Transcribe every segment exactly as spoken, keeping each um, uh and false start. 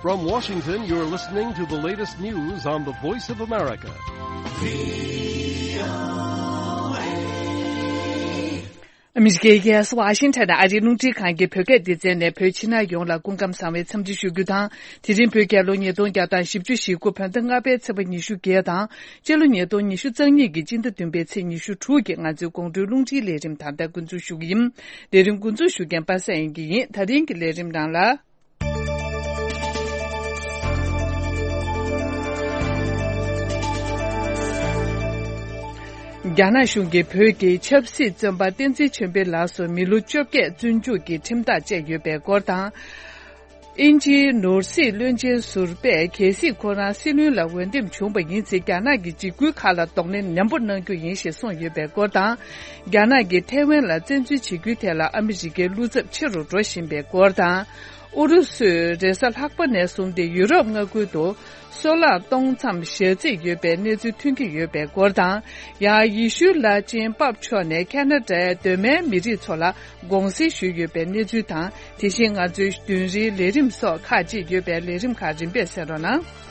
From Washington, you're listening to the latest news on the Voice of America. ཨ་མི་རི་ཀའི་རྒྱལ་ས་ཝ་ཤིང་ཊོན་ཨ་རིའི་རླུང་འཕྲིན་ཁང་གི་བོད་སྐད་སྡེ་ཚན་ནས་བོད་ཕྱི་ནང་ཡོངས་ལ་སྐུ་ཁམས་བཟང་བའི་འཚམས་འདྲི་ཞུ་རྒྱུ་དང་། དེ་རིང་བོད་རྒྱལ་ལོ་ཉིས་སྟོང་བརྒྱ་དང་བཞི་བཅུ་ཞེ་དགུ་བོད་ཟླ་ལྔ་པའི་ཚེས་པ་ཉི་ཤུ་བརྒྱད་དང་། སྤྱི་ལོ་ཉིས་སྟོང་ཉི་ཤུ་རྩ་གཉིས་ཀྱི་སྤྱི་ཟླ་བདུན་པའི་ཚེས་ཉི་ཤུ་དྲུག་གི་ང་ཚོའི་དགོང་དྲོའི་རླུང་འཕྲིན་ལས་རིམ་ད་ལྟ་འགོ་འཛུགས་ཞུ་གི་ཡིན། ལས་རིམ་འགོ་འཛུགས་ཞུ་མཁན་པ་སངས་དབྱངས་སྐྱིད་ཡིན། ད་རིང་གི་ལས་རིམ་ནང་ལ། རྒྱ་ནག་གཞུང་གིས་བོད་ཀྱི་ཆབ་སྲིད་བཙོན་པ་བསྟན་འཛིན་ཆོས་འཕེལ་ལགས་སུ་མི་ལོ་བཅོ་བརྒྱད་བཙོན་འཇུག་གི་ཁྲིམས་ཐག་བཅད་ཡོད་པའི་སྐོར་དང་། དབྱིན་ཇིའི་ནོར་སྲིད་བློན་ཆེན་ཟུར་པས་གལ་སྲིད་ཁོ་རང་སྲིད་བློན་ལ་འོས་འདེམས་བྱུང་བ་ཡིན་ཚེ་རྒྱ་ནག་གི་འཇིགས་སྐུལ་ཁག་ལ་གདོང་ལེན་ནན་པོ་གནང་རྒྱུ་ཡིན་ཞེས་གསུངས་ཡོད་པའི་སྐོར་དང་། རྒྱ་ནག་གིས་ཐའེ་ཝན་ལ་བཙན་འཛུལ་བྱེད་རྒྱུའི་ཐད་ལ་ཨ་མི་རི་ཀའི་བློ་འཚབ་ཆེ་རུ་འགྲོ་བཞིན་པའི་སྐོར་དང་། ཨུ་རུ་སུས་རེས་གཟའ་ལྷག་པ་ནས་བཟུང་སྟེ་ཡུ་རོབ་མངའ་ཁུལ་དུ་སོལ་རླངས་གཏོང་མཚམས་ཞལ་འཛེགས་ཡོད་པའི་གནས་ཚུལ་ཐོན་གྱི་ཡོད་པའི་སྐོར་དང་། ཡང་ཡེ་ཤུའི་བླ་ཆེན་པབ་མཆོག་ནས་ཁ་ན་ཌའི་གདོད་མའི་མི་རིགས་ཚོ་ལ་དགོངས་སེལ་ཞུས་ཡོད་པའི་གནས་ཚུལ་དང་། དེ་བཞིན་ང་ཚོའི་བདུན་རེའི་ལས་རིམ་སོགས་ཁག་ཅིག་ཡོད་པའི་ལས་རིམ་ཁག་རིམ་པས་གསན་རོགས་གནང་།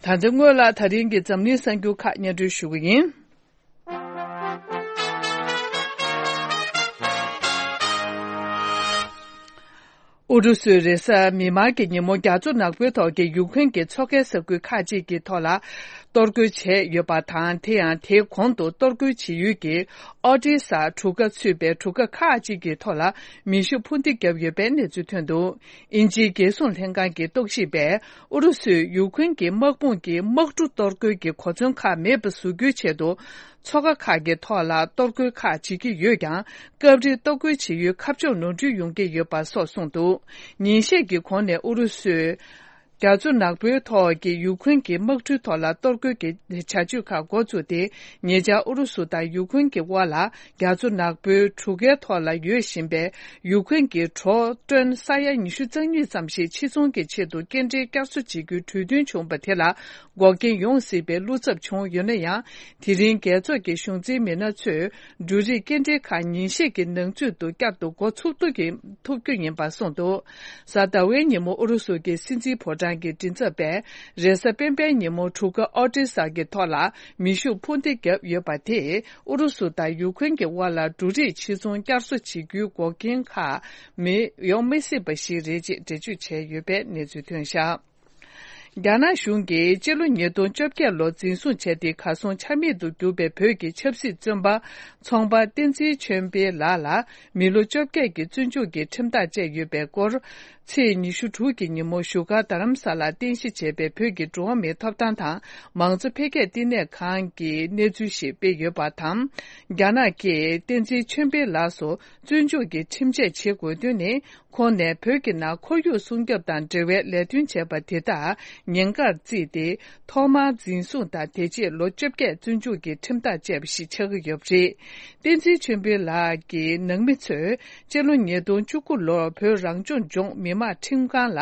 ད་ལྟ་སྔོན་ལ་ད་རིང་གི་འཛམ་གླིང་གསར་འགྱུར་ཁག་སྙན་སྒྲོན་ཞུ་གི་ཡིན། ཨུ་རུ་སུས་རེས་གཟའ་མིག་དམར་གྱི་ཉིན་མོ་རྒྱ་མཚོ་ནག་པོའི་ཐོག་གི་ཡུཀ་རེན་གྱི་མཚོ་ཁའི་ས་ཁུལ་ཁག་ཅིག་གི་ཐོག་ལ་གཏོར་རྒོལ་བྱས་ཡོད་པ་དང་། དེ་ཡང་དེའི་གོང་དུ་གཏོར་རྒོལ་བྱེད་ཡུལ་གྱི་ཨོ་ཏི་ས་གྲུ་ཁ་ཚུད་པའི་གྲུ་ཁ་ཁག་ཅིག་གི་ཐོག་ལ་མེ་ཤུགས་འཕུར་མདེལ་བརྒྱབ་ཡོད་པའི་གནས་ཚུལ་ཐོན་འདུག་དབྱིན་ཇིའི་རྒྱལ་སྲུང་ལྷན་ཁང་གི་རྟོག་ཞིབ་པས་ཨུ་རུ་སུས་ཡུཀ་རེན་གྱི་དམག་དཔུང་གི་དམག་གྲུ་གཏོར་རྒོལ་གྱི་གོ་མཚོན་ཁག་མེད་པ་བཟོ་རྒྱུའི་ཆེད་དུ། མཚོ་ཁ་ཁག་གི་ཐོག་ལ་གཏོར་རྒོལ་ཁག་བྱེད་ཀྱི་ཡོད་ཀྱང་། སྐབས་རེ་གཏོར་རྒོལ་བྱེད་ཡུལ་ཁ་ཕྱོགས་ནོར་འཁྲུལ་ཡོང་གི་ཡོད་པ་སོགས་གསུངས་འདུག་ཉིན་ཤས་ཀྱི་གོང་ནས་ཨུ་རུ་སུས་རྒྱ་མཚོ་ནག་པོའི་ཐོག་གི་ཡུཀ་རེན་གྱི་དམག་གྲུའི་ཐོག་ལ་གཏོར་རྒོལ་གྱི་བྱ་སྤྱོད་ཁག་འགོ་བཙུགས་ཏེ། ཉེ་ཆར་ཨུ་རུ་སུ་དང་ཡུཀ་རེན་གྱི་དབར་ལ་རྒྱ་མཚོ་ནག་པོའི་གྲུ་ཁའི་ཐོག་ལ་ཡོད་བཞིན་པའི་ཡུཀ་རེན་གྱི་གྲོ་ཊོན་ས་ཡ་ཉི་ཤུ་རྩ་གཉིས་ཙམ་ཞིག་ཕྱིར་ཚོང་གི་ཆེད་དུ་སྐྱེལ་འདྲེན་བསྐྱར་གསོ་བྱེད་རྒྱུའི་གྲོས་མཐུན་བྱུང་བ་དེ་ལ། འགོག་རྐྱེན་ཡོང་སྲིད་པའི་བློ་འཚབ་བྱུང་ཡོད་ན་ཡང་། དེ་རིང་རྒྱལ་ཚོགས་ཀྱི་གཞུང་འཛིན་མི་སྣ་ཚོས་འབྲུ་རིགས་སྐྱེལ་འདྲེན་ཁག་ཉིན་ཤས་ཀྱི་ནང་ཚུད་དུ་བསྐྱར་དུ་འགོ་ཚུགས་ཐུབ་ཀྱི་ཐུབ་རྒྱུ་ཡིན་པ་གསུངས་འདུག་གཟའ་ཟླ་བའི་ཉིན་མོ་ཨུ་རུ་སུ་གྱི་སྲིད་འཛིན་ཕོ་བྲང་གི་མགྲིན་ཚབ་པས་རེས་གཟའ་སྤེན་པའི་ཉིན་མོ་གྲུ་ཁ་ཨོ་ཏི་ས་གི་ཐོག་ལ་མེ་ཤུགས་འཕུར་མདེལ་བརྒྱབ་ཡོད་པ་དེས་ཨུ་རུ་སུ་དང་ཡུ་ཁུན་གྱི་དབར་ལ་འབྲུ་རིགས་ཕྱིར་ཚོང་བསྐྱར་གསོ་བྱེད་རྒྱུའི་འགོག་རྐྱེན་ཁག་མི་ཡོང་མི་སྲིད་པ་ཞིག་རེད་ཅེས་འགྲེལ་བརྗོད་བྱས་ཡོད་པའི་གནས་ཚུལ་ཐོན་བཞག་རྒྱ་ནག་གཞུང་གིས་སྤྱི་ལོ་ཉིས་སྟོང་བཅོ་བརྒྱད་ལོར་འཛིན་བཟུང་བྱས་ཏེ་གར་སོང་ཆ་མེད་དུ་གྱུར་པའི་བོད་ཀྱི་ཆབ་སྲིད་བཙོན་པ་ཚོང་པ་བསྟན་འཛིན་ཆོས་འཕེལ་ལགས་ལ་མི་ལོ་བཅོ་བརྒྱད་ཀྱི་བཙོན་འཇུག་གི་ཁྲིམས་ཐག་བཅད་ཡོད་པའི་སྐོར། ཚེས་ཉི་ཤུ་དྲུག་གི་ཉིན་མོ་བཞུགས་སྒར་རྡ་རམ་ས་ལར་རྟེན་གཞི་བྱས་པའི་བོད་ཀྱི་འགྲོ་བ་མིའི་ཐོབ་ཐང་དང་མང་གཙོ་འཕེལ་རྒྱས་ལྟེ་གནས་ཁང་གིས་གནས་ཚུལ་ཞིག་སྤེལ་ཡོད་པ་དང་། རྒྱ་ནག་གིས་བསྟན་འཛིན་ཆོས་འཕེལ་ལགས་སུ་བཙོན་འཇུག་གི་ཁྲིམས་ཆད་བྱེད་དགོས་དོན་ནི། ཁོང་ནས་བོད་ཀྱི་ནང་ཁོར་ཡུག་སྲུང་སྐྱོབ་དང་འབྲེལ་བའི་ལས་དོན་བྱས་པ་དེ་དག་ཉེན་ཁར་བརྩིས་ཏེ། ཐོག་མར་འཛིན་བཟུང་དང་། དེ་རྗེས་ལོ་བཅོ་བརྒྱད་བཙོན་འཇུག་གི་ཁྲིམས་ཐག་བཅད་པ་ཞིག་ཆགས་ཀྱི་ཡོད་པ་རེད། བསྟན་འཛིན་ཆོས་འཕེལ་ལགས་ཀྱི་ནང་མི་ཚོས་སྤྱི་ལོ་ཉིས་སྟོང་བཅུ་དགུ་ལོར་བོད་རང་སྐྱོང་ལྗོངས་མི་དམངས་ཁྲིམས་ཁང་ལ་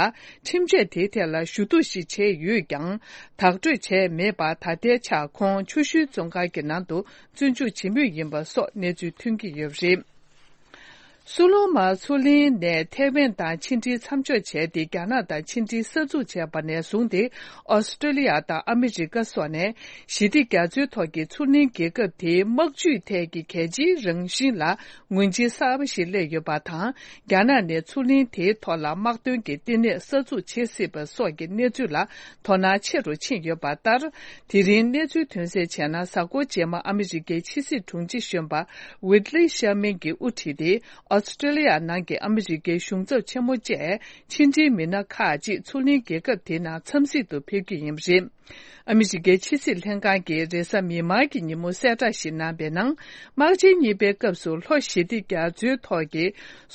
ཁྲིམས་ཆད་དེའི་ཐད་ལ་ཞུ་གཏུག་ཞིག་བྱས་ཡོད་ཀྱང་། བདག་སྤྲོད་བྱས་མེད་པར། ད་ལྟའི་ཆར་ཁོང་ཆུ་ཤུལ་བཙོན་ཁང་གི་ནང་དུ་བཙོན་འཇུག་བྱེད་མུས་ཡིན་པ་སོགས་གནས་ཚུལ་ཐོན་གྱི་ཡོད་པ་རེད། སུ་ལོ་མ་མཚོ་གླིང་ནས་ཐའེ་ཝན་དང་ཕྱི་འབྲེལ་མཚམས་འཇོག་བྱས་ཏེ། རྒྱ་ནག་དང་ཕྱི་འབྲེལ་གསར་འཛུགས་བྱས་པ་ནས་བཟུང་སྟེ། ཨོ་སི་ཀྲོ་ལི་ཡ་དང་ཨ་མི་རི་ཀ་སོགས་ནས་ཞི་བདེ་རྒྱ་མཚོའི་ཐོག་གི་མཚོ་གླིང་རྒྱལ་ཁབ་དེའི་དམག་ཇུས་ཐད་ཀྱི་གལ་ཆེའི་རང་བཞིན་ལ་ངོས་འཛིན་གསར་པ་ཞིག་སླེབས་ཡོད་པ་དང་། རྒྱ་ནག་ནས་མཚོ་གླིང་དེའི་ཐོག་ལ་དམག་དོན་གྱི་ལྟེ་གནས་གསར་འཛུགས་བྱེད་སྲིད་པ་སོགས་ཀྱི་གནས་ཚུལ་ལ་དོ་སྣང་ཆེ་རུ་ཕྱིན་ཡོད་པ་ལྟར། དེ་རིང་གནས་ཚུལ་ཐོན་གསལ་བྱས་ན། གཟའ་འཁོར་རྗེས་མ་ཨ་མི་རི་ཀའི་ཕྱི་སྲིད་དྲུང་ཆེ་གཞོན་པ་ཝིད་ལི་ཤར་མན་གྱིས་དབུ་ཁྲིད་དེ། ཨོ་སི་ཀྲོ་ལི་ཡ་ནང་གི་ཨ་མི་རི་ཀའི་གཞུང་ཚབ་ཆེན་མོ་བཅས་ཕྱི་འབྲེལ་མི་སྣ་ཁག་ཅིག་མཚོ་གླིང་རྒྱལ་ཁབ་དེའི་ནང་འཚམས་གཟིགས་དུ་ཕེབས་རྒྱུ་ཡིན་པ་རེད། ཨ་མི་རི་ཀའི་ཕྱི་སྲིད་ལྷན་ཁང་གིས་རེས་གཟའ་མིག་དམར་གྱི་ཉིན་མོ་གསལ་བསྒྲགས་ཤིག་གནང་བའི་ནང་། དམག་ཆེན་གཉིས་པའི་སྐབས་སུ་ལྷོ་ཞི་བདེ་རྒྱ་མཚོའི་ཐོག་གི་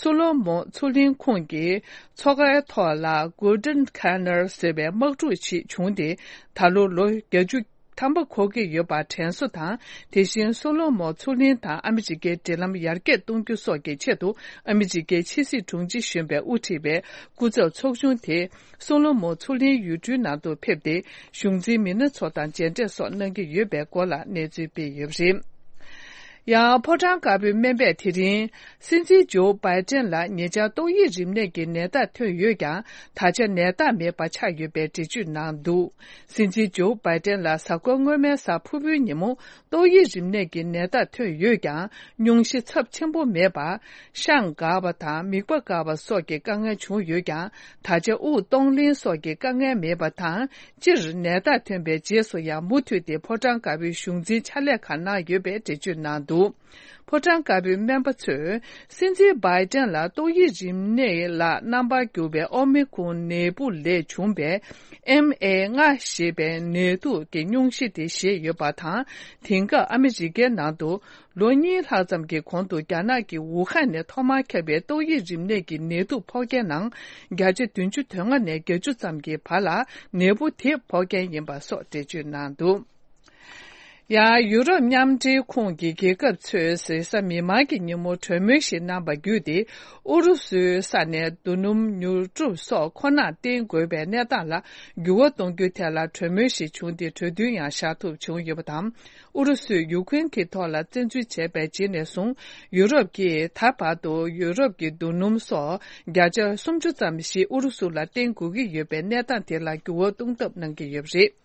སོ་ལོ་མོ་མཚོ་གླིང་ཁོངས་ཀྱི་མཚོ་ཁའི་ཐོག་ལ་Golden Canal ཟེར་བའི་དམག་འཁྲུག་ཅིག་བྱུང་སྟེ། ད་ལོ་ལོ་བརྒྱད་ཅུ་ཐམ་པ་འཁོར་གྱི་ཡོད་པ་དྲན་གསོ་དང་། དེ་བཞིན་སོ་ལོ་མོ་མཚོ་གླིང་དང་ཨ་མི་རི་ཀའི་འབྲེལ་ལམ་ཡར་རྒྱས་གཏོང་རྒྱུ་སོགས་ཀྱི་ཆེད་དུ། ཨ་མི་རི་ཀའི་ཕྱི་སྲིད་དྲུང་ཆེ་གཞོན་པས་དབུ་ཁྲིད་པའི་སྐུ་ཚབ་ཚོགས་ཆུང་དེ། སོ་ལོ་མོ་མཚོ་གླིང་ཡུལ་གྲུའི་ནང་དུ་ཕེབས་ཏེ། གཞུང་འཛིན་མི་སྣ་ཚོ་དང་མཇལ་འཕྲད་སོགས་གནང་གི་ཡོད་པའི་སྐོར་ལ་གནས་ཚུལ་སྤེལ་ཡོད་པ་རེད། ཡང་ཕོ་བྲང་དཀར་པོའི་སྨན་པས་དེ་རིང་། སྲིད་འཛིན་ཇོ་བྷའི་ཏན་ལ་ཉེ་ཆར་ཏོག་དབྱིབས་རིམས་ནད་ཀྱི་ནད་རྟགས་ཐོན་ཡོད་ཀྱང་། ད་ཆ་ནད་རྟགས་མེད་པ་ཆགས་ཡོད་པའི་འགྲེལ་བརྗོད་གནང་འདུག་སྲིད་འཛིན་ཇོ་བྷའི་ཏན་ལ་གཟའ་འཁོར་སྔོན་མའི་གཟའ་ཕུར་བུའི་ཉིན་མོ་ཏོག་དབྱིབས་རིམས་ནད་ཀྱི་ནད་རྟགས་ཐོན་ཡོད་ཀྱང་། སྙུང་གཞི་ཚབས་ཆེན་པོ་མེད་པར། ཤངས་འགག་པ་དང་མིད་པ་འགག་པ་སོགས་ཀྱི་དཀའ་ངལ་བྱུང་ཡོད་ཀྱང་། ད་ཆ་དབུགས་གཏོང་ལེན་སོགས་ཀྱི་དཀའ་ངལ་མེད་པ་དང་། སྤྱིར་ནད་རྟགས་ཐོན་པའི་རྗེས་སུ་ཡང་མུ་མཐུད་དེ་ཕོ་བྲང་དཀར་པོའི་གཞུང་འཛིན་ཕྱག་ལས་ཁག་གནང་ཡོད་པའི་འགྲེལ་བརྗོད་གནང་འདུག་ཕོ་བྲང་དཀར་པོའི་སྨན་པ་ཚོས། སྲིད་འཛིན་བྷའི་ཏན་ལ་ཏོག་དབྱིབས་རིམས་ནད་ལ་རྣམ་པར་གྱུར་པའི་ཨོ་མི་ཁོང་ནད་འབུ་ལས་བྱུང་བའི་ཨེམ་ཨེ་ལྔ་ཞེས་པའི་ནད་དུག་གི་སྙུང་གཞི་དེ་བཞེས་ཡོད་པ་དང་། དེང་སྐབས་ཨ་མི་རི་ཀའི་ནང་དུ། ལོ་གཉིས་ལྷག་ཙམ་གྱི་གོང་དུ་རྒྱ་ནག་གི་ཝུ་ཧན་ནས་ཐོག་མར་ཁྱབ་པའི་ཏོག་དབྱིབས་རིམས་ནད་ཀྱི་ནད་དུག་ཕོག་མཁན་ནང་། བརྒྱ་ཆ་བདུན་ཅུ་དོན་ལྔ་ནས་བརྒྱད་ཅུ་ཙམ་གྱི་བར་ལ་ནད་འབུ་དེ་ཕོག་མཁན་ཡིན་པ་སོགས་འགྲེལ་བརྗོད་གནང་འདུག་ཡང་ཡུ་རོབ་མཉམ་འབྲེལ་ཁོངས་ཀྱི་རྒྱལ་ཁབ་ཚོས་རེས་གཟའ་མིག་དམར་གྱི་ཉིན་མོ་གྲོས་མོལ་ཞིག་གནང་བ་བརྒྱུད་དེ། ཨུ་རུ་སུའི་ས་ནས་རྡོ་སྣུམ་ཉོ་སྒྲུབ་སོགས་མཁོ་ནག་བསྟེན་དགོས་པའི་གནས་སྟངས་ལ་འགྱུར་བ་གཏོང་རྒྱུའི་ཐད་ལ་གྲོས་མོལ་ཞིག་བྱུང་སྟེ། གྲོས་མཐུན་ཡང་བཞག་ཐུབ་བྱུང་ཡོད་པ་དང་། ཨུ་རུ་སུས་ཡུ་ཁུན་གྱི་ཐོག་ལ་བཙན་འཛུལ་བྱས་པའི་རྗེས་ནས་བཟུང་། ཡུ་རོབ་ཀྱིས་ད་བར་དུ་ཡུ་རོབ་ཀྱི་རྡོ་སྣུམ་སོགས་བརྒྱ་ཆ་སུམ་ཅུ་ཙམ་ཞིག་ཨུ་རུ་སུ་ལ་བརྟེན་དགོས་ཀྱི་ཡོད་པའི་གནས་སྟངས་དེ་ལ་འགྱུར་བ་གཏོང་ཐབས་གནང་གི་ཡོད་པ་རེད།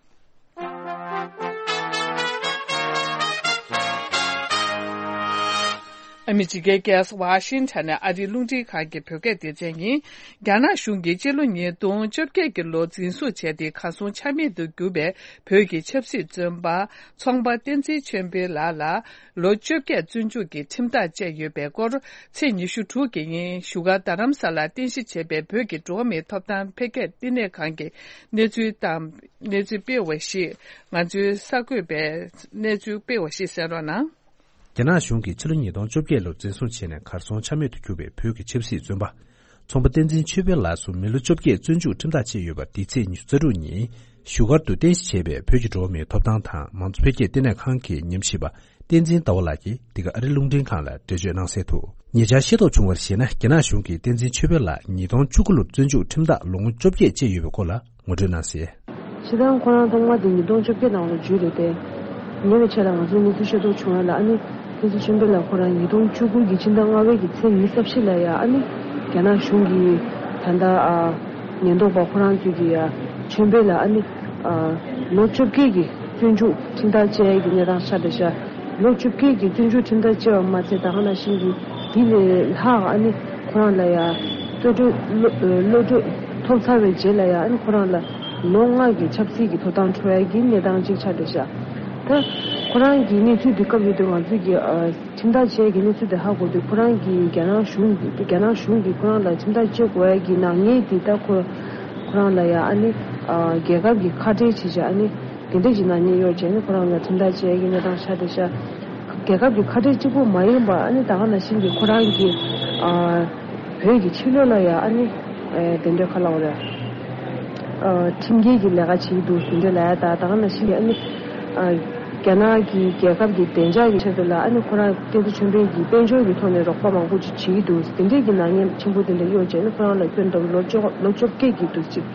ཨ་མི་རི་ཀའི་རྒྱལ་ས་ཝ་ཤིང་ཊོན་ནས་ཨ་རིའི་རླུང་འཕྲིན་ཁང་གི་བོད་སྐད་སྡེ་ཚན་ཡིན། རྒྱ་ནག་གཞུང་གིས་སྤྱི་ལོ་ཉིས་སྟོང་བཅོ་བརྒྱད་ཀྱི་ལོ་འཛིན་བཟུང་བྱས་ཏེ། གར་སོང་ཆ་མེད་དུ་གྱུར་པའི་བོད་ཀྱི་ཆབ་སྲིད་བཙོན་པ། ཚོང་པ་བསྟན་འཛིན་ཆོས་འཕེལ་ལགས་ལ་ལོ་བཅོ་བརྒྱད་བཙོན་འཇུག་གི་ཁྲིམས་ཐག་བཅད་ཡོད་པའི་སྐོར། ཚེས་ཉི་ཤུ་དྲུག་གི་ཉིན་བཞུགས་སྒར་རྡ་རམ་ས་ལར་རྟེན་གཞི་བྱས་པའི་བོད་ཀྱི་འགྲོ་བ་མིའི་ཐོབ་ཐང་འཕེལ་རྒྱས་བསྟི་གནས་ཁང་གིས་གནས་ཚུལ་དང་། གནས་ཚུལ་སྤེལ་བ་ཞིག་ང་ཚོའི་གསར་འགོད་པས་གནས་ཚུལ་སྤེལ་བ་ཞིག་གསན་རོགས་གནང་། རྒྱ་ནག་གཞུང་གིས་ཕྱི་ལོ་ཉིས་སྟོང་བཅོ་བརྒྱད་ལོར་འཛིན་བཟུང་བྱས་ནས་གར་སོང་ཆ་མེད་དུ་གྱུར་པའི་བོད་ཀྱི་ཆབ་སྲིད་བཙོན་པ། ཚོང་པ་བསྟན་འཛིན་ཆོས་འཕེལ་ལགས་སུ་མི་ལོ་བཅོ་བརྒྱད་བཙོན་འཇུག་ཁྲིམས་ཐག་བཅད་ཡོད་པ། འདི་ཚེས་ཉི་ཤུ་རྩ་དྲུག་ཉིན་བཞུགས་སྒར་དུ་རྟེན་གཞི་བྱས་པའི་བོད་ཀྱི་འགྲོ་བ་མིའི་ཐོབ་ཐང་དང་མང་གཙོ་འཕེལ་རྒྱས་བསྟི་གནས་ཁང་གི་ཉམས་ཞིབ་པ་བསྟན་འཛིན་ཟླ་བ་ལགས་ཀྱིས་འདི་ག་ཨ་རི་རླུང་འཕྲིན་ཁང་ལ་འགྲེལ་བརྗོད་གནང་གསལ་དུ། ཉེ་ཆར་ཤེས་རྟོགས་བྱུང་བར་གཞིགས་ན། རྒྱ་ནག་གཞུང་གིས་བསྟན་འཛིན་ཆོས་འཕེལ་ལགས་ཉིས་སྟོང་བཅུ་དགུ་ལོར་བཙོན་འཇུག་ཁྲིམས་ཐག་ལོ་ངོ་བཅོ་བརྒྱད་བཅད་ཡོད་པའི་སྐོར་ལ་ངོ་སྤྲོད་གནང་གསལ། སྤྱིར་བཏང་ཁོ་རང་ཐོག་མ་དེ་ཉིས་སྟོང་བཅོ་བརྒྱད་ནང་ལ་འཇུས་རེད་དེ། ཉེ་བའི་ཆར་ལ་ང་ཚོས་གནས་ཚུལ་ཤེས་རྟོགས་བྱུང་བ་ལ། ཨ་ནི་བསྟན་འཛིན་ཆོས་འཕེལ་ལགས་ཁོ་རང་ཉིས་སྟོང་བཅུ་དགུ་གི་ཕྱི་ཟླ་ལྔ་པའི་གི་ཚེས་ཉི་ཤུ་རྩ་བཞི་ལ་ཡ། ཨ་ནི་རྒྱ་ནག་གཞུང་གིས་ད་ལྟ་ཨ་ཉེན་རྟོག་པ་ཁོ་རང་ཚོས་ཀྱིས་ཡ་ཆོས་འཕེལ་ལགས་ཨ་ནི་ཨ་ལོ་བཅོ་བརྒྱད་ཀྱི་བཙོན་འཇུག་ཁྲིམས་ཐག་བཅད་ཡ་གི་གནས་སྟངས་ཆགས་བསྡད་ཤག་ལོ་བཅོ་བརྒྱད་ཀྱི་བཙོན་འཇུག་ཁྲིམས་ཐག་བཅད་པ་མ་ཚད། ད་ག་ནང་བཞིན་གྱི་དེ་ལས་ལྷག་ཨ་ནི་ཁོ་རང་ལ་ཡ་གློད་གྲོལ་གློད་གྲོལ་ཐོབ་ཚར་བའི་རྗེས་ལ་ཡ། ཨ་ནི་ཁོ་རང་ལ་ལོ་ལྔ་གི་ཆབ་སྲིད་ཀྱི་ཐོབ་ཐང་འཕྲོག་ཡ་གི་གནས་སྟངས་གཅིག་ཆགས་བསྡད་ཤག་ད་ཁོ་རང་གི་གནས་ཚུལ་འདི་སྐབས་ཡོད་དུས་ང་ཚོས་ཀྱི་ཨ་ཁྲིམས་ཐག་བཅད་ཀྱི་གནས་ཚུལ་དེ་ཧ་གོ་དུས། ཁོ་རང་གིས་རྒྱ་ནག་གཞུང་གིས་རྒྱ་ནག་གཞུང་གིས་ཁོ་རང་ལ་ཁྲིམས་ཐག་བཅད་དགོས་ཡ་གི་ནག་ཉེས་དེ་ད་ཁོ་ཁོ་རང་ལ་ཡ་ཨ་ནི་ཨ་རྒྱལ་ཁབ་ཀྱི་ཁ་བྲལ་བྱེད་བྱ། ཨ་ནི་དེ་འདྲས་ཀྱི་ནག་ཉེས་གཡོག་བྱས་ནས་ཁོ་རང་ལ་ཁྲིམས་ཐག་བཅད་ཡ་གི་གནས་སྟངས་ཆགས་བསྡད་ཤག་རྒྱལ་ཁབ་ཀྱི་ཁ་བྲལ་གཅིག་པུ་མ་ཡིན་པ། ཨ་ནི་ད་ག་ནང་བཞིན་གྱི་ཁོ་རང་གི་ཨ་བོད་ཀྱི་ཕྱི་ལོགས་ལ་ཡ་ཨ་ནི་ཨ་དེ་འདྲའི་ཁ་ལ་འོ་རེད། ཨ་ཁྲིམས་འགལ་གྱི་ལས་ཀ་བྱེད་ཀྱི་འདུག་ཟེར་འདྲ་ལབ་ཡ་ད། ད་ག་ནང་བཞིན་གྱི་ཨ་ནི་ཨ་རྒྱ་ནག་གི་རྒྱལ་ཁབ་ཀྱི་བདེ་འཇགས་ཀྱི་ཆེད་དུ་ལ་ཨ་ནི་ཁོ་རང་བསྟན་འཛིན་ཆོས་འཕེལ་གྱི་དཔལ་འབྱོར་གྱི་ཐོག་ནས་རོགས་པ་མང་པོ་ཅིག་བྱེད་ཀྱི་འདུག་ཟེར། དེ་འདྲས་ཀྱི་ནག་ཉེས་ཆེན་པོ་དེ་འདྲ་གཡོག་བྱས་ནས་ཁོ་རང་ལ་ཁྱོན་བསྡོམས་ལོ་བཅོ་ལོ་བཅོ་བརྒྱད་ཀྱི་དུས་ཚིགས་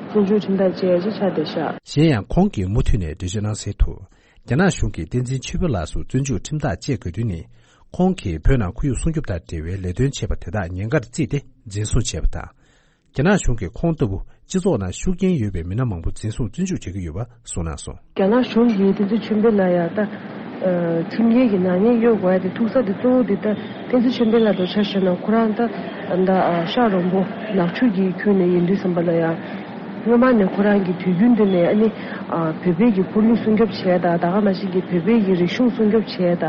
བཙོན་འཇུག་ཁྲིམས་ཐག་བཅད་ཡ་ཅིག་ཆགས་བསྡད་ཤག་གཞན་ཡང་ཁོང་གིས་མུ་མཐུད་ནས་འགྲེལ་བརྗོད་གནང་གསལ་དུ། རྒྱ་ནག་གཞུང་གིས་བསྟན་འཛིན་ཆོས་འཕེལ་ལགས་སུ་བཙོན་འཇུག་ཁྲིམས་ཐག་བཅད་དགོས་དོན་ནི། ཁོང་གིས་བོད་ནང་ཁོར་ཡུག་སྲུང་སྐྱོབ་དང་འབྲེལ་བའི་ལས་དོན་བྱས་པ་དེ་དག་ཉེན་ཁར་བརྩིས་ཏེ་འཛིན་བཟུང་བྱས་པ་དང་། རྒྱ་ནག་གཞུང་གིས་ཁོང་ལྟ་བུ་སྤྱི་ཚོགས་ནང་ཤུགས་རྐྱེན་ཡོད་པའི་མི་སྣ་མང་པོ་འཛིན་བཟུང་བཙོན་འཇུག་བྱེད་ཀྱི་ཡོད་པ་གསུངས་གནང་སོང་། རྒྱ་ནག་གཞུང་གིས་བསྟན་འཛིན་ཆོས་འཕེལ་ལ་ཡ་ད་ཨ་ཁྲིམས་འགལ་གྱི་ནག་ཉེས་གཡོག་དགོས་ཡ་དེ་ཐུག་ས་དེ་གཙོ་བོ་དེ་ད་བསྟན་འཛིན་ཆོས་འཕེལ་ལགས་དང་ཆ་བཞག་ན་ཁོ་རང་ད་ད་ཨ་ཤག་རོང་པོ་ནག་ཆུ་གི་ཁུལ་ནས་ཡིན་དུས་ཙམ་པ་ལ་ཡ། སྔོན་མ་ནས་ཁོ་རང་གིས་དུས་རྒྱུན་དུ་ནས་ཨ་ནི་ཨ་བོད་པའི་གི་ཁོར་ཡུག་སྲུང་སྐྱོབ་བྱས་དང་། ད་ག་ནང་བཞིན་གྱི་བོད་པའི་གི་རིག་གཞུང་སྲུང་སྐྱོབ་བྱས་དང་།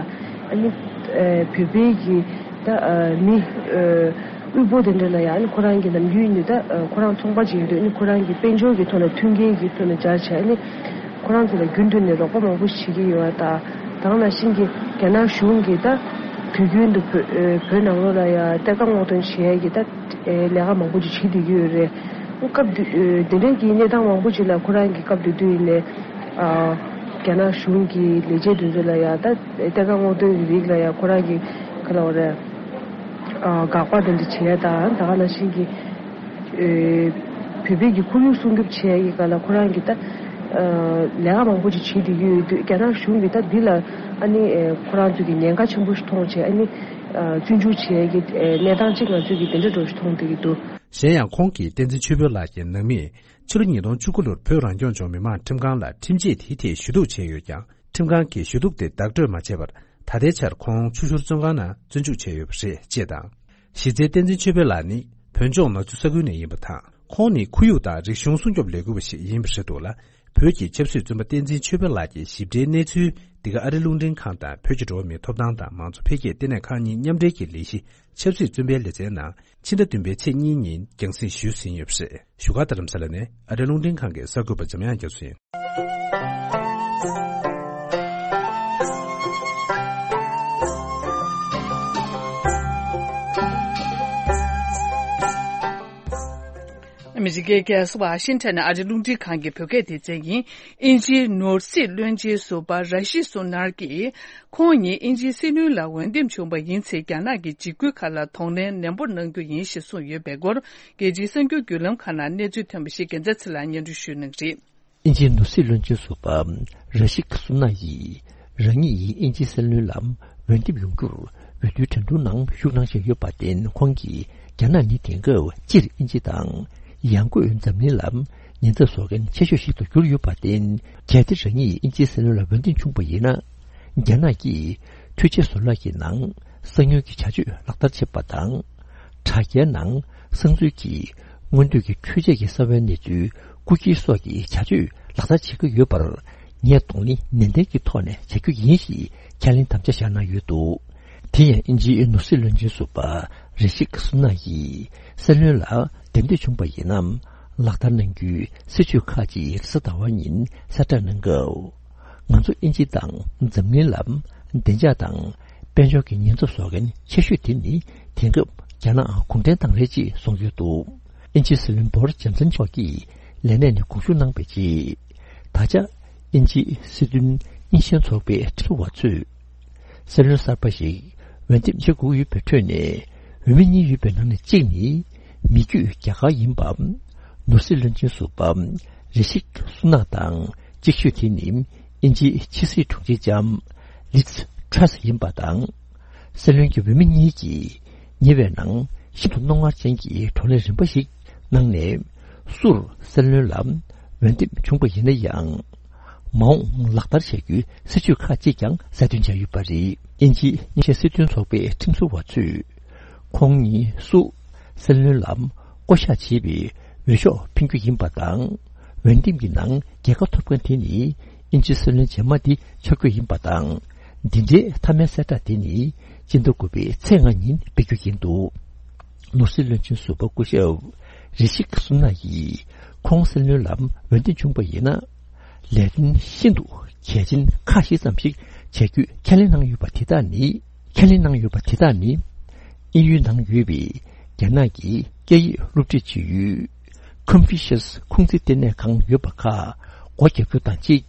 ཨ་ནི་ཨ་བོད་པའི་གི་ད་ཨ་མི་ཨ་དབུལ་པོ་དེ་འདྲ་ལ་ཡང་ཨ་ནི་ཁོ་རང་གི་ནམ་རྒྱུན་ནས་ད་ཨ་ཁོ་རང་ཚོང་པ་ཅིག་ཡིན་དུས་ཨ་ནི་ཁོ་རང་གི་དཔལ་འབྱོར་གྱི་ཐོག་ལ་མཐུན་རྐྱེན་གྱི་ཐོག་ནས་སྦྱར་བྱས། ཨ་ནི་ཁོ་རང་ཚོ་ལ་རྒྱུན་དུ་ནས་རོགས་པ་མང་པོ་བྱེད་ཀྱི་ཡོད་པ་དང་། ད་ག་ནང་བཞིན་གྱི་རྒྱ་ནག་གཞུང་གིས་ད་དུས་རྒྱུན་དུ་བོད་ཨ་བོད་ནང་ལོགས་ལ་ཡང་གཏེར་ཁ་སྔོག་འདོན་བྱེད་ཡས་ཀྱི་ད་ཨེ་ལས་ཀ་མང་པོ་ཅིག་བྱེད་བསྡད་ཀྱི་ཡོད་རེད། སྐབས་དེ་ཨེ་དེ་འདྲའི་གི་གནས་སྟངས་མང་པོ་ཅིག་ལ་ཁོ་རང་གིས་སྐབས་དེ་དུས་ཡིན་ནའི་ཨ་རྒྱ་ནག་གཞུང་གི་ལས་བྱེད་དེ་ཚོ་ལ་ཡང་ད་གཏེར་ཁ་སྔོག་འདོན་གྱི་རིགས་ལ་ཡང་ཁོ་རང་གིས་ག་ལབ་དགོས་རེད། ཨ་དགག་པ་དེ་འདྲ་བྱེད་ཡ་དང་། ད་ག་ནང་བཞིན་གྱི་ཨེ་བོད་པའི་གི་ཁོར་ཡུག་སྲུང་སྐྱོབ་བྱེད་ཡ་གི་སྒང་ལ་ཁོ་རང་གིས་ད་ ལས་ཀ་མང་པོ་ཅིག་བྱེད་བསྡད་ཀྱི་ཡོད་དུས། རྒྱ་ནག་གཞུང་གིས་ད་འདི་ལ་ཨ་ནི་ཁོ་རང་ཚོས་ཀྱི་ཉེན་ཁ་ཆེན་པོ་ཞིག་མཐོང་བྱས། ཨ་ནི་བཙོན་འཇུག་བྱེད་ཀྱི་གནས་སྟངས་ཅིག་ང་ཚོས་ཀྱི་དེ་འདྲ་འདྲ་ཞིག་མཐོང་བསྡད་ཀྱི་འདུག། གཞན་ཡང་ཁོང་གིས་བསྟན་འཛིན་ཆོས་འཕེལ་ལགས་ཀྱི་ནང་མིས་ཕྱི་ལོ་ཉིས་སྟོང་བཅུ་དགུ་ལོར་བོད་རང་སྐྱོང་ལྗོངས་མི་དམངས་ཁྲིམས་ཁང་ལ་ཁྲིམས་ཆད་དེའི་ཐད་ཞུ་གཏུག་བྱས་ཡོད་ཀྱང་། ཁྲིམས་ཁང་གིས་ཞུ་གཏུག་དེ་བདག་སྤྲོད་མ་བྱས་པར། ད་ལྟའི་ཆར་ཁོང་ཆུ་ཤུར་བཙོན་ཁང་ནང་བཙོན་འཇུག་བྱས་ཡོད་པ་རེད་ཅེས་དང་། གཞི་རྩའི་བསྟན་འཛིན་ཆོས་འཕེལ་ལགས་ནི་བོད་ལྗོངས་ནག་ཆུ་ས་ཁུལ་ནས་ཡིན་པ་དང་། ཁོང་ནི་ཁོར་ཡུག་དང་རིག་གཞུང་སྲུང་སྐྱོབ་ལས་འགུལ་བ་ཞིག་ཡིན་པ་རེད་འདུག་ལ། བོད་ཀྱི་ཆབ་སྲིད་བཙོན་པ་བསྟན་འཛིན་ཆོས་འཕེལ་ལགས་ཀྱི་ཞིབ་ཕྲའི་གནས་ཚུལ་འདི་ག་ཨ་རི་རླུང་འཕྲིན་ཁང་དང་བོད་ཀྱི་འགྲོ་བ་མིའི་ཐོབ་ཐང་དང་མང་གཙོ་འཕེལ་རྒྱས་ལྟེ་གནས་ཁང་གཉིས་མཉམ་འབྲེལ་གྱི་ལས་གཞི་ཆབ་སྲིད་བཙོན་པའི་ལེ་ཚན་ནང་ཕྱི་ཟླ་བདུན་པའི་ཚེས་གཉིས་ཉིན་རྒྱང་སྲིང་ཞུས་ཟིན་ཡོད་པ་རེད། བཞུགས་སྒར་རྡ་རམ་ས་ལ་ནས་ཨ་རི་རླུང་འཕྲིན་ཁང་གི་གསར་འགོད་པ་འཇམ་དབྱངས་རྒྱ་མཚོ་ཡིན། ཨ་མི་རི་ཀའི་རྒྱལ་ས་ཝ་ཤིང་ཊོན་ནས་ཨ་རི་རླུང་འཕྲིན་ཁང་གི་བོད་སྐད་སྡེ་ཚན་ཡིན། དབྱིན་ཇིའི་ནོར་སྲིད་བློན་ཆེན་ཟུར་པ་ར་ཤི་སུ་ནར་གྱིས། ཁོང་ཉིད་དབྱིན་ཇིའི་སྲིད་བློན་ལ་འོས་འདེམས་བྱུང་བ་ཡིན་ཚེ། རྒྱ་ནག་གི་འཇིགས་སྐུལ་ཁག་ལ་གདོང་ལེན་ནན་པོ་གནང་རྒྱུ་ཡིན་ཞེས་གསུངས་ཡོད་པའི་སྐོར། རྒྱལ་སྤྱིའི་གསར་འགྱུར་བརྒྱུད་ལམ་ཁག་ནང་གནས་ཚུལ་ཐོན་པ་ཞིག་རྒྱལ་མཚན་ཚེ་ལགས་སྙན་སྒྲོན་ཞུ་གནང་གི་རེད། དབྱིན་ཇིའི་ནོར་སྲིད་བློན་ཆེན་ཟུར་པ་ར་ཤི་སུ་ན་ཡིས་རང་ཉིད་ཡིས་དབྱིན་ཇིའི་སྲིད་བློན་ལ་འོས་འདེམས་ཡོང་རྒྱུར་འོས་བསྡུའི་གྲ་སྒྲིག་ནང་ཞུགས་གནང་བཞིན་ཡོད་པར་བརྟེན། ཁོང་གིས་རྒྱ་ནག་ནི་དེང་སྐབས་སྤྱིར་དབྱིན་ཇི་དང་། ཡང་སྒོས་འཛམ་གླིང་ལ་ཉེན་ཚབས་བཟོ་མཁན་ཆེ་ཤོས་ཤིག་ཏུ་གྱུར་ཡོད་པར་བརྟེན། གལ་ཏེ་རང་ཉིད་དབྱིན་ཇིའི་སྲིད་བློན་ལ་འོས་འདེམས་བྱུང་བ་ཡིན་ན། རྒྱ་ནག་གིས་འཕྲུལ་ཆས་བཟོ་ལས་ཀྱི་ནང་གསང་ཉུལ་གྱི་བྱ་སྤྱོད་ལག་བསྟར་བྱེད་པ་དང་། དྲ་རྒྱའི་ནང་གསང་འཛུལ་གྱིས་སྔོན་ཐོན་གྱི་འཕྲུལ་ཆས་ཀྱི་གསང་བའི་གནས་ཚུལ་རྐུ་འཁྱེར་སོགས་ཀྱི་བྱ་སྤྱོད་ལག་བསྟར་བྱེད་ཀྱི་ཡོད་པར། ངས་གདོང་ལེན་ནན་ཏན་གྱི་ཐོག་ནས་བྱ་རྒྱུ་ཡིན་ཞེས་ཁས་ལེན་དམ་བཅའ་བཞག་གནང་ཡོད་འདུག། དེ་ཡང་དབྱིན་ཇིའི་ནོར་སྲིད་བློན་ཆེན་ཟུར་པ་རི་ཤིག་སུ་ན་ཡིས་སྲིད་བློན་ལ་འདེམས་ཐོན་བྱུང་བ་ཡིན་ན། ལག་བསྟར་གནང་རྒྱུའི་སྲིད་བྱུས་ཁག་ཅིག་རེས་གཟའ་ཟླ་བ་ཉིན་གསལ་བསྒྲགས་གནང་སྐབས། ང་ཚོ་དབྱིན་ཇི་དང་འཛམ་གླིང་ལ་བདེ་འཇགས་དང་དཔལ་འབྱོར་གྱི་ཉེན་ཚབས་བཟོ་མཁན་ཆེ་ཤོས་དེ་ནི་དེང་སྐབས་རྒྱ་ནག་གུང་ཁྲན་ཏང་རེད་ཅེས་གསུངས་ཡོད་འདུག། དབྱིན་ཇིའི་སྲིད་བློན་བོ་རི་ཇོན་སན་མཆོག་གིས་ལས་གནས་ནས་དགོངས་ཞུ་གནང་བའི་རྗེས། ད་ཆ་དབྱིན་ཇིའི་སྲིད་དོན་གཉིས་ཤན་ཚོགས་པའི་ཁྲིམས་བཟོ་བ་ཚོས། སྲིད་བློན་གསར་པ་ཞིག་འོས་འདེམས་བྱེད་དགོས་ཡོད་པའི་ཁྲོད་ནས། འོས་མི་གཉིས་ཡོད་པའི་ནང་ནས་གཅིག་ནི་མི་རྒྱུད་རྒྱ་གར་ཡིན་པ། ནོར་སྲིད་བློན་ཆེན་ཟུར་པ་རི་ཤིག་སུ་ནག་དང་གཅིག་ཤོས་དེ་ནི་དབྱིན་ཇིའི་ཕྱི་སྲིད་དྲུང་ཆེ་ལྕམ་ལིཛ་ཊྲ་སི་ཡིན་པ་དང་། སྲིད་བློན་གྱི་འོས་མི་གཉིས་ཀྱིས་ཉེ་བའི་ནང་ཤིན་ཏུ་རྣོ་ངར་ཅན་གྱི་བགྲོ་གླེང་རིམ་པ་ཞིག་གནང་ནས། སུར་སྲིད་བློན་ལ་འོས་འདེམས་བྱུང་བ་ཡིན་ན་ཡང་། མ་འོངས་ལག་བསྟར་བྱ་རྒྱུའི་སྲིད་བྱུས་ཁག་ཅིག་ཀྱང་གསལ་སྟོན་བྱས་ཡོད་པ་རེད། དབྱིན་ཇིའི་གཉིས་ཤན་སྲིད་དོན་ཚོགས་པའི་ཁྲིམས་བཟོ་བ་ཚོས། ཁོང་ཉིད་སུ་སྲིད་བློན་ལ་བསྐོ་གཞག་བྱེད་པའི་འོས་ཤོག་འཕེན་རྒྱུ་ཡིན་པ་དང་། འོས་འདེམས་ཀྱི་ནང་རྒྱལ་ཁ་ཐོབ་མཁན་དེ་ནི་དབྱིན་ཇིའི་སྲིད་བློན་རྗེས་མ་དེ་ཆགས་རྒྱུ་ཡིན་པ་དང་། འདི་འདྲའི་མཐའ་མའི་གསལ་བསྒྲགས་དེ་ནི་སྤྱི་ཟླ་དགུ་པའི་ཚེས་ལྔ་ཉིན་སྤེལ་རྒྱུ་ཡིན་འདུག། ནོར་སྲིད་བློན་ཆེན་ཟུར་པ་སྐུ་ཞབས་རི་ཤིག་སུ་ན་ཡིས་ཁོང་སྲིད་བློན་ལ་འོས་འདེམས་བྱུང་བ་ཡིན་ན། ལས་དོན་ཤིན་ཏུ་གལ་ཆེན་ཁག་བཞི་ཙམ་ཞིག་བྱ་རྒྱུའི་ཁས་ལེན་གནང་ཡོད་པ་དེ་དག་ནི། ཁས་ལེན་གནང་ཡོད་པ་དེ་དག་ནི། དབྱིན་ཡུལ་ནང་ཡོད་པའི་རྒྱ་ནག་གི་སྐད་ཡིག་སློབ་ཁྲིད་བྱེད་ཡུལ། ཀོན་ཕུ་ཤི་ཡས་ཁུང་ཙི་ལྟེ་གནས་ཁང་ཡོད་པ་ཁག་སྒོ་བརྒྱབ་རྒྱུ་དང་གཅིག།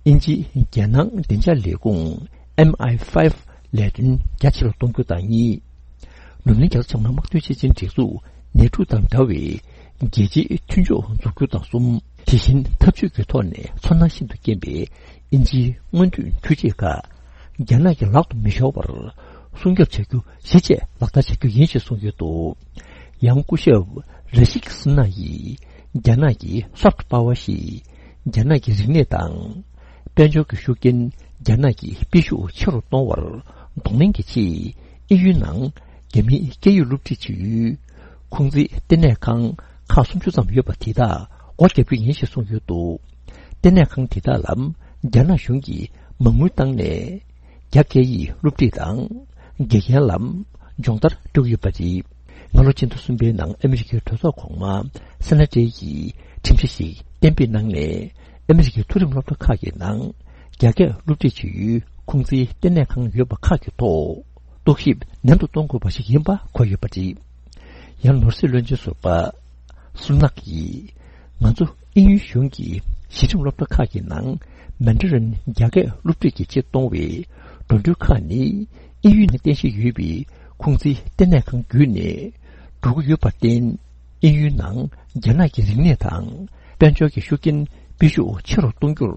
དབྱིན་ཇི་རྒྱལ་ནང་བདེ་འཇགས་ལས་ཁུངས་ཨེམ་ཨའི་ཕའི་ཝི་ལས་དོན་རྒྱ་ཆེ་རུ་གཏོང་རྒྱུ་དང་གཉིས། ནུབ་གླིང་རྒྱ་མཚོ་བྱང་མའི་དམག་དོན་སྤྱི་ཆིངས་སྒྲིག་འཛུགས་ནེ་ཊོ་དང་འདྲ་བའི་རྒྱལ་སྤྱིའི་མཐུན་ཕྱོགས་འཛུགས་རྒྱུ་དང་གསུམ། དེ་བཞིན་འཐབ་ཇུས་ཀྱི་ཐོག་ནས་ཚོར་སྣང་ཤིན་ཏུ་སྐྱེན་པའི་དབྱིན་ཇིའི་སྔོན་ཐོན་འཕྲུལ་ཆས་ཁག་རྒྱ་ནག་གི་ལག་ཏུ་མི་ཤོར་བར་སྲུང་སྐྱོབ་བྱ་རྒྱུ་གཞི་བཅས་ལག་བསྟར་བྱ་རྒྱུ་ཡིན་ཞེས་གསུངས་ཡོད་འདུག། ཡང་སྐུ་ཞབས་རི་ཤིག་སུ་ན་ཡིས་རྒྱ་ནག་གི་སོཕ་ཊི་པ་ཝར་ཞེས་རྒྱ་ནག་གི་རིག་གནས་དང་། དཔལ་འབྱོར་གྱི་ཤུགས་རྐྱེན་རྒྱ་ནག་གི་སྤེལ་ཤུགས་ཆེ་རུ་གཏོང་བར་གདོང་ལེན་གྱི་ཆེད། དབྱིན་ཡུལ་ནང་རྒྱ་མིའི་སྐད་ཡིག་སློབ་ཁྲིད་བྱེད་ཡུལ་ཁུང་ཙི་ལྟེ་གནས་ཁང་ཁག་སུམ་ཅུ་ཙམ་ཡོད་པ་དེ་དག་སྒོ་བརྒྱབ་རྒྱུ་ཡིན་ཞེས་གསུངས་ཡོད་འདུག། ལྟེ་གནས་ཁང་དེ་དག་ལ་རྒྱ་ནག་གཞུང་གིས་མ་དངུལ་བཏང་ནས། རྒྱ་སྐད་ཡིག་སློབ་ཁྲིད་དང་། དགེ་རྒན་ལ་སྦྱོང་བརྡར་སྤྲོད་ཀྱི་ཡོད་པ་རེད། སྔ་ལོ་སྤྱི་ཟླ་གསུམ་པའི་ནང་ཨ་མི་རི་ཀའི་གྲོས་ཚོགས་གོང་མ་སེ་ན་ཏྲེ་ཡིས་ཁྲིམས་གཞི་ཞིག་གཏན་འབེབས་གནང་ནས། ཨ་མི་རི་ཀའི་མཐོ་རིམ་སློབ་གྲྭ་ཁག་གི་ནང་རྒྱ་སྐད་སློབ་ཁྲིད་བྱེད་ཡུལ་ཁུང་ཙིའི་ལྟེ་གནས་ཁང་ཡོད་པ་ཁག་གི་ཐོག་རྟོག་ཞིབ་ནན་དུ་གཏོང་དགོས་པ་ཞིག་ཡིན་པ་འཁོད་ཡོད་པ་རེད། ཡང་ནོར་སྲིད་བློན་ཆེན་ཟུར་པ་སུ་ནག་གིས། ང་ཚོ་དབྱིན་ཡུལ་གཞུང་གིས་གཞི་རིམ་སློབ་གྲྭ་ཁག་གི་ནང་མན་ཌ་རིན་རྒྱ་སྐད་སློབ་ཁྲིད་ཀྱི་ཆེད་གཏོང་བའི་འགྲོ་གྲོན་ཁག་ནི། དབྱིན་ཡུལ་ནང་རྟེན་གཞི་ཡོད་པའི་ཁུང་ཙི་ལྟེ་གནས་ཁང་བརྒྱུད་ནས་འགྲོ་གི་ཡོད་པར་བརྟེན། དབྱིན་ཡུལ་ནང་རྒྱ་ནག་གི་རིག་གནས་དང་དཔལ་འབྱོར་གྱི་ཤུགས་རྐྱེན་ སྤེལ་ཤུགས་ཆེ་རུ་གཏོང་རྒྱུར་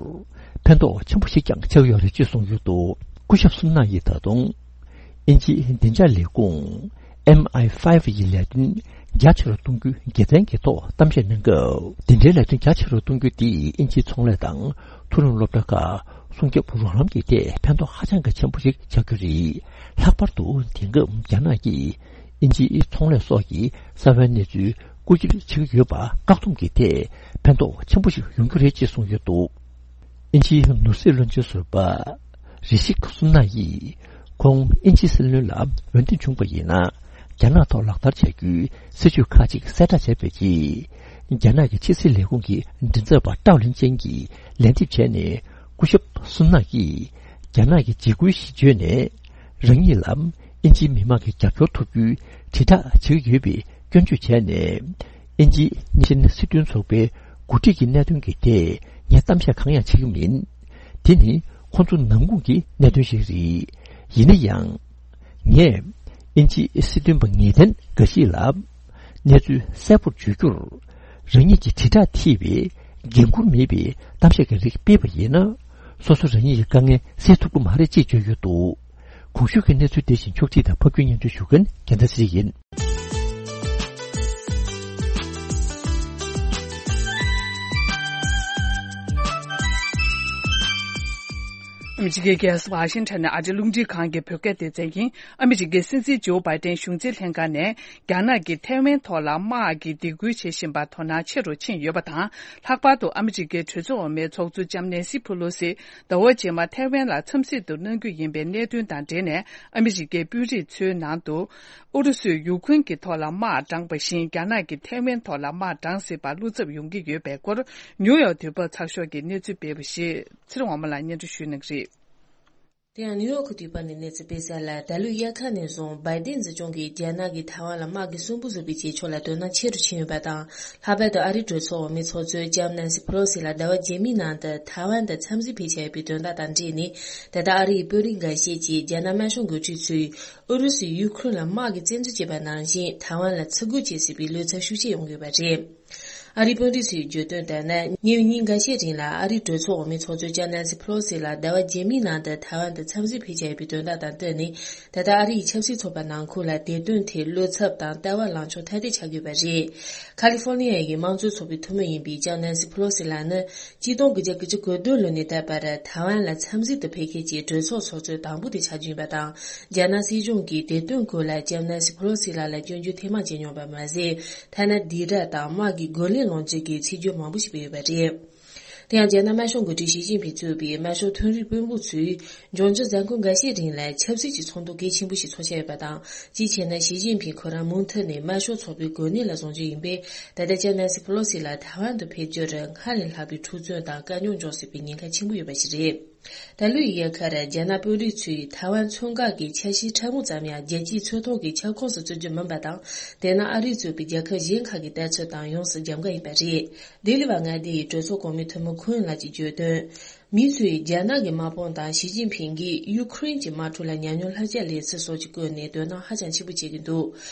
ཕན་ཐོགས་ཆེན་པོ་ཞིག་ཀྱང་ཆགས་ཡོད་རེད་ཅེས་གསུངས་ཡོད་འདུག་སྐུ་ཞབས་སུན་ན་ཡིས་ད་དུང་དབྱིན་ཇིའི་བདེ་འཇགས་ལས་ཁུངས་ཨེམ་ཨའི་ཕའི་བྷ་ཡི་ལས་དོན་རྒྱ་ཆེ་རུ་གཏོང་རྒྱུའི་དགེ་མཚན་གྱི་ཐོག་གཏམ་བཤད་གནང་སྐབས། དེ་འབྲེལ་ལས་དོན་རྒྱ་ཆེ་རུ་གཏོང་རྒྱུ་དེས་དབྱིན་ཇིའི་ཚོང་ལས་དང་མཐོ་རིམ་སློབ་གྲྭ་ཁག་སྲུང་སྐྱོབ་རོགས་རམ་གྱི་ཐད་ཕན་ཐོགས་ཧ་ཅང་གི་ཆེན་པོ་ཞིག་ཆགས་རྒྱུ་རེད། ལྷག་པར་དུ་དེང་སྐབས་རྒྱ་ནག་གིས་དབྱིན་ཇིའི་ཚོང་ལས་སོགས་ཀྱི་གསང་བའི་གནས་ཚུལ་རྐུ་འཁྱེར་བྱེད་ཀྱི་ཡོད་པ་བཀག་སྡོམ་གྱི་ཐད་ཕན་ཐོགས་ཆེན་པོ་ཞིག་ཡོང་རྒྱུ་རེད་ཅེས་གསུངས་ཡོད་འདུག་དབྱིན་ཇིའི་ནོར་སྲིད་བློན་ཆེན་ཟུར་པ་རི་ཤི་སུན་ན་ཡིས་ཁོང་དབྱིན་ཇིའི་སྲིད་བློན་ལ་འོས་འདེམས་བྱུང་བ་ཡིན་ན། རྒྱ་ནག་ཐོག་ལག་བསྟར་བྱ་རྒྱུའི་སྲིད་ཇུས་ཁག་ཅིག་གསལ་བསྒྲགས་བྱས་པའི་རྗེས། རྒྱ་ནག་གི་ཕྱི་སྲིད་ལས་ཁུངས་ཀྱི་མགྲིན་ཚབ་པ་ཀྲའོ་ལིན་ཅན་གྱིས་ལན་འདེབས་བྱས་ནས། སྐུ་ཞབས་སུན་ན་ཡིས་རྒྱ་ནག་གི་འཇིགས་སྐུལ་ཞེས་བརྗོད་ནས། རང་ཉིད་ལ་དབྱིན་ཇིའི་མི་མང་གི་རྒྱབ་སྐྱོར་ཐོབ་རྒྱུའི་དྲིལ་བསྒྲགས་བྱེད་ཀྱི་ཡོད་པའི་སྐྱོན་བརྗོད་བྱས་ནས། དབྱིན་ཇིའི་ཉེས་ཅན་སྲིད་དོན་ཚོགས་པའི་འགོ་ཁྲིད་ཀྱི་གནད་དོན་གྱི་ཐད་ངས་གཏམ་བཤད་གང་ཡང་བྱེད་ཀྱི་མིན། དེ་ནི་ཁོང་ཚོ་ནང་ཁུལ་གྱི་གནད་དོན་ཞིག་རེད། ཡིན་ན་ཡང་། ངས་དབྱིན་ཇིའི་སྲིད་དོན་པ་ངེས་གཏན་འགའ་ཞིག་ལ་གནས་ཚུལ་གསལ་པོར་བརྗོད་རྒྱུར། རང་ཉིད་ཀྱི་དྲིལ་བསྒྲགས་ཐེ་བའི་འགན་འཁུར་མེད་པའི་གཏམ་བཤད་ཀྱི་རིགས་སྤེལ་བ་ཡིན་ན། སོ་སོ་རང་ཉིད་ཀྱི་དཀའ་ངལ་སེལ་ཐུབ་ཀྱི་མ་རེད་ཅེས་བརྗོད་ཡོད་འདུག་གོང་ཞུས་ཀྱི་གནས་ཚུལ་དེ་བཞིན་ཕྱོགས་སྒྲིག་དང་ཕབ་སྒྱུར་སྙན་སྒྲོན་ཞུ་མཁན་རྒྱལ་མཚན་ཚེ་རིང་ཡིན། ཨ་མི་རི་ཀའི་རྒྱལ་ས་ཝ་ཤིང་ཊོན་ནས་ཨ་རིའི་རླུང་འཕྲིན་ཁང་གི་བོད་སྐད་སྡེ་ཚན་ཡིན། ཨ་མི་རི་ཀའི་སྲིད་འཛིན་ཇོ་བྷའི་ཏན་གཞུང་འཛིན་ལྷན་ཁང་ནས། རྒྱ་ནག་གིས་ཐའེ་ཝན་ཐོག་ལ་དམག་གི་སྡིགས་སྐུལ་བྱེད་བཞིན་པར་དོ་སྣང་ཆེ་རུ་ཕྱིན་ཡོད་པ་དང་། ལྷག་པར་དུ་ཨ་མི་རི་ཀའི་གྲོས་ཚོགས་འོག་མའི་ཚོགས་གཙོ་ལྕམ་ནེན་སི་ཕུ་ལོ་སི་ཟླ་བ་རྗེས་མ་ཐའེ་ཝན་ལ་འཚམས་གཟིགས་དུ་གནང་རྒྱུ་ཡིན་པའི་གནད་དོན་དང་འབྲེལ་ནས། ཨ་མི་རི་ཀའི་དཔོན་རིགས་ཚོའི་ནང་དུ་ཨུ་རུ་སུས་ཡུ་ཁུན་གྱི་ཐོག་ལ་དམག་དྲངས་པ་བཞིན། རྒྱ་ནག་གིས་ཐའེ་ཝན་ཐོག་ལ་དམག་དྲངས་སྲིད་པར་བློ་འཚབ་ཡོང་གི་ཡོད་པའི་སྐོར། ནིའུ་ཡོག་དུས་བབ་ཚགས་ཤོག་གིས་གནས་ཚུལ་སྤེལ་བ་ཞིག་ཚེ་རིང་དབང་མོ་ལགས་སྙན་སྒྲོན་ཞུ་གནང་གི་རེད། དེ་ཡང་ནིའུ་ཡོག་གི་དུས་བབ་ནས་གནས་ཚུལ་སྤེལ་གསལ་ལ། ད་ལོའི་དབྱར་ཁ་ནས་བཟུང་བྷའི་ཏིན་སྲིད་གཞུང་གིས་རྒྱ་ནག་གིས་ཐའེ་ཝན་ལ་དམག་གི་སུན་པོ་བཟོ་བའི་བྱེད་ཕྱོགས་ལ་དོ་སྣང་ཆེ་རུ་ཕྱིན་ཡོད་པ་དང་། ལྷག་པར་དུ་ཨ་རིའི་གྲོས་ཚོགས་འོག་མའི་ཚོགས་གཙོ་ལྕམ་ནན་སི་ཕེ་ལོ་སི་ལགས་ཟླ་བ་རྗེས་མའི་ནང་དུ་ཐའེ་ཝན་དུ་འཚམས་གཟིགས་ཕེབས་འཆར་ཡོད་པའི་དོན་དག་དང་འབྲེལ་ནས། ད་ལྟ་ཨ་རིའི་དཔོན་རིགས་འགའ་ཤས་ཀྱིས་རྒྱ་ནག་དམར་ཤོག་འགོ་ཁྲིད་ཚོས་ཨུ་རུ་སུས་ཡུ་ཁུ་རེན་ལ་དམག་གི་བཙན་འཛུལ་བྱས་པ་ནང་བཞིན། ཐའེ་ཝན་ལ་ཚུར་རྒོལ་བྱེད་སྲིད་པའི་བློ་འཚབ་ཤུགས་ཆེ་ཡོང་གི་ཡོད་པ་རེད། ཨ་རིའི་དཔོན་རིགས་ཚོས་བརྗོད་དོན་ལྟར་ན། ཉེ་བའི་ཉིན་འགའ་ཤས་རིང་ལ་ཨ་རིའི་གྲོས་ཚོགས་འོག་མའི་ཚོགས་གཙོ་ལྕམ་ནན་སི་ཕེ་ལོ་སི་ལགས་ཟླ་བ་རྗེས་མའི་ནང་དུ་ཐའེ་ཝན་དུ་འཚམས་གཟིགས་ཕེབས་འཆར་ཡོད་པའི་དོན་དག་དང་བསྟུན་ནས། ད་ལྟ་ཨ་རིའི་ཆབ་སྲིད་ཚོགས་པ་ནང་ཁུལ་ལ་དེ་དོན་ཐད་བློ་འཚབ་དང་ལྟ་བ་ལངས་ཕྱོགས་ཐ་དད་ཆགས་ཡོད་པ་རེད། ཁ་ལི་ཧྥོར་ནི་ཡ་ཡི་དམངས་གཙོའི་ཚོགས་པའི་འཐུས་མི་ཡིན་པའི་ལྕམ་ནན་སི་ཕེ་ལོ་སི་ལགས་ནི། གཅིག་སྟོང་དགུ་བརྒྱ་དགུ་བཅུ་གོ་བདུན་ལོ་ནས་ད་བར་ཐའེ་ཝན་ལ་འཚམས་གཟིགས་དུ་ཕེབས་མཁན་གྱི་གྲོས་ཚོགས་ཚོགས་གཙོ་དང་པོ་དེ་ཆགས་རྒྱུ་ཡིན་པ་དང་། རྒྱ་ནག་སྲིད་གཞུང་གིས་དེ་དོན་སྐོར་ལ་ལྕམ་ནན་སི་ཕེ་ལོ་སི་ལགས་ལ་སྐྱོན་བརྗོད་ཐེངས་མང་བྱས་མྱོང་བ་མ་ཟད། ཐ་ན་སྡིགས་ར་དང་དམག་གི་རྒོལ་ལན་སློང་རྒྱུ་གི་ཚིག་སྦྱོར་མང་པོ་ཞིག་སྤེལ་ཡོད་པ་རེད། དེ་ཡང་རྒྱ་ནག་དམར་ཤོག་འགོ་ཁྲིད་ཞི་ཅིན་ཕིང་གཙོས་པའི་དམར་ཤོག་མཐོ་རིམ་དཔོན་པོ་ཚོས་འབྱུང་འགྱུར་གཟའ་འཁོར་འགའ་ཤས་རིང་ལ་ཆབ་སྲིད་ཀྱི་ཚོགས་འདུ་གལ་ཆེན་པོ་ཞིག་ཚོགས་འཆར་ཡོད་པ་དང་། གཅིག་བྱས་ན་ཞི་ཅིན་ཕིང་ཁོ་རང་མུ་མཐུད་ནས་དམར་ཤོག་ཚོགས་པའི་གོ་གནས་ལ་བཟུང་རྒྱུ་ཡིན་པས། ད་ལྟ་ལྕམ་ནན་སི་ཕེ་ལོ་སི་ལགས་ཐའེ་ཝན་དུ་ཕེབས་རྒྱུར་སྔར་ལས་ལྷག་པའི་འཁྲུག་རྩོད་དང་དཀའ་རྙོག་འབྱུང་སྲིད་པའི་ཉེན་ཁ་ཆེན་པོ་ཡོད་པ་ཞིག་རེད། ད་ལོའི་དབྱར་ཁར་རྒྱ་ནག་དཔོན་རིགས་ཚོས་ཐའེ་ཝན་མཚོ་འགག་གི་ཆ་ཤས་ཕྲ་མོ་ཙམ་ཡང་རྒྱལ་སྤྱིའི་མཚོ་ཐོག་གི་ཁྱབ་ཁོངས་སུ་བརྩི་རྒྱུ་མིན་པ་དང་། དེ་ནི་ཨ་རིས་གཙོས་པའི་རྒྱལ་ཁབ་གཞན་ཁག་གི་ལྟ་ཚུལ་དང་ཡོངས་སུ་རྒྱབ་འགལ་ཡིན་པ་རེད། ལྡི་ལི་བ་མངའ་སྡེ་ཡི་གྲོས་ཚོགས་གོང་མའི་འཐུས་མི་ཁུན་ལགས་ཀྱིས་བརྗོད་དོན། མི་ཚོས་རྒྱ་ནག་གི་དམག་དཔུང་དང་ཞི་ཅིན་ཕིང་གིས་ཡུ་ཁུ་རེན་གྱི་དམག་འཁྲུག་ལ་ཉམས་མྱོང་ལྷག་ཆད་ལེན་ཚུལ་སོགས་ཀྱི་སྐོར་ནས་དོ་སྣང་ཧ་ཅང་ཆེན་པོ་བྱེད་ཀྱི་འདུག་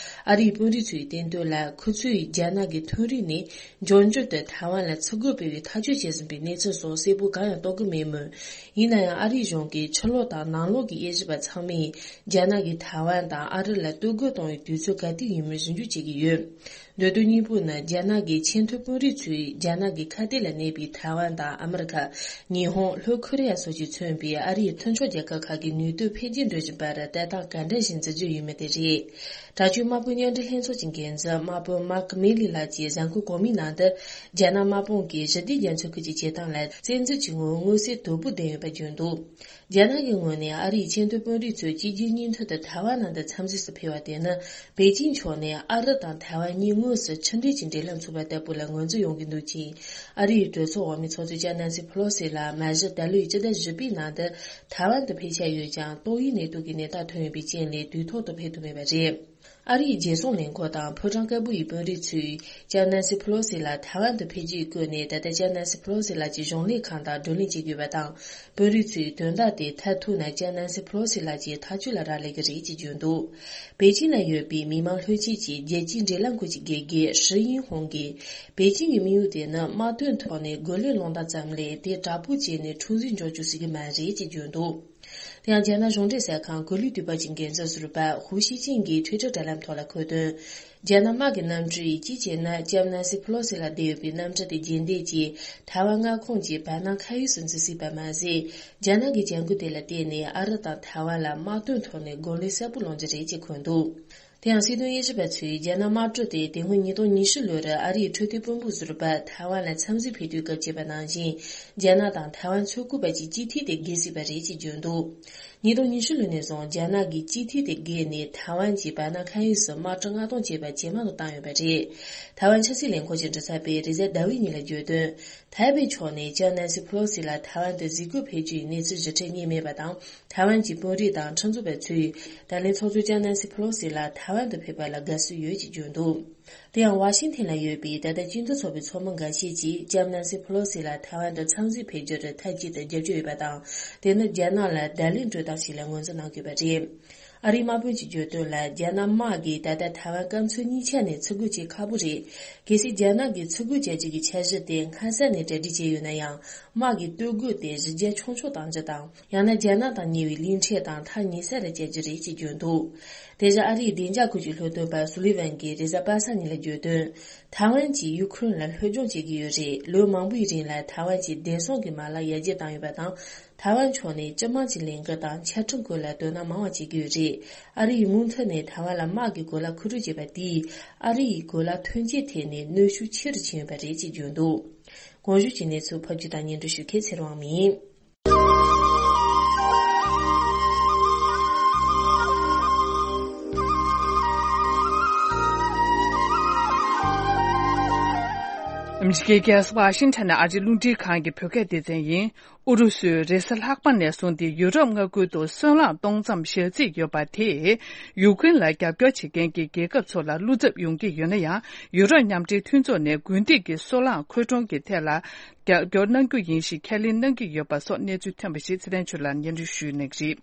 ཨ་རིའི་དཔོན་རིགས་ཚོའི་སྟེང་དོན་ལ། ཁོ་ཚོས་རྒྱ་ནག་གི་མཐོ་རིམ་ནས་འབྱུང་འགྱུར་དུ་ཐའེ་ཝན་ལ་ཚུར་རྒོལ་སྤེལ་བའི་ཐག་གཅོད་བྱས་ཟིན་པའི་གནས་ཚུལ་སོགས་གསལ་པོ་གང་ཡང་རྟོགས་ཀྱི་མེད་མོད། ཡིན་ན་ཡང་ཨ་རིའི་གཞུང་གིས་ཕྱི་ལོགས་དང་ནང་ལོགས་ཀྱི་དབྱེ་ཞིབ་པ་ཚང་མས་རྒྱ་ནག་གིས་ཐའེ་ཝན་དང་ཨ་རི་ལ་གཏོར་རྒོལ་གཏོང་བའི་དུས་ཚོད་ག་དུས་ཡིན་མིན་ཟུང་འཇུག་བྱེད་ཀྱི་ཡོད། མདོ་དོན་སྙིང་པོ་ནི་རྒྱ་ནག་གི་ཆེས་མཐོའི་དཔོན་རིགས་ཚོས་རྒྱ་ནག་གི་ཁ་གཏད་ལ་གནས་པའི་ཐའེ་ཝན་དང་ཨ་མི་རི་ཁ། ཉི་ཧོང་། ལྷོ་ཁོ་རེ་ཡ་སོགས་ཀྱིས་མཚོན་པའི་ཨ་རིའི་མཐུན་ཕྱོགས་རྒྱལ་ཁབ་ཁག་གི་ནུས་སྟོབས་འཕེལ་རྒྱས་འགྲོ་བཞིན་པར་ལྟ་སྟངས་ག་འདྲ་ཞིག་འཛིན་རྒྱུ་ཡིན་མིན་དེ་རེད། དྲག་སྤྱོད་དམག་དཔོན་མཉམ་འབྲེལ་ལྷན་ཚོགས་ཀྱི་འགན་འཛིན་དམག་དཔོན་མཱག་མེ་ལི་ལགས་ཀྱིས་གཟའ་འཁོར་གོང་མའི་ནང་དུ། རྒྱ་ནག་དམག་དཔུང་གིས་ཞི་བདེ་རྒྱ་མཚོའི་ཁུལ་གྱི་བྱེད་སྟངས་ལ་བཙན་འཛུལ་གྱི་ངོ་བོ་མངོན་གསལ་དོད་པོ་ལྡན་ཡོད་པ་བརྗོད་འདུག་རྒྱ་ནག་གི་ངོས་ནས་ཨ་རིའི་ཆེས་མཐོའི་དཔོན་རིགས་ཚོས་གཅིག་རྗེས་གཉིས་མཐུད་དུ་ཐའེ་ཝན་ནང་དུ་འཚམས་གཟིགས་སུ་ཕེབས་པ་དེ་ནི། པེ་ཅིང་ཕྱོགས་ནས་ཨ་རི་དང་ཐའེ་ཝན་གཉིས་དངོས་སུ་ཕྱི་འབྲེལ་གྱི་འབྲེལ་ལམ་ཚུགས་པ་ལྟ་བུ་ལ་ངོས་འཛིན་ཡོང་གི་འདུག་ཅིང་། ཨ་རིའི་གྲོས་ཚོགས་འོག་མའི་ཚོགས་གཙོ་ལྕམ་ནན་སི་ཕེ་ལོ་སི་ལགས་མ་གཞི་ད་ལོའི་སྤྱི་ཟླ་བཞི་པའི་ནང་དུ་ཐའེ་ཝན་དུ་ཕེབས་འཆར་ཡོད་ཀྱང་། ཏོག་དབྱིབས་ནད་དུག་གི་ནད་རྟགས་ཐོན་ཡོད་པའི་རྐྱེན་ལས་དུས་ཐོག་ཏུ་ཕེབས་ཐུབ་མེད་པ་རེད། ཨ་རིའི་རྒྱལ་སྲུང་ལས་ཁུངས་དང་ཕོ་བྲང་དཀར་པོ་ཡི་དཔོན་རིགས་ཚོས་ལྕམ་ནན་སི་ཕེ་ལོ་སི་ལགས་ཐའེ་ཝན་དུ་ཕེབས་རྒྱུའི་སྐོར་ནས། ད་ལྟ་ལྕམ་ནན་སི་ཕེ་ལོ་སི་ལགས་ཀྱི་གཞུང་ལས་ཁང་དང་བགྲོ་གླེང་བྱེད་དགོས་པ་དང་། དཔོན་རིགས་ཚོས་དོན་དག་དེ་མཐར་ཐུག་ན་ལྕམ་ནན་སི་ཕེ་ལོ་སི་ལགས་ཀྱི་ཐག་གཅོད་ལ་རག་ལས་ཀྱི་རེད་ཅེས་བརྗོད་འདུག་པེ་ཅིང་ན་ཡོད་པའི་མི་མང་ལྷན་ཚོགས་ཀྱི་རྒྱལ་སྤྱིའི་འབྲེལ་ཡོད་ཁང་གི་དགེ་རྒན་ཧྲི་ཡིན་ཧོང་གིས། པེ་ཅིང་གི་དམིགས་ཡུལ་དེ་ནི་དམག་དོན་ཐོག་ནས་རྒོལ་ལན་སློང་སྟངས་ཙམ་ལས། དེ་དྲག་པོ་བྱས་ནས་འཁྲུག་འཛིང་འཇོག་རྒྱུ་ཞིག་མ་རེད་ཅེས་བརྗོད་འདུག་དེ་ཡང་རྒྱ་ནག་གཞུང་འབྲེལ་གསར་ཁང་གོ་ལའི་དུས་བབ་ཀྱི་འགན་འཛིན་ཟུར་པ་ཧུའུ་ཤིས་ཅིན་གྱིས་ཊུའི་ཊར་དྲ་ལམ་ཐོག་ལ་འཁོད་དོན། རྒྱ་ནག་དམག་གི་གནམ་གྲུ་ཡིས་གཅིག་བྱས་ན་ལྕམ་ནན་སི་ཕེ་ལོ་སི་ལགས་བསྡད་ཡོད་པའི་གནམ་གྲུ་དེ་རྗེས་འདེད་ཀྱིས་ཐའེ་ཝན་མངའ་ཁོངས་ཀྱི་བར་སྣང་མཁའ་དབྱིངས་སུ་འཛུལ་སྲིད་པ་མ་ཟད། རྒྱ་ནག་གི་བྱ་འགུལ་དེ་ལ་བརྟེན་ནས་ཨ་རི་དང་ཐའེ་ཝན་ལ་དམག་དོན་ཐོག་ནས་རྒོལ་ལན་གསལ་པོ་སློང་རྒྱུ་རེད་ཅེས་འཁོད་འདུག་དེ་ཡང་སྲིད་དོན་དབྱེ་ཞིབ་པ་ཚོས་རྒྱ་ནག་དམག་གྲུ་དེ་དེ་སྔོན་ཉིས་སྟོང་ཉི་ཤུ་ལོར་ཨ་རིའི་འཕྲོད་བསྟེན་དཔོན་པོ་ཟུར་པ་ཐའེ་ཝན་ལ་འཚམས་གཟིགས་ཕེབས་དུས་སྐབས་བྱས་པ་ནང་བཞིན། རྒྱ་ནག་དང་ཐའེ་ཝན་མཚོ་ཁུག་པ་གཅིག་སྤྱི་འཐུས་དེ་བརྒལ་སྲིད་པ་རེད་ཅེས་བརྗོད་འདུག་ཉིས་སྟོང་ཉི་ཤུ་ལོ་ནས་བཟུང་རྒྱ་ནག་གིས་སྤྱི་འཐུས་དེ་བརྒལ་ནས་ཐའེ་ཝན་གྱི་བར་སྣང་མཁའ་དབྱིངས་སུ་དམག་གྲུ་མངགས་གཏོང་བྱས་པ་ཇེ་མང་དུ་བཏང་ཡོད་པ་རེད། ཐའེ་ཝན་ཆབ་སྲིད་ལས་ཁུངས་ཀྱི་མགྲིན་ཚབ་པས་རེས་གཟའ་ཟླ་བའི་ཉིན་ལ་བརྗོད་དོན། ཐའེ་པེ་ཕྱོགས་ནས་ལྕམ་ནན་སི་ཕེ་ལོ་སི་ལགས་ཐའེ་ཝན་དུ་གཟིགས་སྐོར་ཕེབས་རྒྱུའི་གནས་ཚུལ་ཞིབ་ཕྲ་རྙེད་མེད་པ་དང་། ཐའེ་ཝན་གྱི་དཔོན་རིགས་དང་ཁྲིམས་བཟོ་བ་ཚོས་ད་ལན་ཚོགས་གཙོ་ལྕམ་ནན་སི་ཕེ་ལོ་སི་ལགས་ཐའེ་ཝན་དུ་ཕེབས་པ་ལ་དགའ་བསུ་ཡོད་ཅེས་བརྗོད་འདུག་དེ་ཡང་ཝ་ཤིང་ཐན་ལ་ཡོད་པའི་ད་ལྟ་སྤྱི་མཐུན་ཚོགས་པའི་ཚོགས་མི་འགའ་ཤས་ཀྱིས་ལྕམ་ནན་སི་ཕེ་ལོ་སི་ལགས་ཐའེ་ཝན་དུ་འཚམས་གཟིགས་ཕེབས་རྒྱུར་མཐའ་གཅིག་ཏུ་རྒྱབ་སྐྱོར་ཡོད་པ་དང་། དེ་ནི་རྒྱ་ནག་ལ་བརྡ་ལན་སྤྲོད་སྟངས་ཤིག་ལ་ངོས་འཛིན་གནང་དགོས་པ་རེད། ཨ་རིའི་དམག་དཔོན་གྱིས་བརྗོད་དོན་ལ། རྒྱ་ནག་དམག་གིས་ད་ལྟ་ཐའེ་ཝན་སྐམ་མཚོ་གཉིས་ཆ་ནས་འཚོལ་སྒོ་བྱེད་ཁག་པོ་རེད། གལ་སྲིད་རྒྱ་ནག་གིས་འཚོལ་སྒོ་བྱ་རྒྱུ་གི་འཆར་གཞི་དེ་སྔ་ས་ནས་གྲ་སྒྲིག་བྱས་ཡོད་ན་ཡང་། དམག་གི་སྟོད་གོས་དེ་གཞི་རྒྱ་ཆུང་ཆུང་གཏང་རྒྱུ་དང་། ཡང་ན་རྒྱ་ནག་དང་ཉེ་བའི་གླིང་ཕྲན་དང་ཐག་ཉེ་ས་ལ་བསྐྱལ་རྒྱུ་རེད་ཅེས་བརྗོད་འདུག་དེ་བཞིན་ཨ་རིའི་བདེ་འཇགས་ཁུལ་གྱི་སློབ་སྟོན་པ་སུ་ལི་ཝན་གྱིས་རེས་གཟའ་པ་སངས་ཉིན་ལ་བརྗོད་དོན། ཐའེ་ཝན་གྱིས་ཡུ་ཁུ་རེན་ལ་བློས་སྦྱོང་བྱེད་ཀྱི་ཡོད་རེད། ལོ་མང་པོའི་རིང་ལ་ཐའེ་ཝན་གྱིས་བདེ་སྲུང་གི་མ་ལག་ཡར་རྒྱས་བཏང་ཡོད་པ་དང་། ཐའེ་ཝན་ཕྱོགས་ནས་སྤྱི་དམངས་ཀྱི་ལས་འགུལ་དང་ཆ་འཕྲིན་སྐོར་ལ་དོ་སྣང་མང་བ་བྱེད་ཀྱི་ཡོད་རེད། ཨ་རི་ཡིས་མུ་མཐུད་ནས་ཐའེ་ཝན་ལ་དམག་གི་གོ་ལག་མཁོ་སྤྲོད་བྱས་པ་དེས། ཨ་རི་ཡི་གོ་ལག་ཐོན་སྐྱེད་ཐད་ནས་གནོན་ཤུགས་ཆེ་རུ་ཕྱིན་ཡོད་པ་རེད་ཅེས་བརྗོད་འདུག་གོང་ཞུས་ཀྱི་གནས་ཚུལ་ཕབ་སྒྱུར་དང་སྙན་སྒྲོན་ཞུ་མཁན་ཚེ་རིང་དབང་མོ་ཡིན། ཨ་མི་རི་ཀའི་རྒྱལ་ས་ཝ་ཤིང་ཊོན་ནས་ཨ་རིའི་རླུང་འཕྲིན་ཁང་གི་བོད་སྐད་སྡེ་ཚན་ཡིན། ཨུ་རུ་སུས་རེས་གཟའ་ལྷག་པ་ནས་བཟུང་སྟེ་ཡུ་རོབ་མངའ་ཁུལ་དུ་སོལ་རླངས་གཏོང་མཚམས་ཞག་རྩིས་ཡོད་པ་དེས་ཡུཀ་རེན་ལ་རྒྱབ་སྐྱོར་བྱེད་མཁན་གྱི་རྒྱལ་ཁབ་ཚོ་ལ་བློ་འཚབ་ཡོང་གི་ཡོད་ན་ཡང་། ཡུ་རོབ་མཉམ་འབྲེལ་མཐུན་ཚོགས་ནས་དགུན་དུས་ཀྱི་སོལ་རླངས་མཁོ་གྲོང་གི་ཐད་ལ་རྒྱབ་སྐྱོར་གནང་རྒྱུ་ཡིན་ཞེས་ཁས་ལེན་གནང་གི་ཡོད་པ་སོགས་གནས་ཚུལ་ཐོན་པ་ཞིག་ཚེ་བརྟན་ཆོས་ལགས་སྙན་སྒྲོན་ཞུ་གནང་གི་རེད།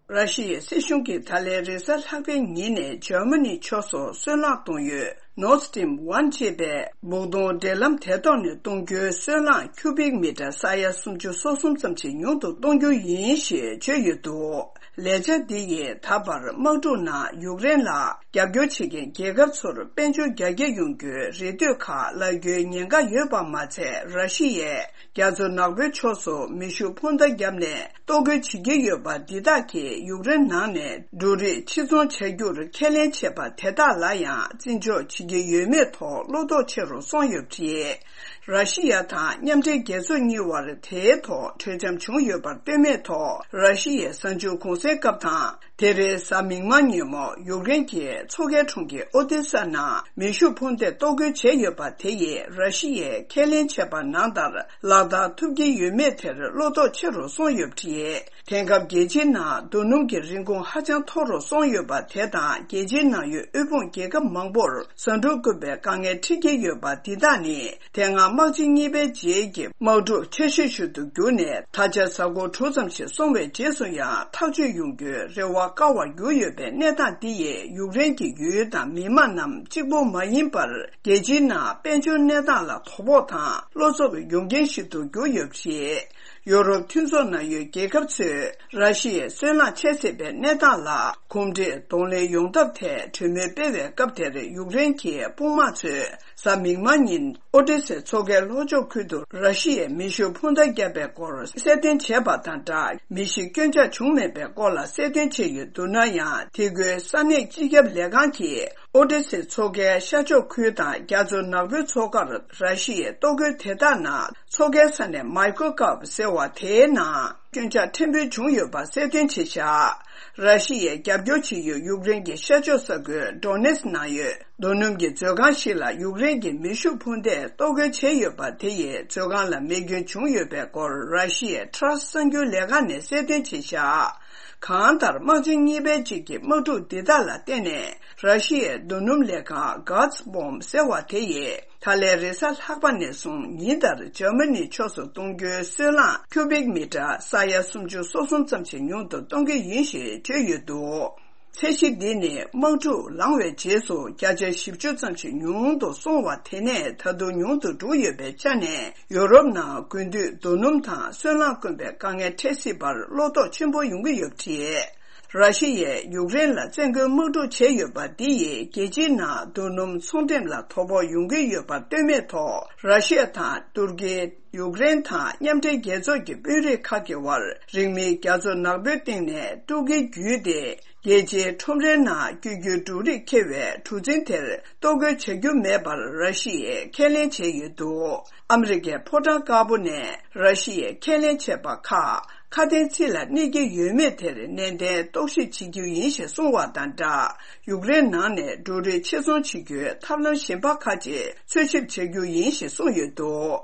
ར་ཤི་ཡའི་སྲིད་གཞུང་གིས་ད་ལན་རེས་གཟའ་ལྷག་པའི་ཉིན་ནས་འཇར་མ་ནི་ཕྱོགས་སུ་སོལ་རླངས་གཏོང་ཡུལ་Nord Stream One ཅེས་པའི་སྦུག་དོང་འབྲེལ་ལམ་དེ་ཐོག་ནས་གཏོང་རྒྱུའི་སོལ་རླངས་ཁྱུ་བིག་མི་ཊར་ས་ཡ་སུམ་ཅུ་སོ་གསུམ་ཙམ་ཞིག་ཉུང་དུ་གཏོང་རྒྱུ་ཡིན་ཞེས་བརྗོད་ཡོད་འདུག་ལས་འཆར་འདི་ཡིས་ད་བར་དམག་འཁྲུག་ནང་ཡུཀ་རེན་ལ་རྒྱབ་སྐྱོར་བྱེད་མཁན་རྒྱལ་ཁབ་ཚོར་དཔལ་འབྱོར་རྒྱ་སྐྱེད་ཡོང་རྒྱུའི་རེ་ལྟོས་ཁག་སླར་རྒྱུའི་ཉེན་ཁ་ཡོད་པ་མ་ཚད། ར་ཤི་ཡས་རྒྱ་མཚོ་ནག་པོའི་ཕྱོགས་སུ་མེ་ཤུགས་འཕུར་མདའ་བརྒྱབ་ནས་གཏོར་རྒོལ་བྱེད་ཀྱི་ཡོད་པ་འདི་དག་གིས་ཡུཀ་རེན་ནང་ནས་འབྲུ་རིགས་ཕྱིར་ཚོང་བྱ་རྒྱུར་ཁས་ལེན་བྱས་པ་དེ་དག་ལ་ཡང་བརྩི་འཇོག་བྱེད་ཀྱི་ཡོད་མེད་ཐོག་བློ་དོགས་ཆེ་རུ་སོང་ཡོད་པ་རེད། ར་ཤི་ཡ་དང་མཉམ་འབྲེལ་རྒྱལ་ཚོགས་གཉིས་དབར་དེའི་ཐོག་གྲོས་འཆམ་བྱུང་ཡོད་པར་ལྟོས་མེད་ཐོག་ར་ཤི་ཡའི་གཟའ་མཇུག་གུང་སེང་སྐབས་དང་། དེ་རིང་གཟའ་མིག་དམར་ཉིན་མོ་ཡུཀ་རེན་གྱི་མཚོ་ཁའི་གྲོང་ཁྱེར་ཨོ་དེ་ས་ནང་མེ་ཤུགས་འཕུར་མདས་གཏོར་རྒོལ་བྱས་ཡོད་པ་དེ་ཡིས་ར་ཤི་ཡས་ཁས་ལེན་བྱས་པ་ནང་ལྟར་ལག་བསྟར་ཐུབ་ཀྱི་ཡོད་མེད་དེར་བློ་དོགས་ཆེ་རུ་སོང་ཡོད་པ་རེད། དེང་སྐབས་རྒྱལ་སྤྱིའི་ནང་རྡོ་སྣུམ་གྱི་རིན་གོང་ཧ་ཅང་མཐོ་རུ་སོང་ཡོད་པ་དེ་དང་། རྒྱལ་སྤྱིའི་ནང་ཡོད་དབུལ་ཕོངས་རྒྱལ་ཁབ་མང་པོར་ཟ་འབྲུ་དཀོན་པའི་དཀའ་ངལ་འཕྲད་ཀྱི་ཡོད་པ་འདི་དག་ནི། དེ་སྔ་དམག་ཆེན་གཉིས་པའི་རྗེས་ཀྱི་དམག་འཁྲུག་ཆེ་ཤོས་ཤིག་ཏུ་གྱུར་ནས། ད་ཆ་གཟའ་འཁོར་དྲུག་ཙམ་ཞིག་སོང་བའི་རྗེས་སུ་ཡང་ཐག་གཅོད་ཡོང་རྒྱུའི་རེ་བ་དཀའ་བར་གྱུར་ཡོད་པའི་གནས་སྟངས་འདི་ཡིས་ཡུཀ་རེན་གྱི་ཡུལ་དང་མི་དམངས་རྣམས་གཅིག་པུ་མ་ཡིན་པར། རྒྱལ་སྤྱིའི་ནང་དཔལ་འབྱོར་གནས་སྟངས་ལ་དོ་ཕོག་དང་བློ་འཚབ་ཡོང་རྐྱེན་ཞིག་ཏུ་གྱུར་ཡོད་པ་རེད། ཡོ་རོབ་མཐུན་ཚོགས་ནང་ཡོད་རྒྱལ་ཁབ་ཚོས་ར་ཤི་ཡའི་སོལ་རླངས་ཆད་ཟེར་བའི་གནས་སྟངས་ལ་གོམས་འདྲིས་གདོང་ལེན་ཡོང་ཐབས་ཐད་གྲོས་མོལ་སྤེལ་བའི་སྐབས་དེར། ཡུཀ་རེན་གྱི་དཔུང་དམག་ཚོས་གཟའ་མིག་དམར་ཉིན་ཨོ་ཏེ་སའི་མཚོ་ཁའི་ལྷོ་ཕྱོགས་ཁུལ་དུ་ར་ཤི་ཡས་མེ་ཤུགས་འཕུར་མདའ་བརྒྱབ་པའི་སྐོར་གསལ་སྟོན་བྱས་པ་དང་སྦྲགས། མི་ཤི་སྐྱོན་ཆག་བྱུང་མེད་པའི་སྐོར་ལ་གསལ་སྟོན་བྱས་ཡོད་འདུག་ན་ཡང་། དེ་ཁུལ་ས་གནས་སྤྱི་ཁྱབ་ལས་ཁང་གིས་ཨོ་ཏེ་སའི་མཚོ་ཁའི་ཤར་ཕྱོགས་ཁུལ་དང་རྒྱ་མཚོ་ནག་པོའི་མཚོ་ཁར་ར་ཤི་ཡའི་གཏོར་རྒོལ་དེ་དག་ནང་། མཚོ་ཁའི་ས་གནས་མཱི་ཀོ་ཀབ་ཟེར་བ་དེའི་ནང་ སྐྱོན་ཆག་ཕྲན་བུ་བྱུང་ཡོད་པ་གསལ་སྟོན་བྱས་བཞག་ར་ཤི་ཡས་རྒྱབ་སྐྱོར་བྱེད་ཡུལ་ཡུཀ་རེན་གྱི་ཤར་ཕྱོགས་ས་ཁུལ་ཌོ་ནེ་སི་ནང་ཡོད་རྡོ་སྣུམ་གྱི་མཛོད་ཁང་ཞིག་ལ་ཡུཀ་རེན་གྱི་མེ་ཤུགས་འཕུར་མདས་གཏོར་རྒོལ་བྱས་ཡོད་པ་དེ་ཡིས་མཛོད་ཁང་ལ་མེ་སྐྱོན་བྱུང་ཡོད་པའི་སྐོར་ར་ཤི་ཡའི་ཊ་སི་གསར་འགྱུར་ལས་ཁང་ནས་གསལ་སྟོན་བྱས་བཞག་གང་ལྟར་དམག་ཆེན་གཉིས་པའི་གཅིག་གི་དམག་འཁྲུག་འདི་དག་ལ་བརྟེན་ནས་ར་ཤི་ཡའི་རྡོ་སྣུམ་ལས་ཁང་གྷ་ཛི་པོམ་ཟེར་བ་དེ་ཡིས། ད་ལན་རེས་གཟའ་ལྷག་པ་ནས་བཟུང་ཉིན་ལྟར་འཇར་མ་ནི་ཕྱོགས་སུ་གཏོང་རྒྱུའི་སོལ་རླངས་ཁྱུ་བིག་མི་ཊར་ས་ཡ་སུམ་ཅུ་སོ་གསུམ་ཙམ་ཞིག་ཉུང་དུ་གཏོང་གི་ཡིན་ཞེས་བརྗོད་ཡོད་འདུག་ཚད་གཞི་འདི་ནི་དམག་འཁྲུག་ལངས་བའི་རྗེས་སུ་བརྒྱ་ཆ་བཞི་བཅུ་ཙམ་ཞིག་ཉུང་དུ་སོང་བ་དེ་ནས་ད་དུང་ཉུང་དུ་འགྲོ་ཡོད་པའི་ཆ་ནས་ཡོ་རོབ་ནང་དགུན་དུས་རྡོ་སྣུམ་དང་སོལ་རླངས་དཀོན་པའི་དཀའ་ངལ་འཕྲད་སྲིད་པར་བློ་དོགས་ཆེན་པོ་ཡོང་གི་ཡོད་པ་རེད། ར་ཤི་ཡས་ཡུཀ་རེན་ལ་བཙན་རྒོལ་དམག་འཁྲུག་བྱས་ཡོད་པ་འདི་ཡིས་རྒྱལ་སྤྱིའི་ནང་རྡོ་སྣུམ་ཚོང་འགྲེམས་ལ་དོ་ཕོག་ཡོང་གི་ཡོད་པར་ལྟོས་མེད་ཐོག་ར་ཤི་ཡ་དང་ཏུར་ཀི། ཡུཀ་རེན་དང་མཉམ་འབྲེལ་རྒྱལ་ཚོགས་ཀྱི་དཔོན་རིགས་ཁག་གི་དབར་རིང་མིན་རྒྱ་མཚོ་ནག་པོའི་སྟེང་ནས་ཏུར་ཀི་བརྒྱུད་དེ་རྒྱལ་སྤྱིའི་ཁྲོམ་རའི་ནང་བསྐྱོད་རྒྱུའི་འབྲུ་རིགས་འཁྱེར་བའི་གྲུ་གཟིངས་དེར་གཏོར་རྒོལ་བྱ་རྒྱུ་མེད་པར་ར་ཤི་ཡས་ཁས་ལེན་བྱས་ཡོད་འདུག་ཨ་མི་རི་ཀའི་ཕོ་བྲང་དཀར་པོ་ནས་ར་ཤི་ཡས་ཁས་ལེན་བྱས་པ་ཁག་ཁ་དན་ཚིག་ལ་གནས་ཀྱི་ཡོད་མེད་དེར་ནན་ཏན་རྟོག་ཞིབ་བྱེད་རྒྱུ་ཡིན་ཞེས་གསུངས་བ་དང་སྦྲགས། ཡུཀ་རེན་ནང་ནས་འབྲུ་རིགས་ཕྱིར་ཚོང་བྱེད་རྒྱུའི་ཐབས་ལམ་གཞན་པ་ཁག་ཅིག་འཚོལ་ཞིབ་བྱ་རྒྱུ་ཡིན་ཞེས་གསུངས་ཡོད་འདུག་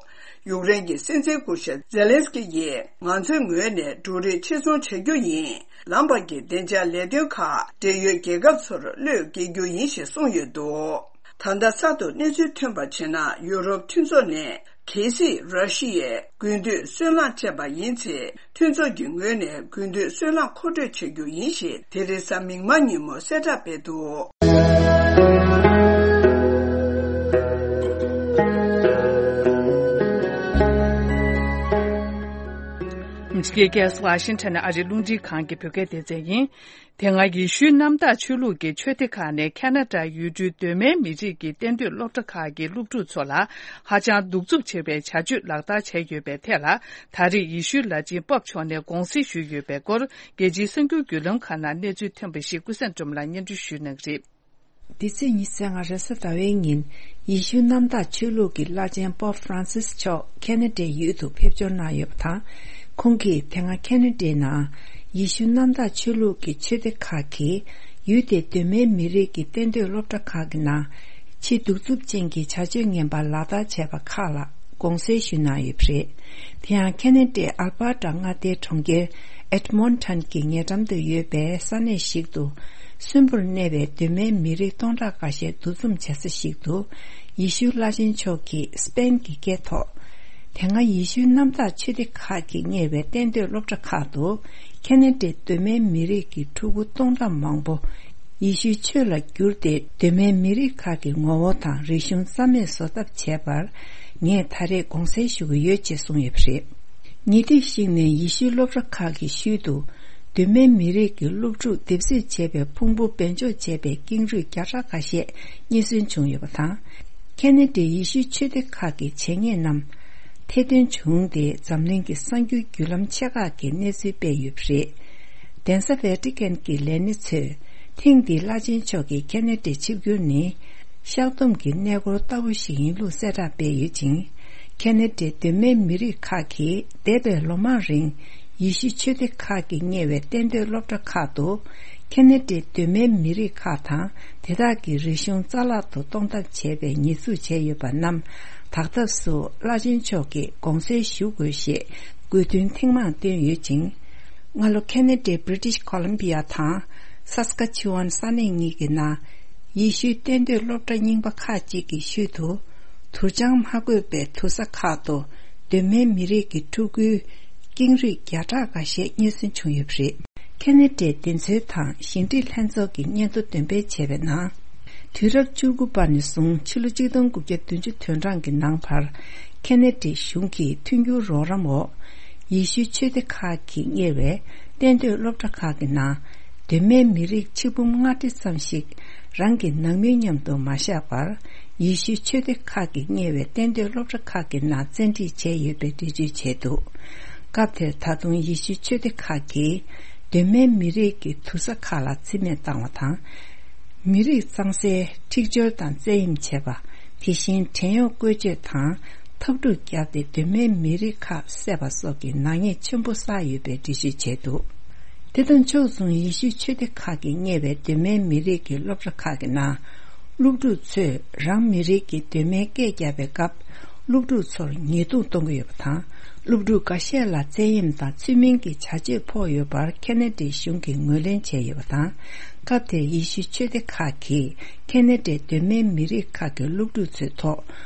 ཡུཀ་རེན་གྱི་སྲིད་འཛིན་སྐུ་ཞབས་ཛེ་ལན་སི་ཀི་ཡིས་ང་ཚོའི་ངོས་ནས་འབྲུ་རིགས་ཕྱིར་ཚོང་བྱ་རྒྱུ་ཡིན། ལམ་བར་གྱི་བདེ་འཇགས་ལས་དོན་ཁག་འབྲེལ་ཡོད་རྒྱལ་ཁབ་ཚོར་བློས་འགེལ་རྒྱུ་ཡིན་ཞེས་གསུངས་ཡོད་འདུག་ད་ལྟ་གསར་དུ་གནས་ཚུལ་ཐོན་པར་བྱས་ན། ཡུ་རོབ་མཐུན་ཚོགས་ནས་གལ་སྲིད་ར་ཤི་ཡས་དགུན་དུས་སོལ་རླངས་སྤྲད་པ་ཡིན་ཚེ། མཐུན་ཚོགས་ཀྱི་ངོས་ནས་དགུན་དུས་སོལ་རླངས་མཁོ་སྤྲོད་བྱ་རྒྱུ་ཡིན་ཞེས་དེ་རིང་གཟའ་མིག་དམར་ཉིན་མོ་གསལ་བསྒྲགས་སྤེལ་འདུག་ཨ་མི་རི་ཀའི་རྒྱལ་ས་ཝ་ཤིང་ཊོན་ནས་ཨ་རིའི་རླུང་འཕྲིན་ཁང་གི་བོད་སྐད་སྡེ་ཚན་ཡིན། དེ་སྔ་ཡེ་ཤུའི་གནམ་བདག་ཆོས་ལུགས་ཀྱི་ཆོས་སྡེ་ཁག་ནས་ཁ་ན་ཌ་ཡུལ་གྲུའི་གདོད་མའི་མི་རིགས་ཀྱི་གཏན་སྡོད་སློབ་གྲྭ་ཁག་གི་སློབ་ཕྲུག་ཚོ་ལ་ཧ་ཅང་གདུག་རྩུབ་ཆེ་བའི་བྱ་སྤྱོད་ལག་བསྟར་བྱས་ཡོད་པའི་ཐད་ལ། ད་རེས་ཡེ་ཤུའི་བླ་ཆེན་པོབ་མཆོག་ནས་དགོངས་སེལ་ཞུས་ཡོད་པའི་སྐོར། རྒྱལ་སྤྱིའི་གསར་འགྱུར་བརྒྱུད་ལམ་ཁག་ནང་གནས་ཚུལ་ཐོན་པ་ཞིག་ཀུན་བཟང་སྒྲོལ་མ་ལགས་སྙན་སྒྲོན་ཞུ་གནང་གི་རེད། འདི་ཚེས་ཉི་ཤུ་རྩ་ལྔ་རེས་གཟའ་ཟླ་བའི་ཉིན། ཡེ་ཤུ་གནམ་བདག་ཆོས་ལུགས་ཀྱི་བླ་ཆེན་པོབ་ཧྥ་རན་སིས་མཆོག་ཁེ་ན་ཌའི་ཡུལ་དུ་ཕེབས་འབྱོར་གནང་ཡོད་པ་དང་། ཁོང་གིས་དེ་སྔ་ཁེ་ན་ཌའི་ནང་ཡེ་ཤུ་གནམ་བདག་ཆོས་ལུགས་ཀྱི་ཆོས་སྡེ་ཁག་གིས་ཡུལ་དེའི་གདོད་མའི་མི་རིགས་ཀྱི་གཏན་སྡོད་སློབ་གྲྭ་ཁག་གི་ནང་ཕྱི་གདུག་རྩུབ་ཅན་གྱི་བྱ་སྤྱོད་ངན་པ་ལག་བསྟར་བྱས་པ་ཁག་ལ་དགོངས་སེལ་ཞུས་གནང་ཡོད་པ་རེད། དེ་ཡང་ཁེ་ན་ཌའི་ཨལ་བྷར་ཊ་མངའ་སྡེའི་གྲོང་ཁྱེར་ཨེད་མོན་ཊོན་གྱི་ཉེ་འགྲམ་དུ་ཡོད་པའི་ས་གནས་ཤིག་ཏུ། གསོན་པོར་གནས་པའི་གདོད་མའི་མི་རིགས་སྟོང་ཕྲག་འགའ་ཤས་འདུ་འཛོམས་བྱེད་ས་ཞིག་ཏུ། ཡེ་ཤུ་བླ་ཆེན་མཆོག་གིས་སི་པེན་གྱི་སྐད་ཐོག་དེ་སྔ་ཡེ་ཤུའི་གནམ་བདག་ཆོས་སྡེ་ཁག་གིས་གཉེར་བའི་གཏན་སྡོད་སློབ་གྲྭ་ཁག་ཏུ། ཁེ་ན་ཌའི་གདོད་མའི་མི་རིགས་ཀྱི་ཕྲུ་གུ་སྟོང་ཕྲག་མང་པོ། ཡེ་ཤུའི་ཆོས་ལ་བསྒྱུར་ཏེ། གདོད་མའི་མི་རིགས་ཁག་གི་ངོ་བོ་དང་རིག་གཞུང་རྩ་མེད་བཟོ་ཐབས་བྱས་པར། ངས་ད་རེས་དགོངས་སེལ་ཞུ་གི་ཡོད་ཅེས་གསུངས་ཡོད་པ་རེད། ཉེ་དུས་ཤིག་ནས་ཡེ་ཤུའི་སློབ་གྲྭ་ཁག་གི་ཤུལ་དུ། གདོད་མའི་མི་རིགས་ཀྱི་སློབ་ཕྲུག་སྡེབ་གསོད་བྱས་པའི་ཕུང་པོ་སྦས་འཇོག་བྱས་པའི་ཀེང་རུས་བརྒྱ་ཕྲག་ཁ་ཤས་རྙེད་སོན་བྱུང་ཡོད་པ་དང་། ཁེ་ན་ཌའི་ཡེ་ཤུའི་ཆོས་སྡེ་ཁག་གི་བྱས་ཉེས་རྣམས་ཐེར་འདོན་བྱུང་སྟེ། འཛམ་གླིང་གི་གསར་འགྱུར་བརྒྱུད་ལམ་ཆེ་ཁག་གིས་གནས་ཚུལ་སྤེལ་ཡོད་པ་རེད། གདན་ས་ཝེ་ཏི་ཀན་གྱི་ལས་སྣེ་ཚོས། ཐེངས་འདིའི་བླ་ཆེན་མཆོག་གི་ཁེ་ན་ཌའི་ཆིབས་བསྒྱུར་ནི། བཤགས་སྡོམ་གྱི་གནས་སྐོར་ལྟ་བུ་ཞིག་ཡིན་ལུགས་གསལ་བསྒྲགས་སྤེལ་ཡོད་ཅིང་། ཁེ་ན་ཌའི་གདོད་མའི་མི་རིགས་ཁག་གིས་འདས་པའི་ལོ་མང་རིང་། ཡེ་ཤུ་ཆོས་སྡེ་ཁག་གིས་གཉེར་བའི་གཏན་སྡོད་སློབ་གྲྭ་ཁག་ཏུ། ཁེ་ན་ཌའི་གདོད་མའི་མི་རིགས་ཁག་དང་། དེ་དག་གི་རིག་གཞུང་རྩ་བརླག་ཏུ་གཏོང་ཐབས་བྱས་པའི་ཉེས་འཛུགས་བྱས་ཡོད་པ་རྣམས། དག་ཐབས་སུ་བླ་ཆེན་མཆོག་གིས་དགོངས་སེལ་ཞུ་དགོས་ཞེས། དགོས་འདུན་ཐེངས་མང་བཏོན་ཡོད་ཅིང་། སྔ་ལོ་ཁེ་ན་ཌའི་བྷི་རི་ཊིཤ་ཁོ་ལམ་བི་ཡ་དང་སཱ་སི་ཀ་ཆུ་ཝན་ས་གནས་གཉིས་ཀྱི་ནང་ཡེ་ཤུའི་གཏན་སྡོད་སློབ་གྲྭ་རྙིང་པ་ཁག་ཅིག་གི་ཤུལ་དུ། དུར་བྱང་མ་དགོས་པའི་དུར་ས་ཁག་ཏུ་གདོད་མའི་མི་རིགས་ཀྱི་ཕྲུ་གུའི་ཀེང་རུས་བརྒྱ་ཕྲག་འགའ་ཤས་རྙེད་སོན་བྱུང་ཡོད་པ་རེད། ཁེ་ན་ཌའི་བདེན་འཚོལ་དང་ཞི་འགྲིག་ལྷན་ཚོགས་ཀྱི་སྙན་ཐོ་འདོན་སྤེལ་བྱས་པའི་ནང་། དུས་རབས་བཅུ་དགུ་པ་ནས་བཟུང་ཕྱི་ལོ་ཆིག་སྟོང་དགུ་བརྒྱ་བདུན་ཅུ་དོན་གྲངས་ཀྱི་ནང་བར། ཁེ་ན་ཌའི་གཞུང་གི་མཐུན་འགྱུར་རོགས་རམ་འོག་ཡེ་ཤུའི་ཆོས་སྡེ་ཁག་གིས་གཉེར་བའི་གཏན་སྡོད་སློབ་གྲྭ་ཁག་གི་ནང་། གདོད་མའི་མི་རིགས་ཆིག་འབུམ་ལྔ་ཁྲི་ཙམ་ཞིག་རང་གི་ནང་མི་མཉམ་དུ་མ་བཞག་པར། ཡེ་ཤུའི་ཆོས་སྡེ་ཁག་གིས་གཉེར་བའི་གཏན་སྡོད་སློབ་གྲྭ་ཁག་གི་ནང་བཙན་ཁྲིད་བྱས་ཡོད་པའི་འགྲེལ་བརྗོད་བྱས་འདུག་སྐབས་དེར་ད་དུང་ཡེ་ཤུའི་ཆོས་སྡེ་ཁག་གིས་གདོད་མའི་མི་རིགས་ཀྱི་དུར་ས་ཁག་ལ་རྩིས་མེད་བཏང་བ་དང་། མི་རིགས་གཙང་སེལ་འཁྲིག་སྦྱོར་དང་བཙན་གཡེམ་བྱས་པ། དེ་བཞིན་བྲན་གཡོག་བཀོལ་སྤྱོད་དང་། འཐབ་འཁྲུག་བརྒྱབ་སྟེ་གདོད་མའི་མི་རིགས་ཁག་བསད་པ་སོགས་ཀྱི་ནག་ཉེས་ཆེན་པོ་བསགས་ཡོད་པའི་འགྲེལ་བརྗོད་བྱས་འདུག་དེ་དང་ཕྱོགས་མཚུངས་ཡེ་ཤུའི་ཆོས་སྡེ་ཁག་གིས་གཉེར་བའི་གདོད་མའི་མི་རིགས་ཀྱི་སློབ་གྲྭ་ཁག་གི་ནང་། སློབ་ཕྲུག་ཚོས་རང་མི་རིགས་ཀྱི་གདོད་མའི་སྐད་བརྒྱབ་པའི་སྐབས། སློབ་ཕྲུག་ཚོར་ཉེས་རྡུང་གཏོང་གི་ཡོད་པ་དང་། སློབ་ཕྲུག་འགའ་ཤས་ལ་བཙན་གཡེམ་དང་ཚུལ་མིན་གྱི་བྱ་སྤྱོད་ཕོག་ཡོད་པར་ཁེ་ན་ཌའི་གཞུང་གིས་ངོས་ལེན་བྱས་ཡོད་པ་དང་། སྐབས་དེར་ཡེ་ཤུའི་ཆོས་སྡེ་ཁག་གིས་ཁེ་ན་ཌའི་གདོད་མའི་མི་རིགས་ཁག་གི་སློབ་ཕྲུག་ཚོའི་ཐོག་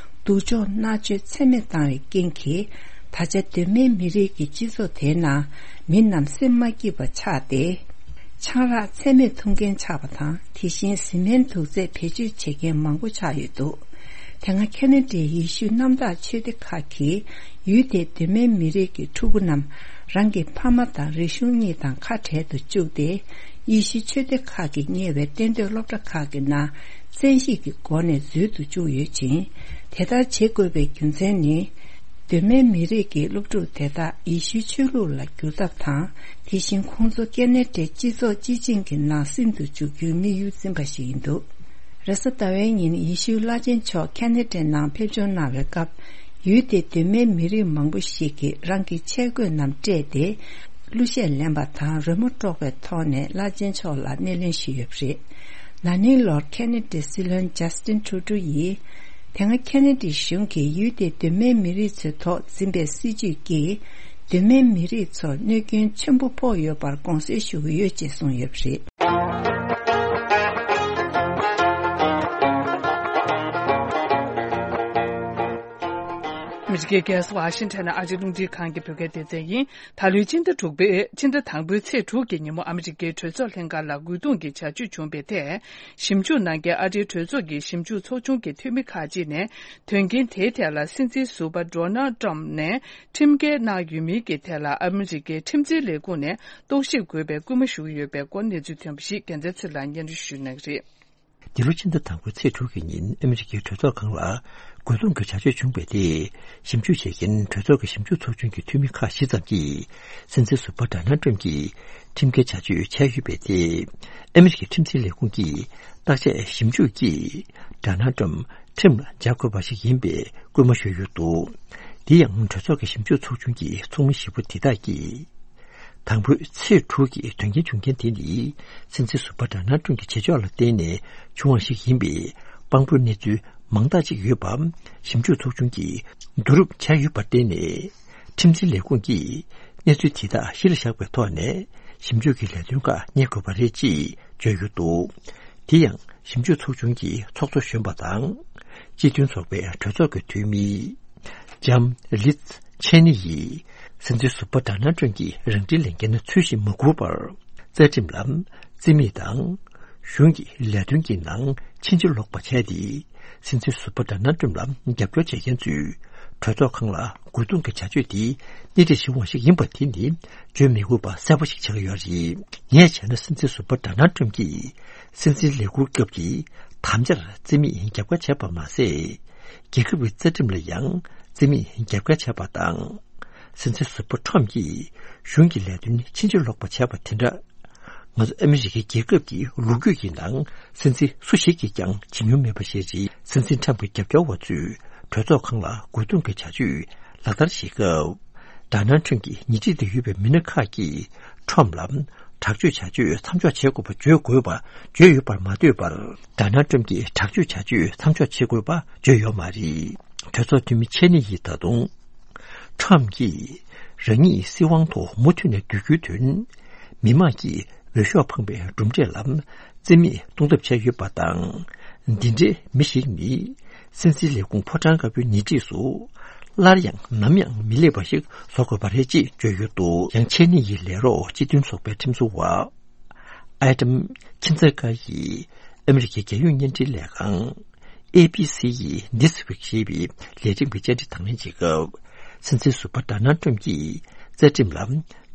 སྡུག་སྦྱོང་མནར་གཅོད་ཚད་མེད་བཏང་བའི་རྐྱེན་གྱིས། ད་ཆ་གདོད་མའི་མི་རིགས་ཀྱི་སྤྱི་ཚོགས་དེའི་ནང་མི་རྣམས་སེམས་མ་སྐྱིད་པ་ཆགས་ཏེ། ཆང་རག་ཚད་མེད་འཐུང་མཁན་ཆགས་པ་དང་། དེ་བཞིན་བཟི་སྨན་དུག་རྫས་བེད་སྤྱོད་བྱེད་མཁན་མང་པོ་ཆགས་ཡོད་འདུག་དེ་སྔ་ཁེ་ན་ཌའི་ཡེ་ཤུ་གནམ་བདག་ཆོས་སྡེ་ཁག་གིས་ཡུལ་དེའི་གདོད་མའི་མི་རིགས་ཀྱི་ཕྲུ་གུ་རྣམས་རང་གི་ཕ་མ་དང་རིག་གཞུང་གཉིས་དང་ཁ་བྲལ་དུ་བཅུག་སྟེ། ཡེ་ཤུ་ཆོས་སྡེ་ཁག་གིས་གཉེར་བའི་གཏན་སྡོད་སློབ་གྲྭ་ཁག་གི་ནང་བཙན་ཤེད་ཀྱི་སྒོ་ནས་འཛུལ་དུ་བཅུག་ཡོད་ཅིང་། དེ་ལྟར་བྱེད་དགོས་པའི་རྒྱུ་མཚན་ནི། གདོད་མའི་མི་རིགས་ཀྱི་སློབ་ཕྲུག་དེ་དག་ཡེ་ཤུའི་ཆོས་ལུགས་ལ་བསྒྱུར་ཐབས་དང་། དེ་བཞིན་ཁོང་ཚོ་ཁེ་ན་ཌའི་སྤྱི་ཚོགས་སྤྱི་བྱིངས་ཀྱི་ནང་སིམ་དུ་འཇུག་རྒྱུའི་དམིགས་ཡུལ་འཛིན་པ་ཞིག་ཡིན་འདུག་རེས་གཟའ་ཟླ་བའི་ཉིན་ཡེ་ཤུའི་བླ་ཆེན་མཆོག་ཁེ་ན་ཌའི་ནང་ཕེབས་འབྱོར་གནང་བའི་སྐབས། ཡུལ་དེའི་གདོད་མའི་མི་རིགས་མང་པོ་ཞིག་གིས་རང་གི་ཆས་གོས་རྣམས་སྤྲས་ཏེ། གླུ་གཞས་ལེན་པ་དང་རོལ་མོ་དཀྲོག་པའི་ཐོག་ནས་བླ་ཆེན་མཆོག་ལ་སྣེ་ལེན་ཞུས་ཡོད་པ་རེད། ན་ནིང་ལོར་ཁེ་ན་ཌའི་སྲིད་བློན་ཇཱ་སི་ཏིན་ཁྲུ་ཏྲུ་ཡིས། དེ་སྔ་ཁེ་ན་ཌའི་གཞུང་གིས་ཡུལ་དེའི་གདོད་མའི་མི་རིགས་ཚོའི་ཐོག་འཛིན་པའི་སྲིད་ཇུས་ཀྱིས། གདོད་མའི་མི་རིགས་ཚོར་གནོད་སྐྱོན་ཆེན་པོ་ཕོག་ཡོད་པར་དགོངས་སེལ་ཞུ་གི་ཡོད་ཅེས་གསུངས་ཡོད་པ་རེད། ཨ་མི་རི་ཀའི་རྒྱལ་ས་ཝ་ཤིང་ཊོན་ནས་ཨ་རིའི་རླུང་འཕྲིན་ཁང་གི་བོད་སྐད་སྡེ་ཚན་ཡིན། ད་ལོའི་སྤྱི་ཟླ་དྲུག་པའི་སྤྱི་ཟླ་དང་པོའི་ཚེས་དྲུག་གི་ཉིན་མོ་ཨ་མི་རི་ཀའི་གྲོས་ཚོགས་ལྷན་ཁང་ལ་རྒོལ་རྡུང་གི་བྱ་སྤྱོད་བྱུང་བའི་ཐད། ཞིབ་འཇུག་གནང་མཁན་ཨ་རིའི་གྲོས་ཚོགས་ཀྱི་ཞིབ་འཇུག་ཚོགས་ཆུང་གི་འཐུས་མི་ཁག་ཅིག་ནས། དོན་རྐྱེན་དེའི་ཐད་ལ་སྲིད་འཛིན་ཟུར་པ་ཌོ་ནལ་ཏྲམ་ནས་ཁྲིམས་འགལ་གནང་ཡོད་མིན་གྱི་ཐད་ལ་ཨ་མི་རི་ཀའི་ཁྲིམས་འཛིན་ལས་ཁུངས་ནས་རྟོག་ཞིབ་དགོས་པའི་སྐུལ་མ་ཞུ་གི་ཡོད་པའི་སྐོར་གནས་ཚུལ་ཐོན་པ་ཞིག་རྒྱལ་མཚན་ཚེ་ལགས་སྙན་སྒྲོན་ཞུ་གནང་གི་རེད། འདི་ལོ་ཕྱི་ཟླ་དང་པོའི་ཚེས་དྲུག་གི་ཉིན་ཨ་མི་རི་ཀའི་གྲོས་ཚོགས་ཁང་ལ་རྒོལ་རྡུང་གི་བྱ་སྤྱོད་བྱུང་བའི་ཐད། ཞིབ་འཇུག་བྱེད་མཁན་གྲོས་ཚོགས་ཀྱི་ཞིབ་འཇུག་ཚོགས་ཆུང་གི་འཐུས་མི་ཁག་བཞི་ཙམ་གྱིས་སྲིད་འཛིན་ཟུར་པ་ཌོ་ནལ་ཏྲམ་གྱིས་ཁྲིམས་འགལ་བྱ་སྤྱོད་བྱས་ཡོད་པའི་ཐད། ཨ་མི་རི་ཀའི་ཁྲིམས་འཛིན་ལས་ཁུངས་ཀྱིས་བརྟག་དཔྱད་ཞིབ་འཇུག་གིས་ཌོ་ནལ་ཏྲམ་ཁྲིམས་ལ་འཇགས་དགོས་པ་ཞིག་ཡིན་པའི་སྐུལ་མ་ཞུས་ཡོད་འདུག་དེ་ཡང་གྲོས་ཚོགས་ཀྱི་ཞིབ་འཇུག་ཚོགས་ཆུང་གི་ཚོགས་མི་བཞི་པོ་དེ་དག་གིས། དང་པོའི་ཚེས་དྲུག་གི་དོན་རྐྱེན་བྱུང་རྐྱེན་དེ་ནི་སྲིད་འཛིན་ཟུར་པ་ཌོ་ནལ་ཏྲམ་གྱི་བྱེད་ཕྱོགས་ལ་བརྟེན་ནས་བྱུང་བ་ཞིག་ཡིན་པའི་དཔང་པོའི་གནས་ཚུལ་མང་དག་ཅིག་ཡོད་པ་ཞིབ་འཇུག་ཚོགས་ཆུང་གིས་བསྡུ་རུབ་བྱས་ཡོད་པར་བརྟེན་ནས། ཁྲིམས་འཛིན་ལས་ཁུངས་ཀྱིས་གནས་ཚུལ་དེ་དག་གཞི་ལ་བཞག་པའི་ཐོག་ནས་ཞིབ་འཇུག་གི་ལས་དོན་ཁག་གཉེར་དགོས་པ་རེད་ཅེས་བརྗོད་ཡོད་འདུག་དེ་ཡང་ཞིབ་འཇུག་ཚོགས་ཆུང་གི་ཚོགས་གཙོ་གཞོན་པ་དང་། སྤྱི་མཐུན་ཚོགས་པའི་གྲོས་ཚོགས་ཀྱི་འཐུས་མི། ལྕམ་ལིཛ་ཆེ་ནི་ཡིས་སྲིད་འཛིན་ཟུར་པ་ཌོ་ནལ་ཏྲམ་གྱི་རང་འཁྲིའི་ལས་འགན་ཚུལ་བཞིན་མ་འཁུར་བར། རྩ་ཁྲིམས་ལ་རྩིས་མེད་དང་། གཞུང་གི་ལས་དོན་གྱི་ནང་ཕྱིན་ཅི་ལོག་པ་བྱས་ཏེ། སྲིད་འཛིན་ཟུར་པ་ཌོ་ནལ་ཏྲམ་ལ་རྒྱབ་སྐྱོར་བྱེད་མཁན་ཚོས་གྲོས་ཚོགས་ཁང་ལ་རྒོལ་རྡུང་གི་བྱ་སྤྱོད་དེ་སྣེ་ཁྲིད་བྱེད་དབང་ཞིག་ཡིན་པ་དེ་ནི་བརྗོད་མི་དགོས་པ་གསལ་པོ་ཞིག་ཆགས་ཡོད་རེད། ངས་བྱས་ན་སྲིད་འཛིན་ཟུར་པ་ཌོ་ནལ་ཏྲམ་གྱིས་སྲིད་འཛིན་ལས་འཁུར་སྐབས་ཀྱི་དམ་བཅར་རྩིས་མེད་རྒྱབ་ཁ་བྱས་པ་མ་ཟད། རྒྱལ་ཁབ་ཀྱི་རྩ་ཁྲིམས་ལ་ཡང་རྩིས་མེད་རྒྱབ་འགལ་བྱས་པ་དང་། སྲིད་འཛིན་ཟུར་པ་ཁྲོམ་གྱིས་གཞུང་གི་ལས་དོན་ཕྱིན་ཅི་ལོག་པ་བྱས་པ་དེ་འདྲ། ང་ཚོ་ཨ་མི་རི་ཀའི་རྒྱལ་ཁབ་ཀྱི་ལོ་རྒྱུས་ཀྱི་ནང་སྲིད་འཛིན་སུ་ཞིག་གིས་ཀྱང་བྱེད་མྱོང་མེད་པ་ཞིག་རེད། སྲིད་འཛིན་ཁྲོམ་གྱི་རྒྱབ་སྐྱོར་བ་ཚོས་གྲོས་ཚོགས་ཁང་ལ་རྒོལ་རྡུང་གི་བྱ་སྤྱོད་ལག་བསྟར་བྱེད་སྐབས། ཌོ་ནལ་ཁྲོམ་གྱི་ཉེ་འཁྲིས་དུ་ཡོད་པའི་མི་སྣ་ཁག་གིས་ཁྲོམ་ལ་དྲག་སྤྱོད་བྱ་སྤྱོད་མཚམས་འཇོག་བྱེད་དགོས་པ་བརྗོད་དགོས་པ་བརྗོད་ཡོད་པར་མ་ལྟོས་པར། ཌོ་ནལ་ཁྲོམ་གྱིས་དྲག་སྤྱོད་བྱ་སྤྱོད་མཚམས་འཇོག་བྱེད་དགོས་པ་བརྗོད་ཡོད་མ་རེད། གྲོས་ཚོགས་འཐུས་མི་ཆེ་ནི་ཡིས་ད་དུང་། ཁྲོམ་གྱིས་རང་ཉིད་སྲིད་དབང་ཐོག་མུ་མཐུད་ནས་སྡོད་རྒྱུའི་དོན། མི་དམངས་ཀྱི་འོས་ཤོག་འཕངས་པའི་གྲུབ་འབྲས་ལ་རྩིས་མེད་གཏོང་ཐབས་བྱས་ཡོད་པ་དང་། འདི་འདྲའི་མི་ཞིག་ནི་སྲིད་འཛིན་ལས་ཁུངས་ཕོ་བྲང་དཀར་པོའི་ཉེ་འཁྲིས་སུ་སླར་ཡང་ནམ་ཡང་མི་སླེབས་པ་ཞིག་བཟོ་དགོས་པ་རེད་ཅེས་བརྗོད་ཡོད་འདུག་ཡང་ཆེ་ནི་ཡི་ལས་རོགས་སྤྱི་མཐུན་ཚོགས་པའི་ཁྲིམས་བཟོ་བ་ཨེ་ཌམ་ཁིན་ཛེ་ཀ་ཡིས་ཨ་མི་རི་ཀའི་རྒྱལ་ཡོངས་བརྙན་འཕྲིན་ལས་ཁང་ཨེ་བི་སི་ཡི་This Week ཞེས་པའི་ལས་རིམ་གྱི་བཅར་འདྲི་དང་ལེན་བྱེད་སྐབས། སྲིད་འཛིན་ཟུར་པ་ཌོ་ནལ་ཏྲམ་གྱིས་རྩ་ཁྲིམས་ལ་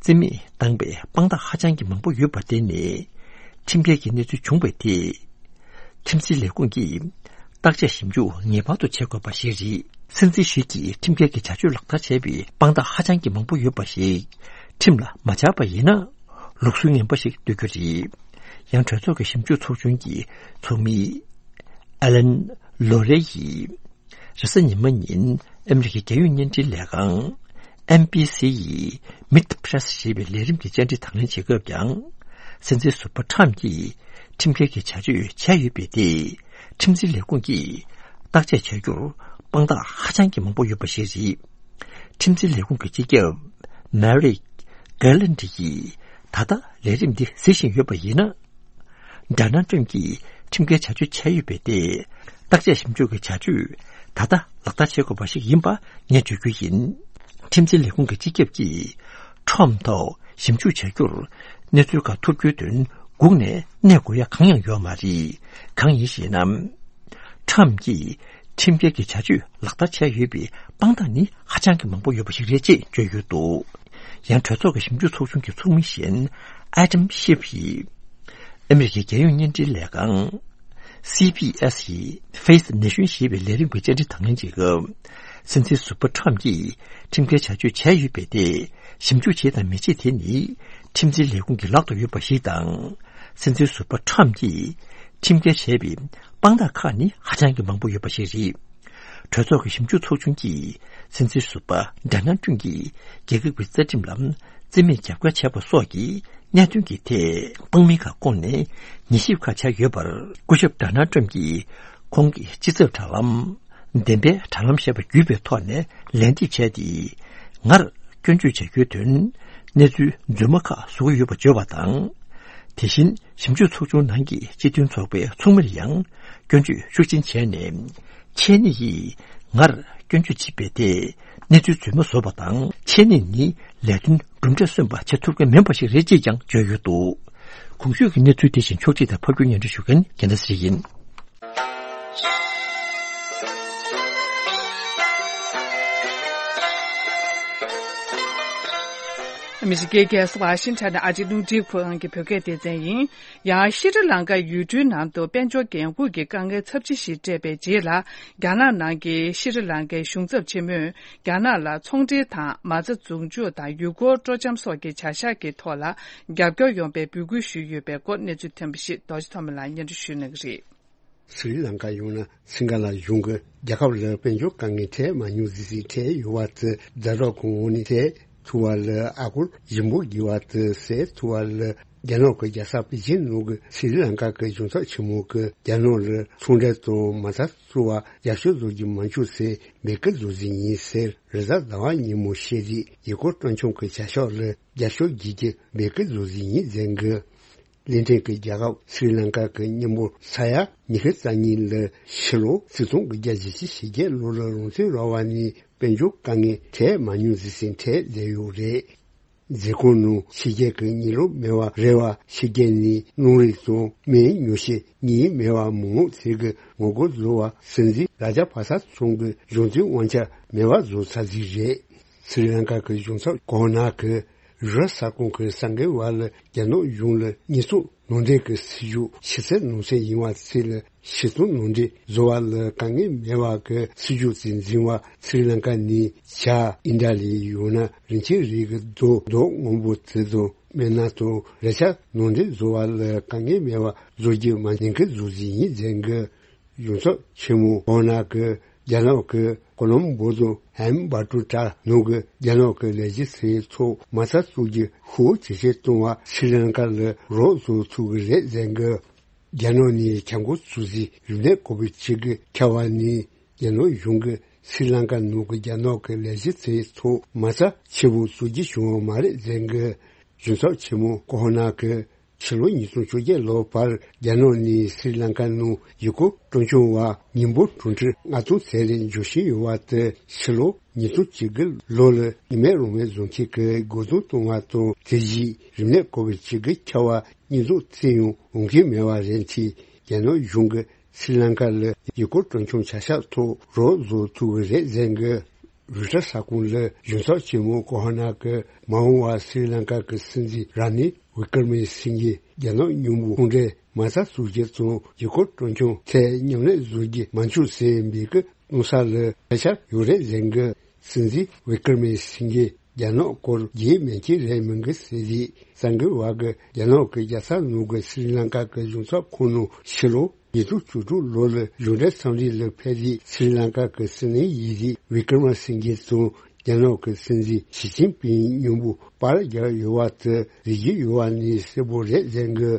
རྩིས་མེད་བཏང་པའི་དཔང་རྟགས་ཧ་ཅང་གི་མང་པོ་ཡོད་པར་བརྟེན་ནས། ཁྲིམས་འགལ་གྱི་གནས་ཚུལ་བྱུང་བའི་ཐད། ཁྲིམས་འཛིན་ལས་ཁུངས་ཀྱིས་བརྟག་དཔྱད་ཞིབ་འཇུག་ངེས་པར་དུ་བྱེད་དགོས་པ་ཞིག་རེད། སྲིད་འཛིན་ཞིག་གིས་ཁྲིམས་འགལ་གྱི་བྱ་སྤྱོད་ལག་བསྟར་བྱས་པའི་དཔང་རྟགས་ཧ་ཅང་གི་མང་པོ་ཡོད་པ་ཞིག་ཁྲིམས་ལ་མ་སྦྱར་པ་ཡིན་ན། ལུགས་སྲོལ་ངན་པ་ཞིག་གཏོད་རྒྱུ་རེད། ཡང་གྲོས་ཚོགས་ཀྱི་ཞིབ་འཇུག་ཚོགས་ཆུང་གི་ཚོགས་མི་ཨ་ལན་ལོ་རེ་ཡིས། རེས་གཟའ་ཉི་མ་ཉིན་ ཨ་མི་རི་ཀའི་རྒྱལ་ཡོངས་བརྙན་འཕྲིན་ལས་ཁང་ཨེན་བྷི་སི་ཡིས་མིད་པི་རེ་སི་ཞེས་པའི་ལས་རིམ་གྱི་བཅར་འདྲི་དང་ལེན་བྱེད་སྐབས་ཀྱང་། སྲིད་འཛིན་ཟུར་པ་ཁྲམ་གྱིས་ཁྲིམས་འགལ་གྱི་བྱ་སྤྱོད་བྱས་ཡོད་པའི་ཐད། ཁྲིམས་འཛིན་ལས་ཁུངས་ཀྱིས་བརྟག་དཔྱད་བྱ་རྒྱུར་དཔང་རྟགས་ཧ་ཅང་གི་མང་པོ་ཡོད་པ་ཞིག་རེད། ཁྲིམས་འཛིན་ལས་ཁུངས་ཀྱི་སྤྱི་ཁྱབ་མེ་རིག་གྷེ་ལན་ཌི་ཡིས་ད་ལྟ་ལས་རིམ་འདི་གཟིགས་བཞིན་ཡོད་པ་ཡིན་ན། ཌོ་ནལ་ཊམ་གྱིས་ཁྲིམས་འགལ་བྱ་སྤྱོད་བྱས་ཡོད་པའི་ཐད། བརྟག་དཔྱད་ཞིབ་འཇུག་གི་བྱ་སྤྱོད་ད་ལྟ་ལག་བསྟར་བྱེད་དགོས་པ་ཞིག་ཡིན་པ་ངས་བརྗོད་རྒྱུ་ཡིན། ཁྲིམས་འཛིན་ལས་ཁུངས་ཀྱི་སྤྱི་ཁྱབ་ཀྱིས་ཁྲམ་ཐོག་ཞིབ་འཇུག་བྱ་རྒྱུར་གནས་ཚུལ་ཁག་ཐོབ་རྒྱུའི་དོན་སྒུག་ནས་གནས་དགོས་ཡ་གང་ཡང་ཡོད་མ་རེད། གང་ཡིན་ཞེ་ན། ཁྲམ་གྱིས་ཁྲིམས་འགལ་གྱི་བྱ་སྤྱོད་ལག་བསྟར་བྱས་ཡོད་པའི་དཔང་རྟགས་ནི་ཧ་ཅང་གི་མང་པོ་ཡོད་པ་ཞིག་རེད་ཅེས་བརྗོད་ཡོད་འདུག། ཡང་གྲོས་ཚོགས་ཀྱི་ཞིབ་འཇུག་ཚོགས་ཆུང་གི་ཚོགས་མི་གཞན་ཨ་དམ་ཤིབ་ཡིས་ཨ་མི་རི་ཀའི་རྒྱལ་ཡོངས་བརྙན་འཕྲིན་ལས་ཁང་སི་བྷི་ཨེ་སི་ཡི་Face the Nation ཞེས་པའི་ལས་རིམ་གྱི་བཅར་འདྲི་དང་ལེན་བྱེད་སྐབས། སྲིད་འཛིན་ཟུར་པ་ཁྲམ་གྱིས་ཁྲིམས་འགལ་བྱ་སྤྱོད་བྱས་ཡོད་པའི་ཐད་ཞིབ་འཇུག་བྱེད་དང་མི་བྱེད་དེ་ནི་ཁྲིམས་འཛིན་ལས་ཁུངས་ཀྱི་ལག་ཏུ་ཡོད་པ་ཞིག་དང་། སྲིད་འཛིན་ཟུར་པ་ཁྲམ་གྱིས་ཁྲིམས་འགལ་བྱས་པའི་དཔང་རྟགས་ཁག་ནི་ཧ་ཅང་གི་མང་པོ་ཡོད་པ་ཞིག་རེད། གྲོས་ཚོགས་ཀྱི་ཞིབ་འཇུག་ཚོགས་ཆུང་གིས་སྲིད་འཛིན་ཟུར་པ་ཌོ་ནལ་ཊམ་གྱིས་རྒྱལ་ཁབ་ཀྱི་རྩ་ཁྲིམས་ལ་བརྩི་མེད་རྒྱབ་འགལ་བྱས་པ་སོགས་ཀྱི་གནད་དོན་གྱི་ཐད་དཔང་མི་ཁག་བསྐོངས་ནས་ཉེས་ཞིབ་ཁག་བྱས་ཡོད་པར། སྐུ་ཞབས་ཌོ་ནལ་ཊམ་གྱིས་ཁོང་གི་སྤྱི་ཚབ་དྲ་ལམ། བདེན་པའི་དྲ་ལམ་ཞེས་པ་བརྒྱུད་པའི་ཐོག་ནས་ལན་འདེབས་བྱས་ཏེ། ངར་སྐྱོན་བརྗོད་བྱ་རྒྱུའི་དོན་གནས་ཚུལ་རྫུན་མ་ཁག་བཟོ་གི་ཡོད་པ་བརྗོད་པ་དང་། དེ་བཞིན་ཞིབ་འཇུག་ཚོགས་ཆུང་ནང་གི་སྤྱི་མཐུན་ཚོགས་པའི་ཚོགས་མིར་ཡང་སྐྱོན་བརྗོད་ཤུགས་ཆེན་བྱས་ནས། ཁྱེད་གཉིས་ཀྱིས་ངར་སྐྱོན་བརྗོད་བྱེད་པའི་ཐད་གནས་ཚུལ་རྫུན་མ་བཟོས་པ་དང་། ཁྱེད་གཉིས་ནི་ལས་དོན་གྲུབ་འབྲས་སོན་པ་བྱེད་ཐུབ་མཁན་མིན་པ་ཞིག་རེད་ཅེས་ཀྱང་བརྗོད་ཡོད་འདུག། གོང་ཞུས་ཀྱི་གནས་ཚུལ་དེ་བཞིན་ཕྱོགས་སྒྲིག་དང་ཕབ་སྒྱུར་སྙན་སྒྲོན་ཞུ་མཁན་རྒྱལ་མཚན་ཚེ་རིང་ཡིན། ཨ་མི་རི་ཀའི་རྒྱལ་ས་ཝ་ཤིང་ཊོན་ནས་ཨ་རིའི་རླུང་འཕྲིན་ཁང་གི་བོད་སྐད་སྡེ་ཚན་ཡིན། ཡང་ཤྲི་ལང་ཀ་ཡུལ་གྲུའི་ནང་དུ་དཔལ་འབྱོར་འགན་འཁུར་གྱི་དཀའ་ངལ་ཚབས་ཆེ་ཞིག་སྤྲད་པའི་རྗེས་ལ། རྒྱ་ནག་ནང་གི་ཤྲི་ལང་ཀའི་གཞུང་ཚབ་ཆེན་མོས་རྒྱ་ནག་ལ་ཚོང་འབྲེལ་དང་མ་རྩ་འཛུགས་འཇུག་དང་ཡུལ་སྐོར་སྤྲོ་འཆམ་སོགས་ཀྱི་བྱ་གཞག་གི་ཐོག་ལ་རྒྱབ་སྐྱོར་ཡོང་བའི་འབོད་སྐུལ་ཞུས་ཡོད་པའི་སྐོར་གནས་ཚུལ་ཐོན་པ་ཞིག་རྡོ་རྗེ་ཐོགས་མེད་ལགས་སྙན་སྒྲོན་ཞུ་གནང་གི་རེད། སི་རི་ལང་ཀ་ཡང་ན་སིང་ག་ལ་གཞུང་གིས་རྒྱལ་ཁབ་ལ་དཔལ་འབྱོར་དཀའ་ངལ་འཕྲད་མ་མྱོང་ཟིན་ཟིན་འཕྲད་ཡོད་པ་དེ་ཛ་དྲག་གི་ངོས་ནས་འཕྲད་ཐུབ་པ་ལ་ཨ་སྒོར་ཞིབ་འཇུག་བགྱི་བ་དེ་སེལ་ཐུབ་པ་ལ། རྒྱ་ནག་གི་རྒྱལ་ས་པེ་ཅིན་ནང་གི་སི་རི་ལང་ཀ་གི་གཞུང་ཚབ་ཆེན་མོ་གིས་རྒྱ་ནག་ལ་ཚོང་འབྲེལ་དང་མ་རྩ་བཙུགས་པར་རྒྱབ་སྐྱོར་བཟོ་རྒྱུ་མ་བྱུང་ཟེར་འབོད་སྐུལ་བཟོ་བཞིན་ཡིན་ཟེར། རེས་གཟའ་ཟླ་བ་ཉིན་མོ་ཤེས་རིག་ཡུལ་སྐོར་སྤྲོ་འཆམ་གྱི་བྱ་གཞག་ལ་རྒྱབ་སྐྱོར་བགྱིད་རྒྱུ་འབོད་སྐུལ་བཟོ་བཞིན་ཡིན་ཟེར་གི། གླིང་ཕྲན་གྱི་རྒྱལ་ཁབ་སི་རི་ལང་ཀ་གི་མཉམ་པོ་ས་ཡ་ཉི་ཤུ་རྩ་གཉིས་ལ་ཕྱི་ལོ་ཆིག་སྟོང་དགུ་བརྒྱ་བཞི་བཅུ་ཞེ་བརྒྱད་ལོ་ལ་རང་བཙན་རག་པ་ནས་དཔལ་འབྱོར་དཀའ་ངལ་འཕྲད་མ་མྱོང་ཟིན་ཟིན་འཕྲད་བསྡད་ཡོད་རེད། མཛད་ཁང་ནང་ཕྱི་རྒྱལ་གྱི་ཉིན་ལོ་མེད་པ་རེད་བ། ཕྱི་རྒྱལ་ནས་རླུང་རིག་དང་སྨན་ཉོ་ཆེད་གཉིད་མེད་པ་མང་ཚིག་གི་ངོ་རྒོལ་བཟོ་བ་སྲིད་འཛིན་ར་ཇ་པ་ས་ཚང་གི་གཞུང་འཛིན་དབང་ཆ་མེད་པ་བཟོ་ཚར་ཟིག་རེད། སི་རི་ལང་ཀ་གི་གཞུང་ཚབ་གོ་ཧོ་ན་གི་རི་ས་ཁོངས་ཀྱི་གསར་འགོད་པ་ལ་རྒྱ་ནག་གཞུང་ལ་ཉེས་གསོག་ནང་འདྲེན་གྱི་སྲིད་ཇུས་ཕྱི་གསལ་ནང་གསལ་ཡིན་པ་ཚིག་ལ་ཕྱི་སྟོང་ནང་འདྲེན་བཟོ་བ་ལ་དཀའ་ངལ་མེད་པ་གི་སྲིད་ཇུས་ཅིག་འཛིན་པ་སི་རི་ལང་ཀ་ནས་བྱ་ཨིན་ཏྲ་ལི་ཡང་ན་རིན་ཆེན་རིགས་ཀྱི་རྡོ་རྡོ་སྔོན་པོ་དེ་དང་སྨན་སྣ་དང་རས་ཆ་ནང་འདྲེན་བཟོ་བ་ལ་དཀའ་ངལ་མེད་པ་བཟོ་རྒྱུ་མ་ཉེན་ཁའི་བཟོ་ཟིན་ཡིན་ཟེར་གི། གཞུང་ཚབ་ཆེན་མོ་གོ་ཧོ་ན་གི་རྒྱ་ནག་གི་ཀོ་ལོམ་བོ་དང་ཧན་བྷ་ཏུ་ཏྲ་ནང་གི་རྒྱ་ནག་གི་ལས་བྱེད་ཚོའི་ཚོགས་མ་རྩ་བཙུགས་རྒྱུ་ཤུགས་ཇེ་ཆེར་གཏོང་བ་སི་རི་ལང་ཀ་ལ་རོགས་བཟོ་ཐུབ་ཀྱི་རེད་ཟེར་གི། རྒྱ་ནག་ནས་ཁྱབ་མགོ་ཚུགས་སའི་རིམས་ནད་ཀོ་བིད་བཅུ་དགུ་ཁྱབ་པ་ནས་རྒྱ་ནག་གཞུང་གིས་སི་རི་ལང་ཀ་ནང་གི་རྒྱ་ནག་གི་ལས་བྱེད་ཚོའི་ཚོགས་མ་རྩ་ཆེ་བོ་བཙུགས་རྒྱུ་བྱུང་བ་མ་རེད་ཟེར་གི། གཞུང་ཚབ་ཆེན་མོ་གོ་ཧོ་ན་གི་ཕྱི་ལོ་ཉིས་སྟོང་བཅོ་བརྒྱད་ལོ་བར་རྒྱ་ནག་ནས་སི་རི་ལང་ཀ་ནང་ཡུལ་སྐོར་སྤྲོ་འཆམ་པ་མི་འབོར་གྲངས་ཁྲི་ལྔ་སྟོང་ཙམ་རེ་འབྱོར་བཞིན་ཡོད་པ་དེ་ཕྱི་ལོ་ཉིས་སྟོང་བཅུ་དགུ་ལོ་ལ་ཉི་མའི་རང་མོས་བཟོ་མཁན་གྱི་རྒོལ་རྡུང་གཏོང་བ་དང་དེ་བཞིན་རིམས་ནད་ཀོ་བིད་བཅུ་དགུ་ཁྱབ་པ་སྙོན་འཛུགས་བརྩི་ཡང་འོང་མཁན་མེད་པ་རེད་དེ། རྒྱ་ནག་གཞུང་གིས་སི་རི་ལང་ཀ་ལ་ཡུལ་སྐོར་སྤྲོ་འཆམ་བྱ་གཞག་ཐོག་རོགས་བཟོ་ཐུབ་ཀྱི་རེད་ཟེར་གི། རུ་ཊར་གསར་ཁང་ལ་གཞུང་ཚབ་ཆེན་མོ་གོ་ཧོ་ན་གི་མ་འོངས་པར་སི་རི་ལང་ཀ་གི་སྲིད་འཛིན་ར་ནིལ་ཝི་ཀར་མེ་སིང་གེ་རྒྱ་ནག་མཉམ་པོ་ཚོང་འབྲེལ་མ་རྩ་བཙུགས་རྒྱུ་དང་ཡུལ་སྐོར་སྤྲོ་འཆམ་ཐད་མཉམ་ལས་བཟོ་རྒྱུ་མ་འཁྱོངས་ཟེར་འབོད་སྐུལ་གནང་ས་ལ་ཐད་ཆར་ཡོད་རེད་ཟེར་གི། སྲིད་འཛིན་ཝི་ཀར་མེ་སིང་གེ་རྒྱ་ནག་སྐོར་རྒྱུས་མེད་མཁན་རེད་མིན་གི་ཟེར་རེད། གསར་འགོད་པ་གི་རྒྱ་ནག་གི་རྒྱལ་ས་ནང་གི་སི་རི་ལང་ཀ་གི་གཞུང་ཚབ་ཁང་ནང་ཕྱི་ལོ་ ཉིས་སྟོང་བཅུ་དྲུག་ལོ་ལ་གཞུང་འབྲེལ་འཚམས་གཟིགས་ལ་ཕེབས་ཏེ། སྲི་ལང་ཀ་གི་སྲིད་བློན་ཡིན་རིགས་བི་ཀྲ་མ་སིང་གྷེ་དང་རྒྱ་ནག་གི་སྲིད་འཛིན་ཞི་ཅིན་ཕིང་མཉམ་པོ་པར་བརྒྱབ་ཡོད་པ་དེ་གཟིགས་ཀྱི་ཡོད་པ་ནི་གསལ་པོ་རེད་ཟེར་གི།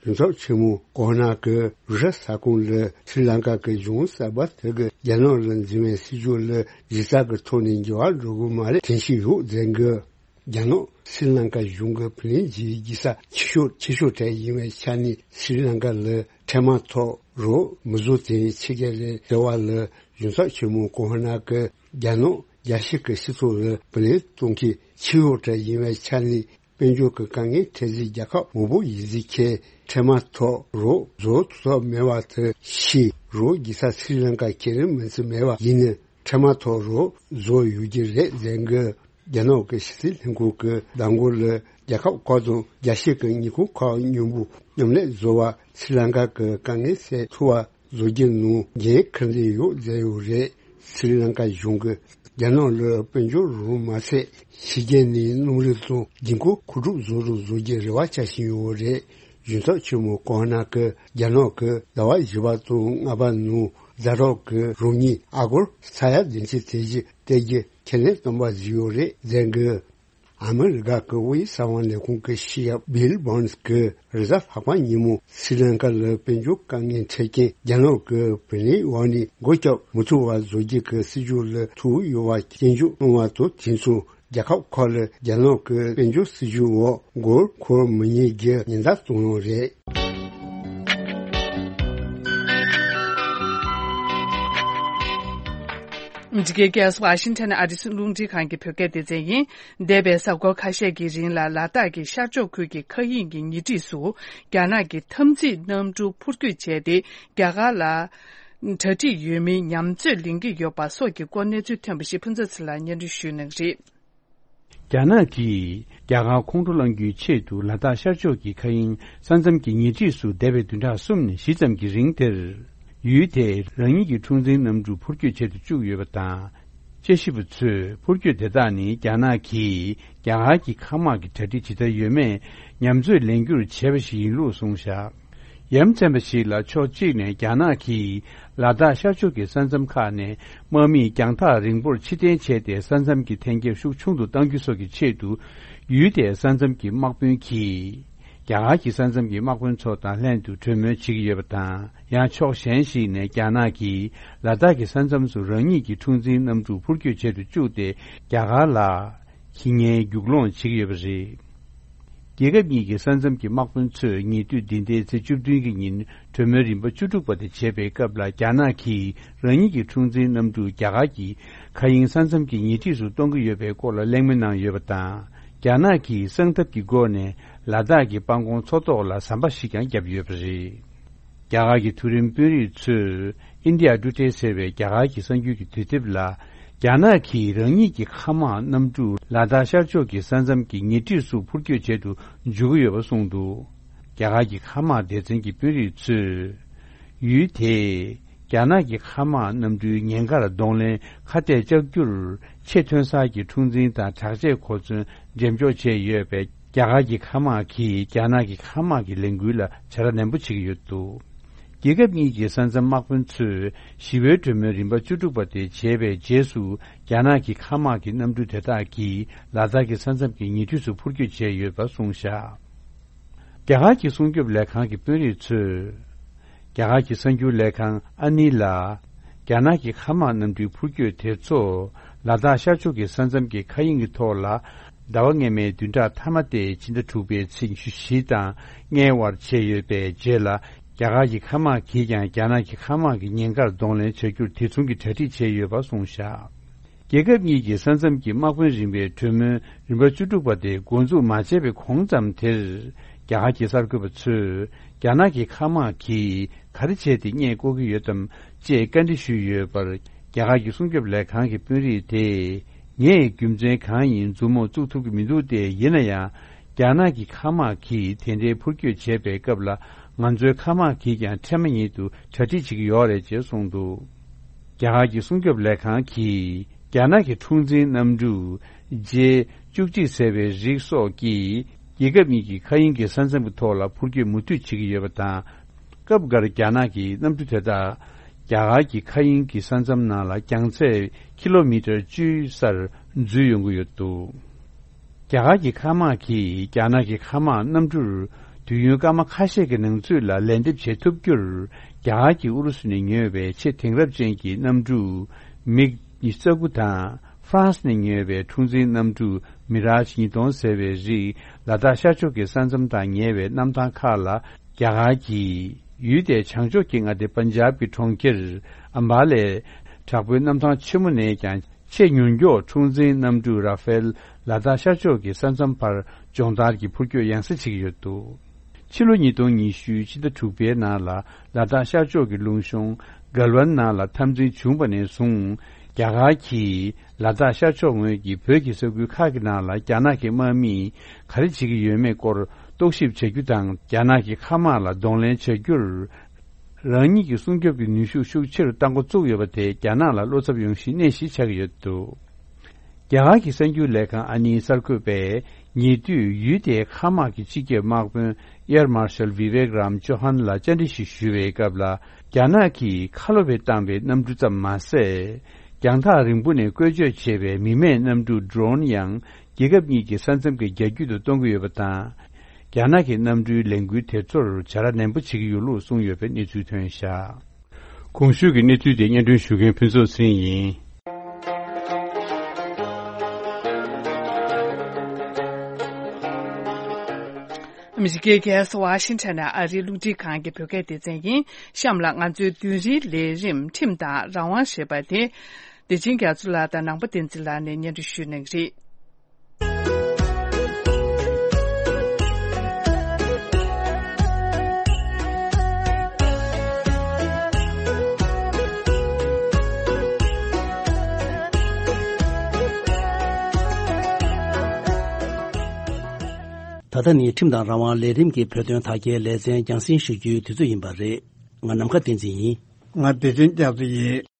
གཞུང་ཚབ་ཆེན་མོ་ཀོ་ཧ་ན་གིས་རུ་ཧྲ་ས་ཁོངས་ལ་སྲི་ལང་ཀ་གི་གཞུང་གསར་པ་དེ་གིས་རྒྱ་ནག་ལ་འཛིན་པའི་སྲིད་ཇུས་ལ་གཞི་རྩ་གི་ཐོག་ནས་འགྱུར་བ་འགྲོ་གི་མ་རེད་དྲན་གྱི་ཡོད་ཟེར་གི། རྒྱ་ནག་སྲི་ལང་ཀ་གཞུང་གི་བུ་ལོན་གྱི་རྒྱལ་ས་ཆེ་ཤོས་ཆེ་ཤོས་གྲས་ཡིན་པའི་ཆ་ནས། སྲི་ལང་ཀ་ལ་འཕྲལ་མ་ཐོག་རོགས་མི་བཟོ་དེ་ཕྱི་རྒྱལ་ལ་ཟེར་བ་ལ། གཞུང་ཚབ་ཆེན་མོ་ཀོ་ཧ་ན་གིས་རྒྱ་ནག་རྒྱལ་སྤྱི་གི་སྤྱི་ཚོགས་ལ་བུ་ལོན་གཏོང་མཁན་ཆེ་ཤོས་གྲས་ཡིན་པའི་ཆ་ནས། དཔལ་འབྱོར་གྱི་དཀའ་ངལ་འཕྲད་སའི་རྒྱལ་ཁབ་མང་པོ་ཡིན་ཟིག་ཁྱེད་འཕྲལ་མ་ཐོག་རོགས་བཟོ་ཐུབ་ཐབས་མེད་པ་དེ་ཤེས། རོགས་རྒྱལ་ས་སྲི་ལང་ཀ་ཁྱེད་རང་མིན་ཚུལ་མེད་པ་ཡིན་ན། འཕྲལ་མ་ཐོག་རོགས་བཟོ་ཡོད་ཀྱི་རེད་ཟེར་གི། རྒྱ་ནག་གི་ཕྱི་སྲིད་ལྷན་ཁང་གི་བརྡ་འགོད་ལ། རྒྱལ་ཁབ་ཁག་དང་རྒྱལ་སྤྱི་གི་ཉིན་གུང་ཁག་མཉམ་པོ་མཉམ་ལས་བཟོ་བར་སྲི་ལང་ཀ་གི་དཀའ་ངལ་སེལ་ཐུབ་པ་བཟོ་རྒྱུ་ནང་འགན་འཁུར་འདོད་ཡོད་ཟེར་ཡོད་རེད། སྲི་ལང་ཀ་གཞུང་གིས་རྒྱ་ནག་ལ་དཔལ་འབྱོར་རོགས་མ་ཟད། ཕྱི་རྒྱལ་ནས་གནམ་རིག་དང་ལྗིད་ཁོག་མཁོ་སྒྲུབ་བཟོ་རུ་བཟོ་རྒྱུའི་རེ་བ་བྱ་བཞིན་ཡོད་རེད། གཞུང་ཚབ་ཆེན་མོ་ཀོ་ཧ་ན་གིས་རྒྱ་ནག་གིས་ཟླ་བ་བཞི་པ་དང་ལྔ་པ་ནང་ཛ་དྲག་གི་རོགས་དངུལ་ཨ་སྒོར་ས་ཡ་བདུན་ཅུ་དེ་བཞིན་སྟེར་རྒྱུ་ཁས་ལེན་བཏང་པ་ཞིག་ཡོད་རེད་ཟེར་གི། ཨ་མི་རི་ཀ་གི་དབུས་གསང་བ་ལས་ཁུངས་ཀྱི་ཕྱི་ཡབ་བྷིལ་བྷོན་སི་གིས་རེས་གཟའ་ལྷག་པ་ཉིན་མོ་སྲི་ལང་ཀ་ལ་དཔལ་འབྱོར་དཀའ་ངལ་འཕྲད་རྐྱེན་རྒྱ་ནག་གི་བུ་ལོན་འོག་ནས་སྒོ་བརྒྱབ་མི་ཐུབ་པ་བཟོ་རྒྱུ་གི་སྲིད་ཇུས་ལ་ཐུག་ཡོད་པ་སྐྱོན་བརྗོད་གནང་བ་དང་། དེ་མཚུངས་རྒྱལ་ཁབ་ཁག་ལ་རྒྱ་ནག་གི་དཔལ་འབྱོར་སྲིད་ཇུས་འོག་མགོ་འཁོར་མི་ཉན་རྒྱུ་ཉེན་བརྡ་བཏང་ཡོད་རེད། འདི་གའི་རྒྱལ་ས་ཝ་ཤིང་ཊོན་ཨ་རིའི་རླུང་འཕྲིན་ཁང་གི་བོད་སྐད་སྡེ་ཚན་ཡིན། འདས་པའི་གཟའ་འཁོར་ཁ་ཤས་ཀྱི་རིང་ལ་ལ་དྭགས་ཀྱི་ཤར་ཕྱོགས་ཁུལ་གྱི་མཁའ་དབྱིངས་ཀྱི་ཉེ་འཁྲིས་སུ་རྒྱ་ནག་གི་འཐབ་འཛིང་གནམ་གྲུ་འཕུར་སྐྱོད་བྱས་ཏེ། རྒྱ་གར་ལ་གྲ་སྒྲིག་ཡོད་མིན་ཉམས་ཚོད་ལེན་གྱི་ཡོད་པ་སོགས་ཀྱི་སྐོར་གནས་ཚུལ་ཐོན་པ་ཞིག་ཕུན་ཚོགས་ཚེ་ལགས་སྙན་སྒྲོན་ཞུ་གནང་གི་རེད། རྒྱ་ནག་གིས་རྒྱ་གར་ཁོང་ཁྲོ་སློང་རྒྱུའི་ཆེད་དུ་ལ་དྭགས་ཤར་ཕྱོགས་ཀྱི་མཁའ་དབྱིངས་ས་མཚམས་ཀྱི་ཉེ་འཁྲིས་སུ་འདས་པའི་བདུན་ཕྲག་གསུམ་ནས་བཞི་ཙམ་གྱི་རིང་དེར། ཡུལ་དེས་རང་ཉིད་ཀྱི་འཁྲུག་འཛིང་གནམ་གྲུ་འཕུར་སྐྱོད་བྱེད་དུ་བཅུག་ཡོད་པ་དང་། དཔྱད་ཞིབ་པ་ཚོས་འཕུར་སྐྱོད་དེ་དག་ནི་རྒྱ་ནག་གིས་རྒྱ་གར་གྱི་མཁའ་དམག་གི་གྲ་སྒྲིག་ཇི་ལྟར་ཡོད་མེད་ཉམས་ཚོད་ལེན་རྒྱུར་བྱས་པ་ཞིག་ཡིན་ལུགས་གསུངས་བཞག་ཡ་མཚན་པ་ཞིག་ལ་ཕྱོགས་གཅིག་ནས་རྒྱ་ནག་གིས་ལ་དྭགས་ཤར་ཕྱོགས་ཀྱི་ས་མཚམས་ཁག་ནས་དམག་མི་རྒྱང་ཐག་རིང་པོར་ཕྱིར་འཐེན་བྱས་ཏེ། ས་མཚམས་ཀྱི་འཐེན་འཁྱེར་ཤུགས་ཆུང་དུ་གཏང་རྒྱུ་སོགས་ཀྱི་ཆེད་དུ། ཡུལ་དེའི་ས་མཚམས་ཀྱི་དམག་དཔོན་གྱིས་རྒྱ་གར་གྱི་ས་མཚམས་ཀྱི་དམག་དཔོན་ཚོ་དང་ལྷན་དུ་གྲོས་མོལ་བྱེད་ཀྱི་ཡོད་པ་དང་། ཡང་ཕྱོགས་གཞན་ཞིག་ནས་རྒྱ་ནག་གིས་ལ་དྭགས་ཀྱི་ས་མཚམས་སུ་རང་ཉིད་ཀྱི་འཁྲུག་འཛིང་གནམ་གྲུ་འཕུར་སྐྱོད་བྱེད་དུ་བཅུག་སྟེ། རྒྱ་གར་ལ་ཁྱི་ངན་རྒྱུག་ལོང་བྱེད་ཀྱི་ཡོད་པ་རེད། རྒྱལ་ཁབ་གཉིས་ཀྱི་ས་མཚམས་ཀྱི་དམག་དཔོན་ཚོས་ཉེ་དུས་འདི་ཟླའི་ཚེས་བཅུ་བདུན་གྱི་ཉིན་གྲོས་མོལ་རིམ་པ་བཅུ་དྲུག་པ་དེ་བྱེད་པའི་སྐབས་ལ། རྒྱ་ནག་གིས་རང་ཉིད་ཀྱི་འཁྲུག་འཛིང་གནམ་གྲུ་རྒྱ་གར་གྱི་མཁའ་དབྱིངས་ས་མཚམས་ཀྱི་ཉེ་འཁྲིས་སུ་གཏོང་གི་ཡོད་པའི་སྐོར་ལ་གླེང་མོལ་གནང་ཡོད་པ་དང་། རྒྱ་ནག་གིས་གསང་ཐབས་ཀྱི་སྒོ་ནས་ལ་དྭགས་ཀྱི་སྤང་གོང་མཚོ་ཐོག་ལ་ཟམ་པ་ཞིག་ཀྱང་བརྒྱབ་ཡོད་པ་རེད། རྒྱ་གར་གྱི་མཐོ་རིམ་དཔོན་རིགས་ཚོས་ཨིན་ཌི་ཡ་ཊུ་ཌེ་ཟེར་བའི་རྒྱ་གར་གྱི་གསར་འགྱུར་གྱི་དུས་དེབ་ལ། རྒྱ་ནག་གིས་རང་ཉིད་ཀྱི་མཁའ་དམག་གནམ་གྲུ་ལ་དྭགས་ཤར་ཕྱོགས་ཀྱི་ས་མཚམས་ཀྱི་ཉེ་འཁྲིས་སུ་འཕུར་སྐྱོད་བྱེད་དུ་འཇུག་གི་ཡོད་པ་གསུངས་འདུག་རྒྱ་གར་གྱི་མཁའ་དམག་སྡེ་ཚན་གྱི་དཔོན་རིགས་ཚོས། ཡུལ་དེས་རྒྱ་ནག་གི་མཁའ་དམག་གནམ་གྲུའི་ཉེན་ཁར་གདོང་ལེན་ཁ་གཏད་བཅག་རྒྱུར། ཆེས་ཐོན་གསར་གྱི་འཁྲུག་འཛིང་དང་དྲག་ཆས་གོ་མཚོན་འགྲེམས་འཇོག་བྱས་ཡོད་པའི་རྒྱ་གར་གྱི་མཁའ་དམག་གིས་རྒྱ་ནག་གི་མཁའ་དམག་གི་ལས་འགུལ་ལ་བྱ་ར་ནན་པོ་བྱེད་ཀྱི་ཡོད་འདུག་རྒྱལ་ཁབ་གཉིས་ཀྱི་ས་མཚམས་དམག་དཔོན་ཚོས་ཞི་བའི་གྲོས་མོལ་རིམ་པ་བཅུ་དྲུག་པ་དེ་བྱས་པའི་རྗེས་སུ། རྒྱ་ནག་གི་མཁའ་དམག་གི་གནམ་གྲུ་དེ་དག་གིས་ལ་དྭགས་ཀྱི་ས་མཚམས་ཀྱི་ཉེ་འཁྲིས་སུ་འཕུར་སྐྱོད་བྱས་ཡོད་པ་གསུངས་བཞག་རྒྱ་གར་གྱི་སྲུང་སྐྱོབ་ལས་ཁང་གི་དཔོན་རིགས་ཚོས། རྒྱ་གར་གྱི་གསར་འགྱུར་ལས་ཁང་ཨ་ནི་ལ། རྒྱ་ནག་གི་མཁའ་དམག་གནམ་གྲུའི་འཕུར་སྐྱོད་དེ་ཚོ། ལ་དྭགས་ཤར་ཕྱོགས་ཀྱི་ས་མཚམས་ཀྱི་མཁའ་དབྱིངས་ཀྱི་ཐོག་ལ། ཟླ་བ་སྔ་མའི་བདུན་ཕྲག་མཐའ་མ་སྟེ་ཕྱི་ཟླ་དྲུག་པའི་ཚེས་ཉི་ཤུ་བཞི་དང་ལྔའི་བར་བྱས་ཡོད་པའི་རྗེས་ལ། རྒྱ་གར་གྱི་མཁའ་དམག་གིས་ཀྱང་རྒྱ་ནག་གི་མཁའ་དམག་གི་ཉེན་ཁར་གདོང་ལེན་བྱ་རྒྱུར་དེ་མཚུངས་ཀྱི་གྲ་སྒྲིག་བྱས་ཡོད་པ་གསུངས་བཞག་རྒྱལ་ཁབ་གཉིས་ཀྱི་ས་མཚམས་ཀྱི་དམག་དཔོན་རིམ་པའི་གྲོས་མོལ་རིམ་པ་བཅུ་དྲུག་པ་དེ་འགོ་འཛུགས་མ་བྱས་པའི་གོང་ཙམ་དེར། རྒྱ་གར་གྱི་གསར་འགོད་པ་ཚོས་རྒྱ་ནག་གི་མཁའ་དམག་གིས་ག་རེ་བྱས་ཏེ་བརྙན་བཀོད་ཀྱི་ཡོད་དམ་ཅེས་བཀའ་འདྲི་ཞུས་ཡོད་པར། རྒྱ་གར་གྱི་སྲུང་སྐྱོབ་ལས་ཁང་གི་དཔོན་རིགས་དེས། ངས་རྒྱུ་མཚན་གང་ཡིན་མཛུབ་མོ་བཙུགས་ཐུབ་ཀྱི་མི་འདུག་སྟེ། ཡིན་ན་ཡང་། རྒྱ་ནག་གི་མཁའ་དམག་གིས་དེ་འདྲའི་འཕུར་སྐྱོད་བྱས་པའི་སྐབས་ལ། ང་ཚོའི་མཁའ་དམག་གིས་ཀྱང་འཕྲལ་མ་ཉིད་དུ་གྲ་སྒྲིག་བྱེད་ཀྱི་ཡོད་རེད་ཅེས་གསུངས་འདུག་རྒྱ་གར་གྱི་སྲུང་སྐྱོབ་ལས་ཁང་གིས། རྒྱ་ནག་གི་འཁྲུག་འཛིང་གནམ་གྲུ། ཇེ་བཅུ་གཅིག་ཟེར་བའི་རིགས་སོགས་ཀྱིས། རྒྱལ་ཁབ་གཉིས་ཀྱི་མཁའ་དབྱིངས་ཀྱི་ས་མཚམས་ཀྱི་ཐོག་ལ་འཕུར་སྐྱོད་མུ་མཐུད་བྱེད་ཀྱི་ཡོད་པ་དང་། སྐབས་འགར་རྒྱ་ནག་གི་གནམ་གྲུ་དེ་དག་རྒྱ་གར་གྱི་མཁའ་དབྱིངས་ཀྱི་ས་མཚམས་ནང་ལ་རྒྱང་ཚད་ཀི་ལོ་མི་ཊར་བཅུའི་སར་འཛུལ་ཡོང་གི་ཡོད་འདུག་རྒྱ་གར་གྱི་མཁའ་དམག་གིས་རྒྱ་ནག་གི་མཁའ་དམག་གནམ་གྲུར་དུས་ཡུན་སྐར་མ་ཁ་ཤས་ཀྱི་ནང་ཚུད་ལ་ལན་འདེབས་བྱེད་ཐུབ་རྒྱུར། རྒྱ་གར་གྱིས་ཨུ་རུ་སུ་ནས་ཉོས་པའི་ཆེས་དེང་རབས་ཅན་གྱི་གནམ་གྲུ་མིག་ཉི་ཤུ་རྩ་དགུ་དང་། ཧྥ་རན་སི་ནས་ཉོས་པའི་འཁྲུག་འཛིང་གནམ་གྲུ་མི་རཱཇ་ཉིས་སྟོང་ཟེར་བའི་རིགས་ལ་དྭགས་ཤར་ཕྱོགས་ཀྱི་ས་མཚམས་དང་ཉེ་བའི་གནམ་ཐང་ཁག་ལ་རྒྱ་གར་གྱིས་ཡུལ་དེའི་བྱང་ཕྱོགས་ཀྱི་མངའ་སྡེ་པན་ཇབ་ཀྱི་གྲོང་ཁྱེར་ཨམ་བྷ་ལའི་དྲག་པོའི་གནམ་ཐང་ཆེན་མོ་ནས་ཀྱང་ཆེས་མྱུར་མགྱོགས་འཁྲུག་འཛིང་གནམ་གྲུ་ར་ཧྥེལ་ལ་དྭགས་ཤར་ཕྱོགས་ཀྱི་ས་མཚམས་བར་སྦྱོང་བརྡར་གྱི་འཕུར་སྐྱོད་ཡང་སེ་བྱེད་ཀྱི་ཡོད་འདུག་ཕྱི་ལོ་ཉིས་སྟོང་ཉི་ཤུ་ཕྱི་ཟླ་དྲུག་པའི་ནང་ལ་ལ་དྭགས་ཤར་ཕྱོགས་ཀྱི་ལུང་གཤོང་གལ་ཝན་ནང་ལ་འཐབ་འཛིང་བྱུང་བ་ནས་བཟུང་རྒྱ་གར་གྱིས་ལ་དྭགས་ཤར་ཕྱོགས་ངོས་ཀྱི་བོད་ཀྱི་ས་ཁུལ་ཁག་གི་ནང་ལ་རྒྱ་ནག་གི་དམག་མིས་ག་རེ་བྱེད་ཀྱི་ཡོད་མེད་སྐོར་རྟོག་ཞིབ་བྱ་རྒྱུ་དང་། རྒྱ་ནག་གི་མཁའ་དམག་ལ་གདོང་ལེན་བྱ་རྒྱུར། རང་ཉིད་ཀྱི་སྲུང་སྐྱོབ་ཀྱི་ནུས་ཤུགས་ཤུགས་ཆེ་རུ་གཏང་འགོ་བཙུགས་ཡོད་པ་དེ་རྒྱ་ནག་ལ་བློ་འཚབ་ཡོང་གཞིའི་གནས་ཤིག་ཆགས་ཀྱི་ཡོད་འདུག་རྒྱ་གར་གྱི་གསར་འགྱུར་ལས་ཁང་ཨ་ནིའི་གསར་འགོད་པས་ཉེ་དུས་ཡུལ་དེའི་མཁའ་དམག་གི་སྤྱི་ཁྱབ་དམག་དཔོན་ཨེར་མར་ཤལ་བི་ཝེག་རམ་ཅོ་ཧན་ལ་བཅར་འདྲི་ཞིག་ཞུ་བའི་སྐབས་ལ། རྒྱ་ནག་གིས་ཁ་ལོ་བའི་བཏང་བའི་གནམ་གྲུ་ཙམ་མ་ཟད། རྒྱང་ཐག་རིང་པོ་ནས་བཀོལ་སྤྱོད་བྱེད་པའི་མི་མེད་གནམ་གྲུ་ཌོ་རོན་ཡང་རྒྱལ་ཁབ་གཉིས་ཀྱི་ས་མཚམས་ཀྱི་རྒྱ་རྒྱུད་དུ་གཏོང་གི་ཡོད་པ་དང་། རྒྱ་ནག་གི་གནམ་གྲུའི་ལས་འགུལ་དེ་ཚོར་བྱ་ར་ནན་པོ་བྱེད་ཀྱི་ཡོད་ལུགས་གསུངས་ཡོད་པའི་གནས་ཚུལ་ཐོན་བཞག་གོང་ཞུས་ཀྱི་གནས་ཚུལ་དེ་སྙན་སྒྲོན་ཞུ་མཁན་ཕུན་ཚོགས་ཚེ་རིང་ཡིན། ཨ་མི་རི་ཀའི་རྒྱལ་ས་ཝ་ཤིང་ཊོན་ནས་ཨ་རིའི་རླུང་འཕྲིན་ཁང་གི་བོད་སྐད་སྡེ་ཚན་ཡིན། གཤམ་ལ་ང་ཚོའི་བདུན་རེའི་ལས་རིམ་ཁྲིམས་དང་རང་དབང་ཞེས་པ་དེ། བདེ་ཆེན་རྒྱ་མཚོ་ལགས་དང་ནང་པ་བསྟན་འཛིན་ལགས་ནས་སྙན་སྒྲོན་ཞུ་གནང་གི་རེད། ད་ལྟ་ནི་ཁྲིམས་དང་རང་དབང་ལས་རིམ་གྱི་བོད་དོན་དར་རྒྱས་ལེ་ཚན་རྒྱང་སྲིང་ཞུ་རྒྱུའི་དུས་ཚོད་ཡིན་པ་རེད། ང་ནམ་མཁའ་བསྟན་འཛིན་ཡིན། ང་བདེ་ཆེན་རྒྱ་མཚོ་ཡིན།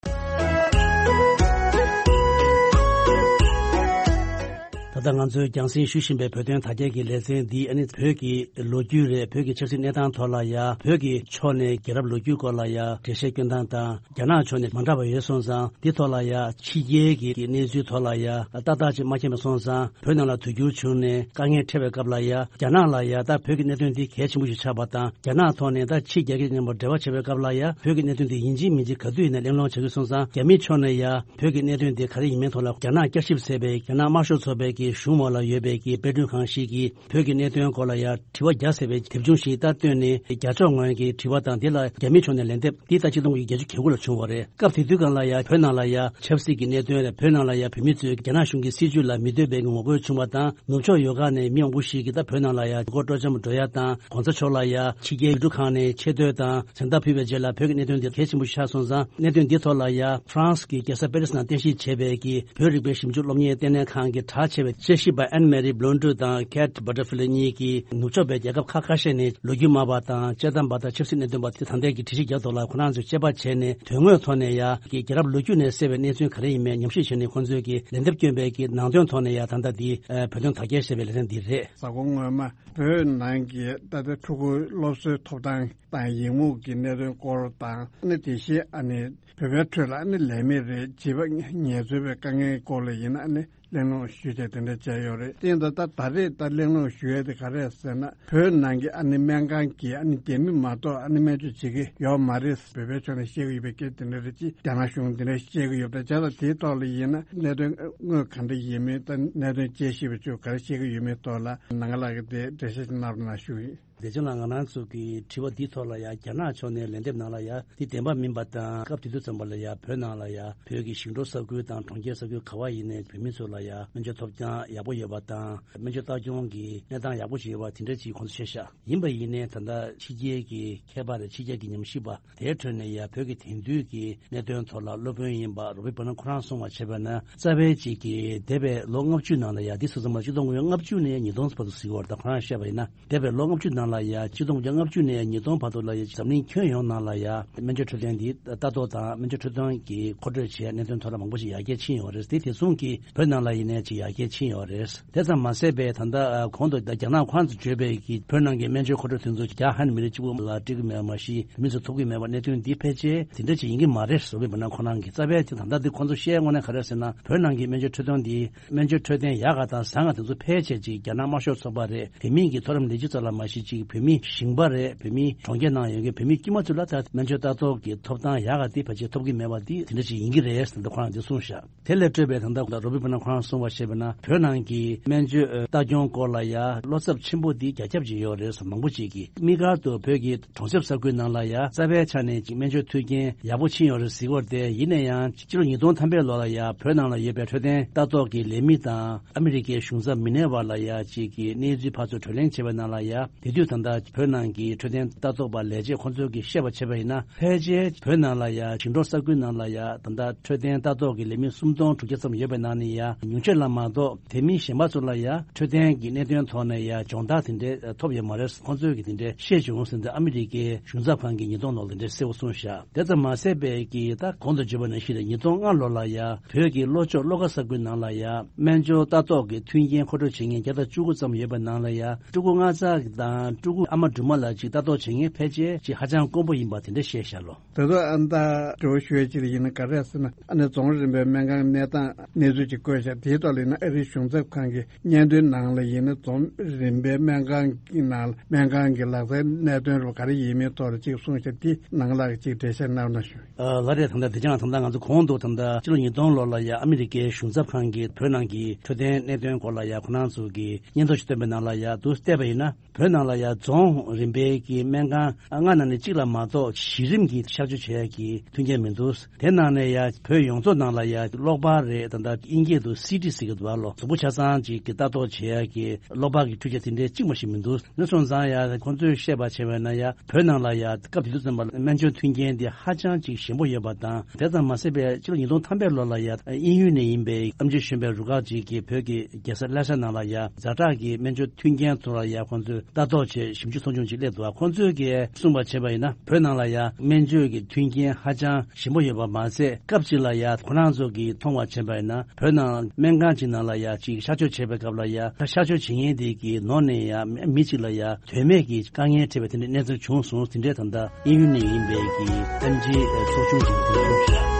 ད་ལྟ་ང་ཚོས་རྒྱང་སྲིང་ཞུ་བཞིན་པའི་བོད་དོན་དར་རྒྱས་ཀྱི་ལེ་ཚན་འདི་ཨ་ནི་བོད་ཀྱི་ལོ་རྒྱུས་རེད། བོད་ཀྱི་ཆབ་སྲིད་གནས་སྟངས་ཐོག་ལ་ཡ་བོད་ཀྱི་ཕྱོགས་ནས་རྒྱལ་རབས་ལོ་རྒྱུས་སྐོར་ལ་ཡ་འགྲེལ་བཤད་སྐྱོན་སྟངས་དང་། རྒྱ་ནག་ཕྱོགས་ནས་མ་འདྲ་བ་ཡོད་སོང་ཙང་འདི་ཐོག་ལ་ཡ་ཕྱི་རྒྱལ་གྱི་གནས་ཚུལ་ཐོག་ལ་ཡ་ཏག་ཏག་ཅིག་མ་མཁྱེན་པ་སོང་ཙང་བོད་ནང་ལ་དུས་འགྱུར་བྱུང་ནས་དཀའ་ངལ་འཕྲད་པའི་སྐབས་ལ་ཡ་རྒྱ་ནག་ལ་ཡ་ད་བོད་ཀྱི་གནད་དོན་འདི་གལ་ཆེན་པོ་ཞིག་ཆགས་པ་དང་། རྒྱ་ནག་ཐོག་ནས་ད་ཕྱི་རྒྱལ་ཁབ་མཉམ་པོ་འབྲེལ་བ་བྱེད་པའི་སྐབས་ལ་ཡ་བོད་ཀྱི་གནད་དོན་འདི་ཡིན་གཅིག་མིན་གཅིག་ག་དུས་ཡིན་ན་གླེང་སློང་བྱ་རྒྱུ་སོང་ཙང་། རྒྱ་མི་ཕྱོགས་ནས་ཡ་བོད་ཀྱི་གནད་དོན་འདི་ག་རེ་ཡིན་མིན་ཐོག་ལ་རྒྱ་ནག་བསྐྱར་ཞིབ་ཟེར་བའི་རྒྱ་ནག་དམར་ཤོག་ཚོགས་པའི་གི་གཞུང་འོག་ལ་ཡོད་པའི་གི་དཔེ་སྐྲུན་ཁང་ཞིག་གིས་བོད་ཀྱི་གནད་དོན་སྐོར་ལ་ཡ་དྲི་བ་བརྒྱ་ཟེར་བའི་དེབ་ཆུང་ཞིག་ད་བཏོན་ནས། རྒྱ་ཕྱོགས་ངོས་ཀྱི་དྲི་བ་དང་། དེ་ལ་རྒྱ་མི་ཕྱོགས་ནས་ལན་འདེབས། འདི་ད་ཆིག་སྟོང་དགུ་བརྒྱ་བརྒྱད་ཅུ་གྱ་དགུ་ལ་བྱུང་བ་རེད། སྐབས་དེ་དུས་སྒང་ལ་ཡ་བོད་ནང་ལ་ཡ་ཆབ་སྲིད་ཀྱི་གནད་དོན་རེད། བོད་ནང་ལ་ཡ་བོད་མི་ཚོས་རྒྱ་ནག་གཞུང་གི་སྲིད་བྱུས་ལ་མི་འདོད་པའི་ངོ་རྒོལ་བྱུང་བ་དང་། ནུབ་ཕྱོགས་ཡོལ་ཁ་ནས་མི་མང་པོ་ཞིག་གིས་ད་བོད་ནང་ལ་ཡ་མགོ་སྤྲོ་འཆམ་འགྲོ་ཡ་དང་། གོང་ས་མཆོག་ལ་ཡ་ཕྱི་རྒྱལ་ཡུལ་གྲུ་ཁག་ནས་ཆེ་བསྟོད་དང་། མཚན་རྟགས་ཕུལ་བའི་རྗེས་ལ་བོད་ཀྱི་གནད་དོན་འདི་གལ་ཆེན་པོ་ཞིག་ཆགས་སོང་ཙང་། གནད་དོན་འདི་ཐོག་ལ་ཡ་ཧྥ་རན་སི་གི་རྒྱལ་ས་པེ་རི་སི་ནང་རྟེན་གཞི་བྱས་པའི་གི་བོད་རིག་པའི་ཞིབ་འཇུག་སློབ་གཉེར་ལྟེ་གནས་ཁང་གི་གྲགས་ཆེ་བའི་དཔྱད་ཞིབ་པ་ཨན་མེ་རི་བྷི་ལོན་ཌུ་དང་ཁེ་ཊི་བྷ་ཊར་ཕི་ལི་གཉིས་ཀྱིས་ནུབ་ཕྱོགས་པའི་རྒྱལ་ཁབ་ཁག་ཁ་ཤས་ནས་ལོ་རྒྱུས་སྨྲ་བ་དང་། དཔྱད་གཏམ་པ་དང་། ཆབ་སྲིད་གནད་དོན་པ་དེ་ད་ལྟའི་གི་དྲི་གཞི་རྒྱག་ཐོག་ལ་ཁོ་རང་ཚོས་དཔྱད་པ་བྱས་ནས་དོན་དངོས་ཐོག་ནས་ཡ་གི་རྒྱལ་རབས་ལོ་རྒྱུས་ནས་གསལ་བའི་གནས་ཚུལ་ག་རེ་ཡིན་མིན་ཉམས་ཞིབ་བྱས་ནས་ཁོང་ཚོས་གི་ལན་འདེབས་བསྐྱོན་པའི་གི་ནང་དོན་ཐོག་ནས་ཡ་ད་ལྟ་འདི་བོད་དོན་དར་རྒྱས་ཞེས་པའི་ལེ་ཚན་འདི་རེད། གཟའ་འཁོར་སྔོན་མ་བོད་ནང་གི་ད་ལྟ་ཕྲུ་གུ་སློབ་གསོའི་ཐོབ་ཐང་དང་ཡི་མུག་གི་གནད་དོན་སྐོར་དང་། ཨ་ནི་དེ་བཞིན་ཨ་ནི་བོད་པའི་ཁྲོད་ལ་ཨ་ནི་ལས་མེད་རེད། བྱིས་པ་ངལ་རྩོལ་བའི་དཀའ་ངལ་སྐོར་ལ་ཡིན་ན་ཨ་ནི་གླེང་སློང་ཞུས་བྱས་དེ་འདྲ་བྱས་ཡོད་རེད། དེ་ཡིན་ད་ལྟ་ད་རེས་ད་གླེང་སློང་ཞུ་ཡས་དེ་ག་རེ་རེད་ཟེར་ན། བོད་ནང་གི་ཨ་ནི་སྨན་ཁང་གི་ཨ་ནི་རྒྱ་མི་མ་གཏོགས་ཨ་ནི་སྨན་བཅོས་བྱེད་ཀྱི་ཡོད་མ་རེད། བོད་པའི་ཕྱོགས་ནས་བཤད་ཀྱི་ཡོད་པའི་སྐད་དེ་འདྲ་རེད། ཅིག་རྒྱ་ནག་གཞུང་དེ་འདྲ་བཤད་ཀྱི་ཡོད་པ་བྱས་ཙང་། དེའི་ཐོག་ལ་ཡིན་ན་གནད་དོན་དངོས་ག་འདྲ་ཡིན་མིན་དང་། གནད་དོན་དཔྱད་ཞིབ་པ་ཚོས་ག་རེ་བཤད་ཀྱི་ཡོད་མེད་ཐོག་ལ་ནང་ལ་གི་དེ་འགྲེལ་བཤད་ཅིག་གནང་རོགས་གནང་ཞུ་ཡིན། བདེ་ཆེན་ལགས། ང་རང་ཚོ་གི་དྲི་བ་འདིའི་ཐོག་ལ་ཡང་རྒྱ་ནག་ཕྱོགས་ནས་ལན་འདེབས་གནང་ལ་ཡ་འདི་བདེན་པ་མིན་པ་དང་། སྐབས་དེ་དུས་ཙམ་པ་ལ་ཡ་བོད་ནང་ལ་ཡ་བོད་ཀྱི་ཞིང་འབྲོག་ས་ཁུལ་དང་གྲོང་ཁྱེར་ས་ཁུལ་ག་བ་ཡིན་ནའི་བོད་མི་ཚོ་ལ་ཡ་སྨན་བཅོས་ཐོབ་ཐང་ཡག་པོ་ཡོད་པ་དང་། སྨན་བཅོས་ལྟ་སྐྱོང་གི་གནས་སྟངས་ཡག་པོ་ཞིག་ཡོད་པ་དེ་འདྲ་ཅིག་ཁོང་ཚོ་བཤད་ཤག་ཡིན་པ་ཡིན་ནའི་ད་ལྟ་ཕྱི་རྒྱལ་གྱི་མཁས་པ་རེད། ཕྱི་རྒྱལ་གྱི་ཉམས་ཞིབ་པ། དེའི་ཁྲོད་ནས་ཡ་བོད་ཀྱི་དེང་དུས་ཀྱི་གནད་དོན་ཐོག་ལ་སློབ་དཔོན་ཡིན་པ་རོ་བྷི་པ་ན་ཁོ་རང་གསུངས་པ་བྱས་པ་ན། རྩ་བའི་གཅིག་གི་འདས་པའི་ལོ་ལྔ་བཅུ་ནང་ལ་ཡ། འདི་སོ་ཙམ་ལ་ཆིག་སྟོང་དགུ་བརྒྱ་ལྔ་བཅུ་ནས་ཉིས་སྟོང་བར་དུ་ཟེར་གྱི་ཡོད་རེད། ད་ཁོ་རང་བཤད་པ་ཡིན་ན། འདས་པའི་ལོ་ལྔ་བཅུ་ནང་ལ། ལ་ཡ་ཆིག་སྟོང་དགུ་བརྒྱ་ལྔ་བཅུ་ནས་ཉིས་སྟོང་བར་དུ་ལ་ཡ་འཛམ་གླིང་ཁྱོན་ཡོངས་ནང་ལ་ཡ་སྨན་བཅོས་འཕྲོད་བསྟེན་འདི་ལྟ་རྟོག་དང་སྨན་བཅོས་འཕྲོད་བསྟེན་གྱི་མཁོ་སྤྲོད་བྱས་གནད་དོན་ཐོག་ལ་མང་པོ་ཞིག་ཡར་རྒྱས་ཕྱིན་ཡོད་རེད། དེ་དེ་མཚུངས་ཀྱིས་བོད་ནང་ལ་ཡིན་ནའི་ཅིག་ཡར་རྒྱས་ཕྱིན་ཡོད་རེད། དེ་ཙམ་མ་ཟད་པའི་ད་ལྟ་གོང་དུ་རྒྱ་ནག་ཁོ་རང་ཚོ་བརྗོད་པའི་གི་བོད་ནང་གི་སྨན་བཅོས་མཁོ་སྤྲོད་དེ་ཚོ་རྒྱ་ཧན་མི་རིགས་གཅིག་པུ་ལ་སྤྲད་ཀྱི་མེད་པ་མ་གཞི་མི་ཚོ་ཐོབ་ཀྱི་མེད་པ་གནད་དོན་འདི་ཕལ་ཆེར་དེ་འདྲ་ཅིག་ཡིན་གྱི་མ་རེད་ཟེར་བའི་བར་ན་ཁོ་རང་གི་རྩ་བའི་དེ་ད་ལྟ་འདི་ཁོ་ཚོ་བཤད་དངོས་གནས་ག་རེ་ཟེར་ན་བོད་ནང་གི་སྨན་བཅོས་འཕྲོད་བསྟེན་འདི་སྨན་བཅོས་འཕྲོད་བསྟེན་ཡག་ག་དང་བཟང་ག་དེ་ཚོ་ཕལ་ཆེར་ཅིག་རྒྱ་ནག་དམར་ཤོག་ཚོགས་པ་རེད། དེ་མིན་གྱི་མཐོ་རིམ་ལས་བྱེད་ཚོ་ལ་མ་གཞི་ཅིག་བོད་མི་ཞིང་པ་རེད། བོད་མི་གྲོང་ཁྱེར་ནང་ཡོད་མཁན་བོད་མི་དཀྱུས་མ་ཚོ་ལ་ད་སྨན་བཅོས་ལྟ་རྟོག་གི་ཐོབ་ཐང་ཡག་ག་དེ་ཕལ་ཆེར་ཐོབ་ཀྱི་མེད་པ་འདི་དེ་འདྲ་ཅིག་ཡིན་གྱི་རེད་ཟེར་ནས་ཁོ་རང་འདི་གསུངས་ཤག་དེ་ལས་སྤྲོས་པའི་ད་ལྟ་རོ་བི་པ་ན་ཁོ་རང་གསུངས་པ་བཤད་པ་ན་བོད་ནང་གི་སྨན་བཅོས་ལྟ་སྐྱོང་སྐོར་ལ་ཡ་བློ་འཚབ་ཆེན་པོ་འདི་རྒྱ་ཁྱབ་ཅིག་ཡོད་རེད་ཟེར། མང་པོ་ཅིག་གིས་དམིགས་བཀར་དུ་བོད་ཀྱི་གྲོང་གསེབ་ས་ཁུལ་ནང་ལ་ཡ་རྩ་བའི་ཆ་ནས་ཅིག་སྨན་བཅོས་མཐུན་རྐྱེན་ཡག་པོ་ཕྱིན་ཡོད་རེད་ཟེར་གྱི་ཡོད་རེད་དེ། ཡིན་ན་ཡང་སྤྱི་ལོ་ཉིས་སྟོང་ཐམ་པའི་ལོ་ལ་ཡ་བོད་ནང་ལ་ཡོད་པའི་འཕྲོད་བསྟེན་ལྟ་རྟོག་གི་ལས་མི་དང་ཨ་མི་རི་ཀའི་གཞུང་ཚབ་མི་སྣའི་བར་ལ་ཡ་ཅིག་གི་གནས་ཚུལ་ཕར་ཚུར་གྲོས་གླེང་བྱས་པའི་ནང་ལ་ཡ་དེ་དུས་ད་ལྟ་བོད་ནང་གི་འཕྲོད་བསྟེན་ལྟ་རྟོག་པ་ལས་བྱེད་ཁོང་ཚོས་ཀྱིས་བཤད་པ་བྱས་པ་ཡིན་ན་ཕལ་ཆེར་བོད་ནང་ལ་ཡ་ཞིང་འབྲོག་ས་ཁུལ་ནང་ལ་ཡ་ད་ལྟ་འཕྲོད་བསྟེན་ལྟ་རྟོག་གི་ལས་མི་སུམ་སྟོང་དྲུག་བརྒྱ་ཙམ་ཡོད་པའི་ནང་ནས་ཡ་ཉུང་ཤས་ལ་མ་གཏོགས་དེ་མིན་གཞན་པ་ཚོ་ལ་ཡ་འཕྲོད་བསྟེན་གྱི་གནད་དོན་ཐོག་ནས་ཡ་སྦྱོང་བརྡར་དེ་འདྲའི་ཐོབ་ཡོད་མ་རེད། ཁོང་ཚོས་ཀྱིས་དེ་འདྲའི་བཤད་བྱུང་ཟེར་ཏེ་ཨ་མི་རི་ཀའི་གཞུང་ཚབ་ཁང་གིས་ཉིས་སྟོང་ལོར་དེ་འདྲའི་གསལ་པོ་གསུངས་བཞག་དེ་ཙམ་མ་ཟད་པའི་གི་ད་གོང་དུ་བརྗོད་པ་ནང་བཞིན་རེད། ཉིས་སྟོང་ལྔ་ལོ་ལ་ཡ་བོད་ཀྱི་ལྷོ་ཕྱོགས་བློ་དགའ་ས་ཁུལ་ནང་ལ་ཡ་སྨན་སྦྱོར་ལྟ་རྟོག་གི་མཐུན་རྐྱེན་མཁོ་སྤྲོད་བྱེད་མཁན་བརྒྱ་དང་བཅུ་དགུ་ཙམ་ཡོད་པའི་ནང་ལ་ཡ་ཕྲུ་གུ་ལྔ་བརྒྱ་དང་ཕྲུ་གུ་ཨ་མ་སྦྲུམ་མ་ལ་ཅིག་ལྟ་རྟོག་བྱེད་མཁན་ཕལ་ཆེར་ཅིག་ཧ་ཅང་དཀོན་པོ་ཡིན་པ་དེ་འདྲ་བཤད་བཞག་ལོ། ད་དུང་ཨ་ནི་ད་དྲི་བ་ཞུ་ཡ་ཅིག་ཡིན་ན་ག་རེ་ཟེར་ན་ཨ་ནི་རྫོང་རིམ་པའི་སྨན་ཁང་གནས་སྟངས་གནས་ཚུལ་ཅིག་བཀོད་བཞག་དེའི་ཐོག་ལ་ཡིན་ན་ཨ་རིའི་གཞུང་ཚབ་ཁང་གི་སྙན་ཐོའི་ནང་ལ་ཡིན་ན་རྫོང་རིམ་པའི་སྨན་ཁང་གི་ནང་ལ་སྨན་ཁང་གི་ལག་རྩལ་གནད་དོན་རུ་ག་རེ་ཡིན་མིན་ཐོག་ལ་ཅིག་གསུངས་ཤག་དེ་ནང་ལ་ཅིག་འགྲེལ་བཤད་གནང་ན་ཞུ། ཨ་ལགས་རེད། ད་ལྟ་དེ་ཅང་ད་ལྟ་ང་ཚོ་གོང་དུ་ད་ལྟ་ཕྱི་ལོ་ཉིས་སྟོང་ལོ་ལ་ཡ་ཨ་མི་རི་ཀའི་གཞུང་ཚབ་ཁང་གིས་བོད་ནང་གི་འཕྲོད་བསྟེན་གནད་དོན་སྐོར་ལ་ཡ་ཁོ་རང་ཚོ་གི་སྙན་ཐོ་ཞིག་བཏོན་པའི་ནང་ལ་ཡ་འདུག་བལྟས་པ་ཡིན་ན། བོད་ནང་ལ་ཡ་རྫོང་རིམ་པའི་གི་སྨན་ཁང་ལྔ་ནང་ནས་གཅིག་ལ་མ་གཏོགས་གཞི་རིམ་གྱི་གཤག་བཅོས་བྱེད་ཡ་གི་མཐུན་རྐྱེན་མི་འདུག་དེ་ནང་ནས་ཡ་བོད་ཡོངས་རྫོགས་ནང་ལ་ཡ་གློག་པར་རེད། ད་ལྟ་དབྱིན་སྐད་དུ་སི་ཊི་ཟེར་གྱི་འདུག་ཨ་ལོ། གཟུགས་པོ་ཆ་ཚང་ཅིག་གི་ལྟ་རྟོག་བྱེད་ཡ་གི་གློག་པར་གྱི་འཕྲུལ་ཆས་དེ་འདྲའི་གཅིག་མ་ཞིག་མི་འདུག་དེ་སོང་ཙང་ཡ་ཁོང་ཚོས་བཤད་པ་བྱས་པ་ན་ཡ་བོད་ནང་ལ་ཡ་སྐབས་དེ་དུས་ཙམ་པ་ལ་སྨན་བཅོས་མཐུན་རྐྱེན་དེ་ཧ་ཅང་ཅིག་ཞན་པོ་ཡོད་པ་དང་། དེ་ཙམ་མ་ཟད་པའི་ཕྱི་ལོ་ཉིས་སྟོང་ཐམ་པའི་ལོ་ལ་ཡ་དབྱིན་ཡུལ་ནས་ཡིན་པའི་ཨེམ་ཆི་གཞོན་པའི་རུ་ཁག་ཅིག་གིས་བོད་ཀྱི་རྒྱལ་ས་ལྷ་ས་ནང་ལ་ཡ་ཛ་དྲག་གི་སྨན་བཅོས་མཐུན་རྐྱེན་ཐོག་ལ་ཡ་ཁོང་ཚོས་ལྟ་རྟོག་བྱས་ཞིབ་འཇུག་ཚོགས་ཆུང་ཅིག་སླེབས་འདུག་ཁོང་ཚོས་ཀྱིས་གསུངས་པ་བྱས་པ་ཡིན་ན་བོད་ནང་ལ་ཡ་སྨན་བཅོས་ཀྱི་མཐུན་རྐྱེན་ཧ་ཅང་ཞན་པོ་ཡོད་པ་མ་ཟད། སྐབས་གཅིག་ལ་ཡ་ཁོ་རང་ཚོ་གིས་མཐོང་བ་བྱས་པ་ཡིན་ན་བོད་ནང་སྨན་ཁང་ཅིག་ནང་ལ་ཡ་ཅིག་གཤག་བཅོས་བྱས་པའི་སྐབས་ལ་ཡ་ད་གཤག་བཅོས་བྱེད་མཁན་དེ་གི་ནང་ནས་ཡ་མི་གཅིག་ལ་ཡ་དོན་མེད་ཀྱི་དཀའ་ངལ་འཕྲད་པའི་དེ་འདྲའི་གནས་ཚུལ་བྱུང་སོང་། དེ་འདྲའི་ད་ལྟ་དབྱིན་ཡུལ་ནས་ཡིན་པའི་གི་ཨེམ་ཆི་ཚོགས་ཆུང་གིས་གསུངས་བཞག་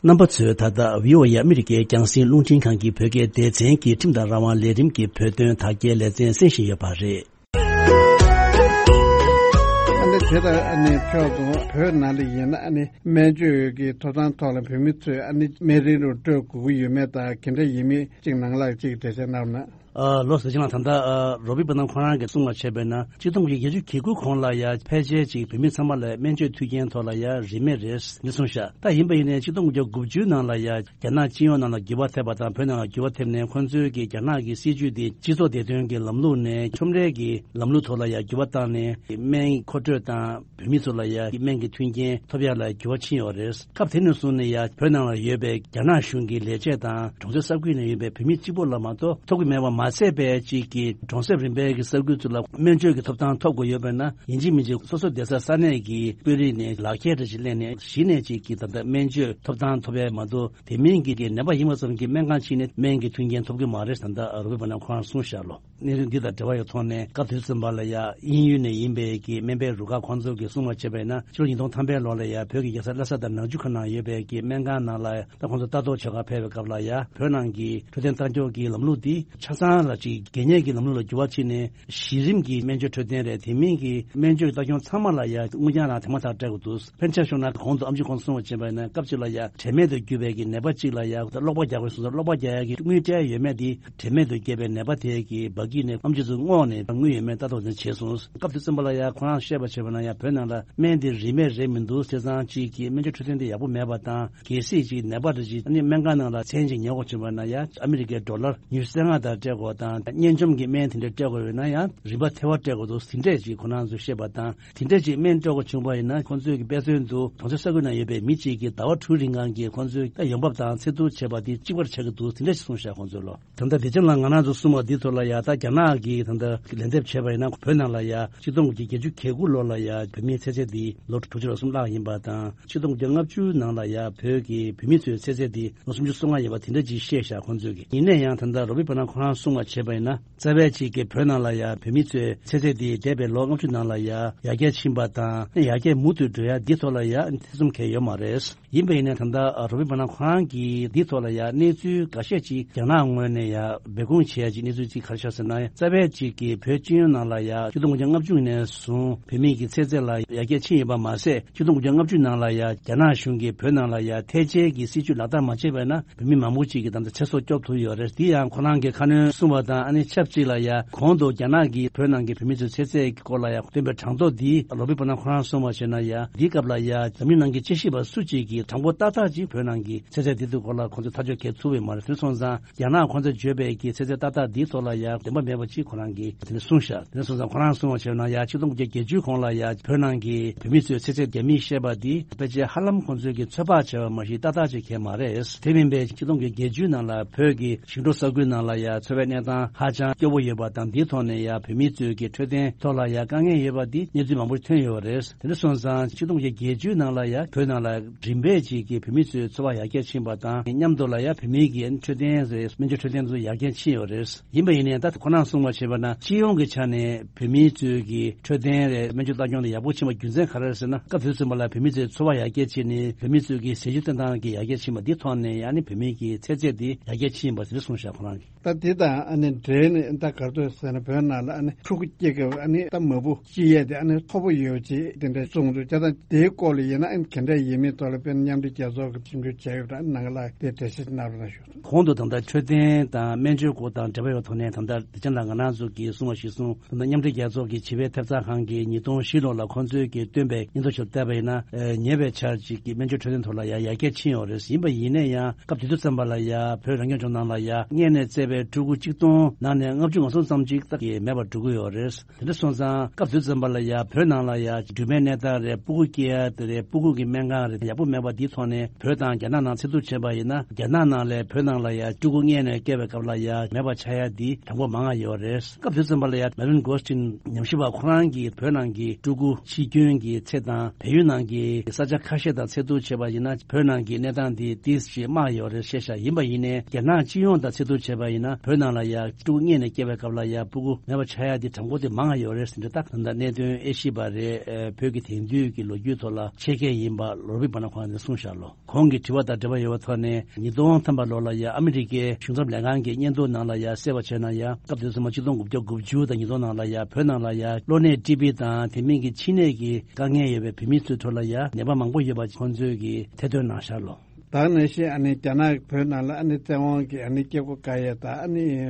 རྣམ་པ་ཚོས་ད་ལྟ་བི་ཨོ་ཨེ་ཨ་མི་རི་ཀའི་རྒྱང་སྲིང་རླུང་འཕྲིན་ཁང་གི་བོད་སྐད་སྡེ་ཚན་གྱི་ཁྲིམས་དང་རང་དབང་ལས་རིམ་གྱི་བོད་དོན་དག་སྐྱེལ་ལེ་ཚན་གསན་བཞིན་ཡོད་པ་རེད། ཨ་ནི་དེ་ལྟར་ཨ་ནི་ཕྱོགས་དང་བོད་ནང་ལ་ཡིན་ན་ཨ་ནི་སྨན་བཅོས་ཀྱི་ཐོབ་ཐང་ཐོག་ལ་བོད་མི་ཚོས་ཨ་ནི་སྨན་རིན་རུ་སྤྲོད་དགོས་ཀྱི་ཡོད་མེད་དང་ག་འདྲ་ཡིན་མིན་གཅིག་ནང་ལ་གཅིག་འགྲེལ་བཤད་གནང་ན། ཨ་ལོ་ཟེར་ཅིང་ལ་ད་ལྟ་ཨ་རོ་བི་པ་ན་ཁོ་རང་གིས་གསུངས་པ་བྱས་པས་ན་ཆིག་སྟོང་དགུ་བརྒྱ་བརྒྱད་ཅུ་གྱ་དགུ་གོང་ལ་ཡ་ཕལ་ཆེར་ཅིག་བོད་མི་ཚང་མ་ལ་སྨན་བཅོས་མཐུན་རྐྱེན་ཐོག་ལ་ཡ་རིན་མེད་རེད་འདི་གསུངས་ཤག་ད་ཡིན་པ་ཡིན་ནའི་ཆིག་སྟོང་དགུ་བརྒྱ་དགུ་བཅུ་ནང་ལ་ཡ་རྒྱ་ནག་སྤྱི་ཡོངས་ནང་ལ་འགྱུར་བ་ཐེབས་པ་དང་བོད་ནང་ལ་འགྱུར་བ་ཐེབས་ནས་ཁོང་ཚོའི་གི་རྒྱ་ནག་གི་སྲིད་ཇུས་དེ་སྤྱི་ཚོགས་བདེ་དོན་གྱི་ལམ་ལུགས་ནས་ཁྲོམ་རའི་གི་ལམ་ལུགས་ཐོག་ལ་ཡ་འགྱུར་བ་བཏང་ནས་སྨན་མཁོ་སྤྲོད་དང་། བོད་མི་ཚོ་ལ་ཡ་སྨན་གྱི་མཐུན་རྐྱེན་ཐོབ་ཡ་ལ་འགྱུར་བ་ཕྱིན་ཡོད་རེད། སྐབས་དེ་ནས་བཟུང་ནས་ཡ་བོད་ནང་ལ་ཡོད་པའི་རྒྱ་ནག་གཞུང་གི་ལས་བྱེད་དང་གྲོང་གསེབ་ས་ཁུལ་ནང་ཡོད་པའི་བོད་མི་གཅིག་པོ་ལ་མ་གཏོགས་ཐོབ་ཀྱི་མེད་པ་མ་ཟད་པའི་གཅིག་གི་གྲོང་གསེབ་རིམ་པའི་གི་ས་ཁུལ་ཚོ་ལ་སྨན་བཅོས་ཀྱི་ཐོབ་ཐང་ཐོབ་དགོས་ཡོད་པས་ན་ཡིན་གཅིག་མིན་གཅིག་སོ་སོ་བསྡད་ས་ས་གནས་ཀྱི་དཔོན་རིགས་ནས་ལག་ཁྱེར་རེ་ཞིག་ལེན་ནས་གཞི་ནས་གཅིག་གི་ད་ལྟ་སྨན་བཅོས་ཐོབ་ཐང་ཐོབ་ཡ་མ་གཏོགས་དེ་མིན་གྱི་གི་ནད་པ་ཡིན་པ་ཙམ་གྱིས་སྨན་ཁང་ཕྱིན་ནས་སྨན་གྱི་མཐུན་རྐྱེན་ཐོབ་ཀྱི་མ་རེད་ད་ལྟ་རོ་བི་པ་ན་ཁོ་རང་གསུངས་བཞག་ལོ། གནས་ཚུལ་འདི་དང་འབྲེལ་བ་ཡོད་ཐོག་ནས་སྐབས་དེ་ཙམ་པ་ལ་ཡ་དབྱིན་ཡུལ་ནས་ཡིན་པའི་གི་སྨན་པའི་རུ་ཁག་ཁོང་ཚོ་གིས་གསུངས་པ་བྱས་པས་ན་ཕྱི་ལོ་ཉིས་སྟོང་ཐམ་པའི་ལོ་ལ་ཡ་བོད་ཀྱི་རྒྱལ་ས་ལྷ་ས་དང་ནང་ཆུ་ཁ་ནང་ཡོད་པའི་གི་སྨན་ཁང་ནང་ལ་ད་ཁོང་ཚོ་ལྟ་རྟོག་བྱེད་གར་ཕེབས་པའི་སྐབས་ལ་ཡ་བོད་ནང་གི་འཕྲོད་བསྟེན་ལྟ་སྐྱོང་གི་ལམ་ལུགས་འདི་ཆ་ཚང་ལ་ཅིག་གད་སྙིགས་ཀྱི་ལམ་ལུགས་ལ་འགྱུར་བ་ཕྱིན་ནས་གཞི་རིམ་གྱི་སྨན་བཅོས་འཕྲོད་བསྟེན་རེད། དེ་མིན་གྱི་སྨན་བཅོས་ལྟ་སྐྱོང་ཚང་མ་ལ་ཡ་དངུལ་རྐྱང་རང་དེ་མ་ཐག་སྤྲད་དགོས་འདུག་ཕན་ཆད་བྱུང་ན་གོང་དུ་ཨམ་ཆི་ཁོང་གསུངས་པ་བྱས་པ་ཡིན་ན་སྐབས་གཅིག་ལ་ཡ་དྲན་མེད་དུ་གྱུར་པའི་གི་ནད་པ་གཅིག་ལ་ཡ་གློག་པ་རྒྱག་དགོས་སོང་ཙང་གློག་པ་རྒྱག་ཡ་གི་དངུལ་སྤྲད་ཡོད་མེད་དེ་དྲན་མེད་དུ་བརྒྱབ་པའི་ནད་པ་དེ་གི་འབག་གིས་ནས་ཨམ་ཆི་ཚོ་སྔོག་ནས་དངུལ་ཡོད་མེད་ལྟ་རྟོག་ནས་བྱས་སོང་། སྐབས་དེ་ཙམ་པ་ལ་ཡ་ཁོ་རང་བཤད་པ་བྱས་པ་ན་ཡ་བོད་ནང་ལ་སྨན་དེ་རིན་མེད་རེད་མི་འདུག་བྱས་ཙང་གཅིག་གི་སྨན་བཅོས་འཕྲོད་བསྟེན་དེ་ཡག་པོ་མེད་པ་དང་གལ་སྲིད་ཅིག་ནད་པ་རེ་ཅིག་ཨ་ནི་སྨན་ཁང་ནང་ལ་མཚན་ཅིག་ཉལ་དགོས་བྱུང་བ་ན་ཡ་ཨ་མི་རི་ཀའི་ཌོ་ལར་ཉི་ཤུ་རྩ་ལྔ་དང་སྤྲད་དགོས་དང་གཉན་འཇོམས་ཀྱི་སྨན་དེ་འདྲ་སྤྲད་དགོས་ཡོད་ན་ཡང་རིན་པ་ཐེ་བ་སྤྲད་དགོས་འདུག་དེ་འདྲས་ཅིག་ཁོ་རང་ཚོས་བཤད་པ་དང་། དེ་འདྲ་ཅིག་སྨན་སྤྲོད་དགོས་བྱུང་བ་ཡིན་ན་ཁོང་ཚོས་ཀྱི་དཔེ་མཚོན་དུ་གྲོང་གསེབ་ས་ཁུལ་ནང་ཡོད་པའི་མི་གཅིག་གིས་ཟླ་བ་དྲུག་རིང་གང་གི་ཁོང་ཚོས་ད་ཡོང་འབབ་དང་ཚེ་སྡུག་བྱས་པ་དེ་གཅིག་པར་ཆགས་ཀྱི་འདུག་དེ་འདྲ་ཞིག་གསུངས་ཤག་ཁོང་ཚོས་ལོ། ད་ལྟ་དེ་ཅང་ལ་ང་རང་ཚོ་གསུངས་པ་འདི་ཐོག་ལ་ཡ་ད་ རྒྱ་ནག་གིས་ད་ལྟ་ལན་འདེབས་བྱས་པ་ཡིན་ན། བོད་ནང་ལ་ཡ་ཆིག་སྟོང་དགུ་བརྒྱ་བརྒྱད་ཅུ་གྱ་དགུ་ལོ་ལ་ཡ་བོད་མིའི་ཚེ་ཚད་འདི་ལོ་དྲུག་ཅུ་རེ་གསུམ་ལྷག་ཡིན་པ་དང་། ཆིག་སྟོང་དགུ་བརྒྱ་ལྔ་བཅུ་ནང་ལ་ཡ་བོད་ཀྱི་བོད་མི་ཚོའི་ཚེ་ཚད་འདི་ལོ་སུམ་ཅུ་སོ་ལྔ་ཡིན་པ་དེ་འདྲ་ཅིག་བཤད་ཤག་ཁོང་ཚོས་ཀྱིས། ཡིན་ན་ཡང་ད་ལྟ་རོ་བྷི་པ་ན་ཁོ་རང་གསུངས་པ་བྱས་པ་ཡིན་ན། རྩ་བའི་གཅིག་གི་བོད་ནང་ལ་ཡ་བོད་མི་ཚོའི་ཚེ་ཚད་དེ་འདས་པའི་ལོ་ལྔ་བཅུ་ནང་ལ་ཡ་ཡར་རྒྱས་ཕྱིན་པ་དང་། ཡར་རྒྱས་མུ་མཐུད་འགྲོ་ཡ་འདི་ཐོག་ལ་ཡ་ཐེ་ཚོམ་གང་ཡང་ཡོད་མ་རེད། ཡིན་པ་ཡིན་ན་ད་ལྟ་རོ་བྷི་པ་ན་ཁོ་རང་གིས་འདི་ཐོག་ལ་ཡ་གནས་ཚུལ་འགའ་ཤས་ཅིག་རྒྱ་ནག་ངོས་ནས་ཡ་སྦས་སྐུང་བྱེད་ཡ་ཅིག་གནས་ཚུལ་ཅིག་ག་རེ་ཤར་ཟེར་ན། རྩ་བའི་གཅིག་གི་བོད་སྤྱི་ཡོངས་ནང་ལ་ཡ་ཆིག་སྟོང་དགུ་བརྒྱ་ལྔ་བཅུ་ནས་བཟུང་བོད་མི་གི་ཚེ་ཚད་ལ་ཡར་རྒྱས་ཕྱིན་ཡོད་པ་མ་ཟད། ཆིག་སྟོང་དགུ་བརྒྱ་ལྔ་བཅུ་ནང་ལ་ཡ་རྒྱ་ནག་གཞུང་གིས་བོད་ནང་ལ་ཡ་ཐལ་ཆད་ཀྱི་སྲིད་བྱུས་ལག་བསྟར་མ་བྱས་པ་ཡིན་ན། བོད་མི་མང་པོ་ཅིག་གིས་ད་ལྟ་ཚེ་སྲོག་སྐྱོབ་ཐུབ་ཡོད་རེད། དེ་ཡང་ཁོ་རང་གིས་ཁ་སྣོན་གསུངས་པ་དང་། ཨ་ནི་ཆབས་ཅིག་ལ་ཡ་གོང་དུ་རྒྱ་ནག་གིས་བོད་ནང་གི་བོད་མི་ཚོའི་ཚེ་ཚད་ཀྱི་སྐོར་ལ་ཡ་བཏོན་པའི་གྲངས་ཐོ་འདི་རོ་བྷི་པ་ན་ཁོ་རང་གསུངས་པ་བྱས་ན་ཡ། འདིའི་སྐབས་ལ་ཡ་འཛམ་གླིང་ནང་གི་དཔྱད་ཞིབ་པ་སུ་གཅིག་གིས་གྲངས་འབོར་ཏག་ཏག་ཅིག་བོད་ནང་གི་ཚེ་ཚད་འདི་ཚོའི་སྐོར་ལ་ཁོང་ཚོས་ཐག་གཅོད་གལ་ཐུབ་པའི་མ་རེད། དེ་སོང་ཙང་རྒྱ་ནག་ཁོང་ཚོས་བརྗོད་པའི་གི་ཚེ་ཚད་ཏག་ཏག་འདིའི་ཐོག་ལ་ཡ་བདེན་པ་མེད་པ་ཅིག་ཁོ་རང་གིས་དེ་ནས་གསུངས་ཤག་དེ་ནས་སོང་ཙང་ཁོ་རང་གསུངས་པ་བྱས་ན་ཡ། ཆིག་སྟོང་དགུ་བརྒྱ་བརྒྱད་ཅུ་གོང་ལ་ཡ་བོད་ནང་གི་བོད་མི་ཚོའི་ཚེ་ཚད་རྒྱ་མིས་བཤད་པ་འདི་ཕལ་ཆེར་ཧ་ལམ་ཁོང་ཚོས་ཀྱི་ཚོད་དཔག་བྱས་པ་མ་གཞི་ཏག་ཏག་ཅིག་གང་མ་རེད། དེ་མིན་པའི་ཆིག་སྟོང་དགུ་བརྒྱ་བརྒྱད་ཅུ་ནང་ལ་བོད་ཀྱི་ཞིང་འབྲོག་ས་ཁུལ་ནང་ལ་ཡ་འཚོ་བའི་གནས་སྟངས་ཧ་ཅང་སྐྱོ་བོ་ཡོད་པ་དང་། འདིའི་ཐོག་ནས་ཡ་བོད་མི་ཚོས་ཀྱི་འཕྲོད་བསྟེན་ཐོག་ལ་ཡ་དཀའ་ངལ་ཡོད་པ་འདི་གནས་ཚུལ་མང་པོ་ཐོན་ཡོད་པ་རེད། དེ་འདྲ་སོང་ཙང་ཆིག་སྟོང་དགུ་བརྒྱ་བརྒྱད་ཅུ་ནང་ལ་ཡ་བོད་ནང་ལ་རིམ་པས་ཅིག་གི་བོད་མི་ཚོའི་འཚོ་བ་ཡར་རྒྱས་ཕྱིན་པ་དང་། མཉམ་དུ་ལ་ཡ་བོད་མིའི་གི་འཕྲོད་བསྟེན་རེད། སྨན་བཅོས་འཕྲོད་བསྟེན་ཚོ་ཡར་རྒྱས་ཕྱིན་ཡོད་རེད། ཡིན་པ་ཡིན་ནའི་ད་ཁོ་རང་གསུངས་པ་བྱས་པ་ན། སྤྱི་ཡོངས་ཀྱི་ཆ་ནས་བོད་མི་ཚོའི་གི་འཕྲོད་བསྟེན་རེད། སྨན་བཅོས་ལྟ་སྐྱོང་དེ་ཡག་པོ་ཕྱིན་པ་རྒྱུ་མཚན་ག་རེ་རེད་ཟེར་ན། སྐབས་དེ་ཚོད་པ་ལ་བོད་མི་ཚོའི་འཚོ་བ་ཡར་རྒྱས་ཕྱིན་ནས་བོད་མི་ཚོའི་གི་ཟས་བཅུད་བསྟེན་སྟངས་ཀྱི་ཡར་རྒྱས་ཕྱིན་པ་འདི་ཐོག་ནས་ཨ་ནི་བོད་མི་གི་ཚེ་ཚད་འདི་ཡར་རྒྱས་ཕྱིན་པ་དེ་འདྲ་གསུངས་ཤག་ཁོ་རང་གིས། ད་དེ་དང་ཨ་ནི་འབྲེལ་ནས་ད་ག་རེ་འདུག་ཟེར་ན། བོད་ནང་ལ་ཨ་ནི་ཕྲུ་གུ་སྐྱེ་སྐབས་ཨ་ནི་ད་མ་བུ་སྐྱེ་ཡས་དེ་ཨ་ནི་མཐོ་པོ་ཡོད་ཅིག་དེ་འདྲ་གསུངས་འདུག་ད་དེའི་སྐོར་ལ་ཡིན་ན་ཨ་ནི་ག་འདྲ་ཡིན་མིན་ཐོག་ལ་དཔེར་ན་མཉམ་འབྲེལ་རྒྱལ་ཚོགས་ཀྱིས་ཞིབ་འཇུག་བྱས་ཡོད་པ་ནང་ལ་དེ་འགྲེལ་བཤད་གནང་རོགས་གནང་ཞུ། གོང་དུ་ད་ལྟ་འཕྲོད་བསྟེན་དང་སྨན་བཅོས་སྐོར་དང་འབྲེལ་བ་ཡོད་ཐོག་ནས། ད་ལྟ་དེ་ཅང་ལ་ང་རང་ཚོ་གིས་གསུངས་པ་གཞིར་བཟུང་། ད་ལྟ་མཉམ་འབྲེལ་རྒྱལ་ཚོགས་ཀྱི་བྱིས་པའི་ཐེབས་རྩ་ཁང་གིས་ཉིས་སྟོང་བཞི་ལོ་ལ་ཁོང་ཚོས་ཀྱིས་བཏོན་པའི་སྙན་ཐོ་ཞིག་བལྟས་པ་ཡིན་ན། ཉེ་བའི་ཆར་ཅིག་གི་སྨན་བཅོས་འཕྲོད་བསྟེན་ཐོག་ལ་ཡང་ཡར་རྒྱས་ཕྱིན་ཡོད་རེད། ཡིན་པ་ཡིན་ན་ཡང་སྐབས་དེ་དུས་ཙམ་པ་ལ་ཡ་བོད་རང་སྐྱོང་ལྗོངས་ནང་ལ་ཡ་མངལ་ནས་བཙས་པའི་ཕྲུ་གུ་གཅིག་སྟོང་ནང་ནས་ལྔ་བཅུ་ང་གསུམ་ཙམ་ཅིག་ད་གི་མེད་པར་འགྲོ་གི་ཡོད་རེད། དེ་འདྲ་སོང་ཙང་སྐབས་དེ་ཙམ་པ་ལ་ཡ་བོད་ནང་ལ་ཡ་སྦྲུམ་མའི་གནས་སྟངས་རེད། ཕྲུ་གུ་སྐྱེ་ཡ་དེ་རེད། ཕྲུ་གུ་གི་སྨན་ཁང་རེད། ཡག་པོ་མེད་པ་འདིའི་ཐོག་ནས་བོད་དང་རྒྱ་ནག་ནང་ཚད་ཐུབ་བྱས་པ་ཡིན་ན། རྒྱ་ནག་ནང་ལས་བོད་ནང་ལ་ཡ་ཕྲུ་གུ་མངལ་ནས་སྐྱེ་བའི་སྐབས་ལ་ཡ་མེད་པ་ཆགས་ཡ་འདི་གྲངས་འབོར་མང་བ་ཡོད་རེད། སྐབས་དེ་ཙམ་པ་ལ་ཡ་མེ་ལིན་གོ་སི་ཊིན་ཉམས་ཞིབ་པ་ཁོ་རང་གིས་བོད་ནང་གི་ཕྲུ་གུ་འཆི་སྐྱོན་གྱི་ཚད་དང་བལ་ཡུལ་ནང་གི་ས་ཆ་ཁ་ཤས་དང་ཚད་ཐུབ་བྱས་པ་ཡིན་ན། བོད་ནང་གི་གནས་སྟངས་འདི་ཏོག་ཙམ་དམའ་ཡོད་རེད་བཤད་ཤག་ཡིན་པ་ཡིན་ནའི་རྒྱ་ནག་སྤྱི་ཡོངས་དང་ཚད་ཐུབ་བྱས་པ་ཡིན་ན། བོད་ནང་ལ་ཡ་ཕྲུ་གུ་མངལ་ནས་སྐྱེ་བའི་སྐབས་ལ་ཡ་ཕྲུ་གུ་མེད་པ་ཆགས་ཡ་དེ་གྲངས་འབོར་དེ་མང་བ་ཡོད་རེད་ཟེར་འདྲ། ད་ད་ལྟ་གནད་དོན་དབྱེ་ཞིབ་པ་རེད། བོད་ཀྱི་དེང་དུས་ཀྱི་ལོ་རྒྱུས་ཐོག་ལ་ཆེད་མཁས་ཡིན་པ་རོ་བྷི་པ་ན་ཁོང་ནས་གསུངས་ཤག་ལོ། གོང་གི་དྲི་བ་དང་འབྲེལ་བ་ཡོད་པའི་ཐོག་ནས། ཉིས་སྟོང་ཐམ་པ་ལོ་ལ་ཡ་ཨ་མི་རི་ཀའི་གཞུང་ཚབ་ལས་ཁང་གི་སྙན་ཐོ་ནང་ལ་ཡ་གསལ་བ་བྱས་ན་ཡ། སྐབས་དེ་ཚོ་མ་ཆིག་སྟོང་དགུ་བརྒྱ་དགུ་བཅུ་དང་ཉིས་སྟོང་ནང་ལ་ཡ་བོད་ནང་ལ་ཡ་གློ་ནད་ཊི་བི་དང་དེ་མིན་གྱི་མཆིན་ནད་ཀྱི་དཀའ་ངལ་ཡོད་པའི་བོད་མི་ཚོའི་ཁྲོད་ལ་ཡ་ནད་པ་མང་པོ་ཡོད་པ་ཁོང་ཚོས་ཀྱིས་ཐེར་འདོན་གནང་ཤག་ལོ། ད་ནང་བཞིན་ཨ་ནི་རྒྱ་ནག་བོད་ནང་ལ་ཨ་ནི་བཙན་དབང་གིས་ཨ་ནི་སྐྱེ་སྒོ་བཀག་ཡས་དང་། ཨ་ནི་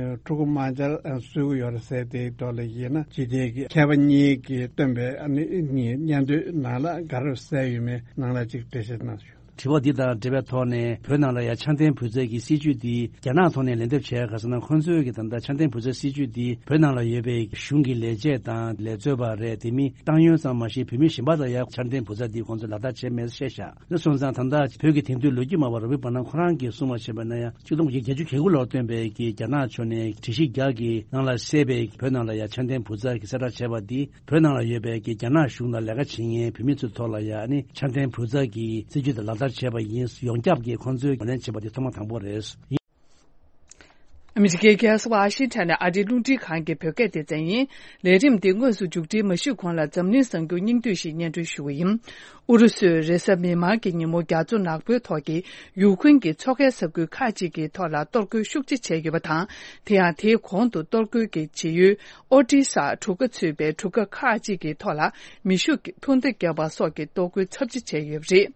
ཕྲུ་གུ་མང་ཇ་བཟོ་གི་ཡོད་རེད་ཟེར། དེའི་ཐོག་ལ་ཡིན་ན་སྤྱི་བདེ་གི་མཁས་པ་གཉིས་ཀྱིས་བཏོན་པའི་ཨ་ནི་སྙན་ཐོའི་ནང་ལ་ག་རེ་གསལ་ཡོད་མེད་ནང་ལ་ཅིག་འགྲེལ་བཤད་གནང་ཞུ། དྲི་བ་འདི་དང་འབྲེལ་བའི་ཐོག་ནས། བོད་ནང་ལ་ཡ་ཆ་ལྡན་བུ་བཙའ་གི་སྲིད་ཇུས་འདི་རྒྱ་ནག་ཐོག་ནས་ལན་འདེབས་བྱས་ག་ཟེར་ན། ཁོང་ཚོས་ཀྱི་ད་ལྟ་ཆ་ལྡན་བུ་བཙའ་སྲིད་ཇུས་འདི་བོད་ནང་ལ་ཡོད་པའི་གཞུང་གི་ལས་བྱེད་དང་ལས་རྩོལ་བ་རེད། དེ་མིན་ཏང་ཡོན་ཙམ་མ་ཞིག་བོད་མི་གཞན་པ་དང་ཡ་ཆ་ལྡན་བུ་བཙའ་འདི་ཁོང་ཚོས་ལག་བསྟར་བྱས་མེད་བཤད་ཤག་དེ་སོང་ཙང་ད་ལྟ་བོད་ཀྱི་དེང་དུས་ལོ་རྒྱུས་སྨྲ་བ་རོ་བྷི་པ་ན་ཁོ་རང་གིས་གསུངས་པ་བྱས་པ་ན་ཡང་། ཆིག་སྟོང་དགུ་བརྒྱ་བརྒྱད་ཅུ་གྱ་དགུ་ལོར་བཏོན་པའི་གི་རྒྱ་ནག་ཕྱོགས་ནས་སྒྲིག་གཞི་བརྒྱ་གི་ནང་ལ་གསལ་བའི་བོད་ནང་ལ་ཡ་ཆ་ལྡན་བུ་བཙའ་གི་གསལ་བསྒྲགས་བྱས་པ་འདི། བོད་ནང་ལ་ཡོད་པའི་གི་རྒྱ་ནག་གཞུང་ལ་ལས་ཀ་བྱེད་མཁན་བོད་མི་ཚོའི་ཐོག་ལ་ཡ་ཨ་ནི་ཆ་ལྡན་བུ་བཙའ་གི་སྲིད་ཇུས་དེ་ལག་བསྟར་བྱས་པ་ཡིན། ཡོངས་ཁྱབ་ཀྱིས་ཁོང་ཚོས་ངོས་ལེན་བྱས་པ་དེ་ཐོག་མ་དང་པོ་རེད། ཨ་མི་རི་ཀའི་རྒྱལ་ས་ཝ་ཤིང་ཊོན་ནས་ཨ་རིའི་རླུང་འཕྲིན་ཁང་གི་བོད་སྐད་སྡེ་ཚན་ཡིན། ལས་རིམ་འདི་དངོས་སུ་མཇུག་སྒྲིལ་མ་ཞུས་གོང་ལ་འཛམ་གླིང་གསར་འགྱུར་སྙིང་བསྡུས་ཤིག་སྙན་སྒྲོན་ཞུ་བ་ཡིན། ཨུ་རུ་སུས་རེས་གཟའ་མིག་དམར་གྱི་ཉིན་མོ་རྒྱ་མཚོ་ནག་པོའི་ཐོག་གི་ཡུཀ་རེན་གྱི་མཚོ་ཁའི་ས་ཁུལ་ཁག་ཅིག་གི་ཐོག་ལ་གཏོར་རྒོལ་ཤུགས་ཆེ་བྱས་ཡོད་པ་དང་། དེ་ཡང་དེའི་གོང་དུ་གཏོར་རྒོལ་གྱི་བྱེད་ཡུལ་ཨོ་ཏི་སར་གྲུ་ཁ་ཚུད་པའི་གྲུ་ཁ་ཁག་ཅིག་གི་ཐོག་ལ་མེ་ཤུགས་ཀྱི་འཕུར་མདའ་བརྒྱབ་པ་སོགས་ཀྱི་གཏོར་རྒོལ་ཚབས་ཆེ་བྱས་ཡོད་པ་རེད།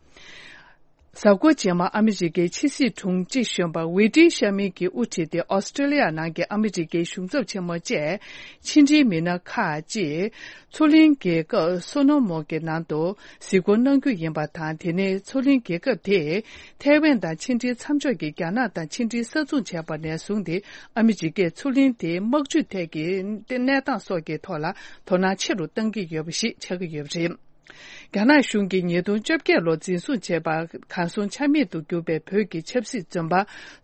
གཟའ་འཁོར་རྗེས་མ་ཨ་མི་རི་ཀའི་ཕྱི་སྲིད་དྲུང་ཆེ་གཞོན་པ་ཝེ་ཏི་ཤ་མི་གིས་དབུ་ཁྲིད་དེ་ཨོ་སི་ཀྲེ་ལི་ཡ་ནང་གི་ཨ་མི་རི་ཀའི་གཞུང་ཚབ་ཆེན་མོ་བཅས་ཕྱི་འབྲེལ་མི་སྣ་ཁག་ཅིག་མཚོ་གླིང་རྒྱལ་ཁབ་སོ་ནོ་མོ་གི་ནང་དུ་གཟིགས་སྐོར་གནང་རྒྱུ་ཡིན་པ་དང་། དེ་ནས་མཚོ་གླིང་རྒྱལ་ཁབ་དེས་ཐའེ་ཝན་དང་ཕྱི་འབྲེལ་མཚམས་འཇོག་གི་རྒྱ་ནག་དང་ཕྱི་འབྲེལ་ས་མཚུངས་བྱས་པ་ནས་བཟུང་སྟེ། ཨ་མི་རི་ཀས་མཚོ་གླིང་དེའི་དམག་ཇུས་ཐད་ཀྱི་གནས་སྟངས་སོགས་ཀྱི་ཐོག་ལ་དོ་སྣང་ཆེ་རུ་གཏང་གི་ཡོད་པ་ཞིག་ཆགས་ཀྱི་ཡོད་པ་རེད། རྒྱ་ནག་གཞུང་གིས་ཉིས་སྟོང་བཅོ་བརྒྱད་ལོར་འཛིན་བཟུང་བྱས་པ། གར་སོང་ཆ་མེད་དུ་གྱུར་པའི་བོད་ཀྱི་ཆབ་སྲིད་བཙོན་པ་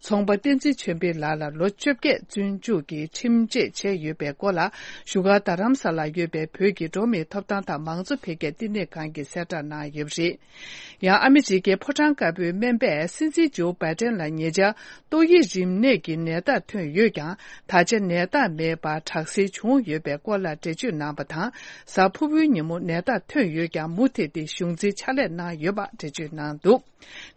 ཚོང་པ་བསྟན་འཛིན་ཆོས་འཕེལ་ལགས་ལ་ལོ་བཅོ་བརྒྱད་བཙོན་འཇུག་གི་ཁྲིམས་ཆད་བཅད་ཡོད་པའི་སྐོར་ལ། བཞུགས་སྒར་རྡ་རམ་ས་ལར་ཡོད་པའི་བོད་ཀྱི་འགྲོ་བ་མིའི་ཐོབ་ཐང་དང་མང་གཙོ་འཕེལ་རྒྱས་བསྟི་གནས་ཁང་གིས་གསལ་བསྒྲགས་གནང་ཡོད་པ་རེད། ཡང་ཨ་མི་རི་ཀའི་ཕོ་བྲང་དཀར་པོའི་སྨན་པས་སྲིད་འཛིན་ཇོ་བྷའི་ཏན་ལ་ཉེ་ཆར་ཏོག་དབྱིབས་རིམས་ནད་ཀྱི་ནད་རྟགས་ཐོན་ཡོད་ཀྱང་། ད་ཆ་ནད་རྟགས་མེད་པར་དྲག་སེལ་བྱུང་ཡོད་པའི་སྐོར་ལ་འགྲེལ་བརྗོད་གནང་བ་དང་། གཟའ་ཕུར་བུའི་ཉིན་མོ་ནད་རྟགས་ཐོན་ཡོད་ཀྱང་། མུ་མཐུད་དེ་གཞུང་འཛིན་ཕྱག་ལས་གནང་ཡོད་པ་འགྲེལ་བརྗོད་གནང་འདུག།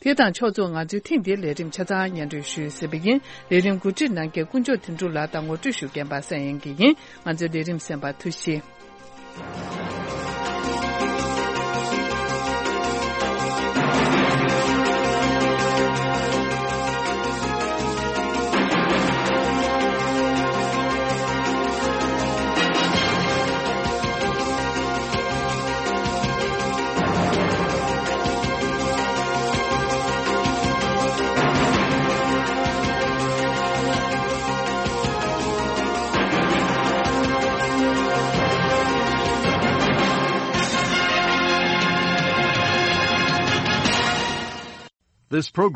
དེ་དང་ཕྱོགས་མཚུངས། ང་ཚོའི་ཐེངས་འདིའི་ལས་རིམ་ཆ་ཚང་སྙན་སྒྲོན་ཞུས་ཟིན་པ་ཡིན། ལས་རིམ་གོ་སྒྲིག་གནང་མཁན་དཀོན་མཆོག་དོན་གྲུབ་ལགས་དང་ངོ་སྤྲོད་ཞུ་མཁན་པ་ས་ཡན་གྱི་ཡིན། ང་ཚོའི་ལས་རིམ་གསན་པར་ཐུགས་རྗེ་ཆེ། This program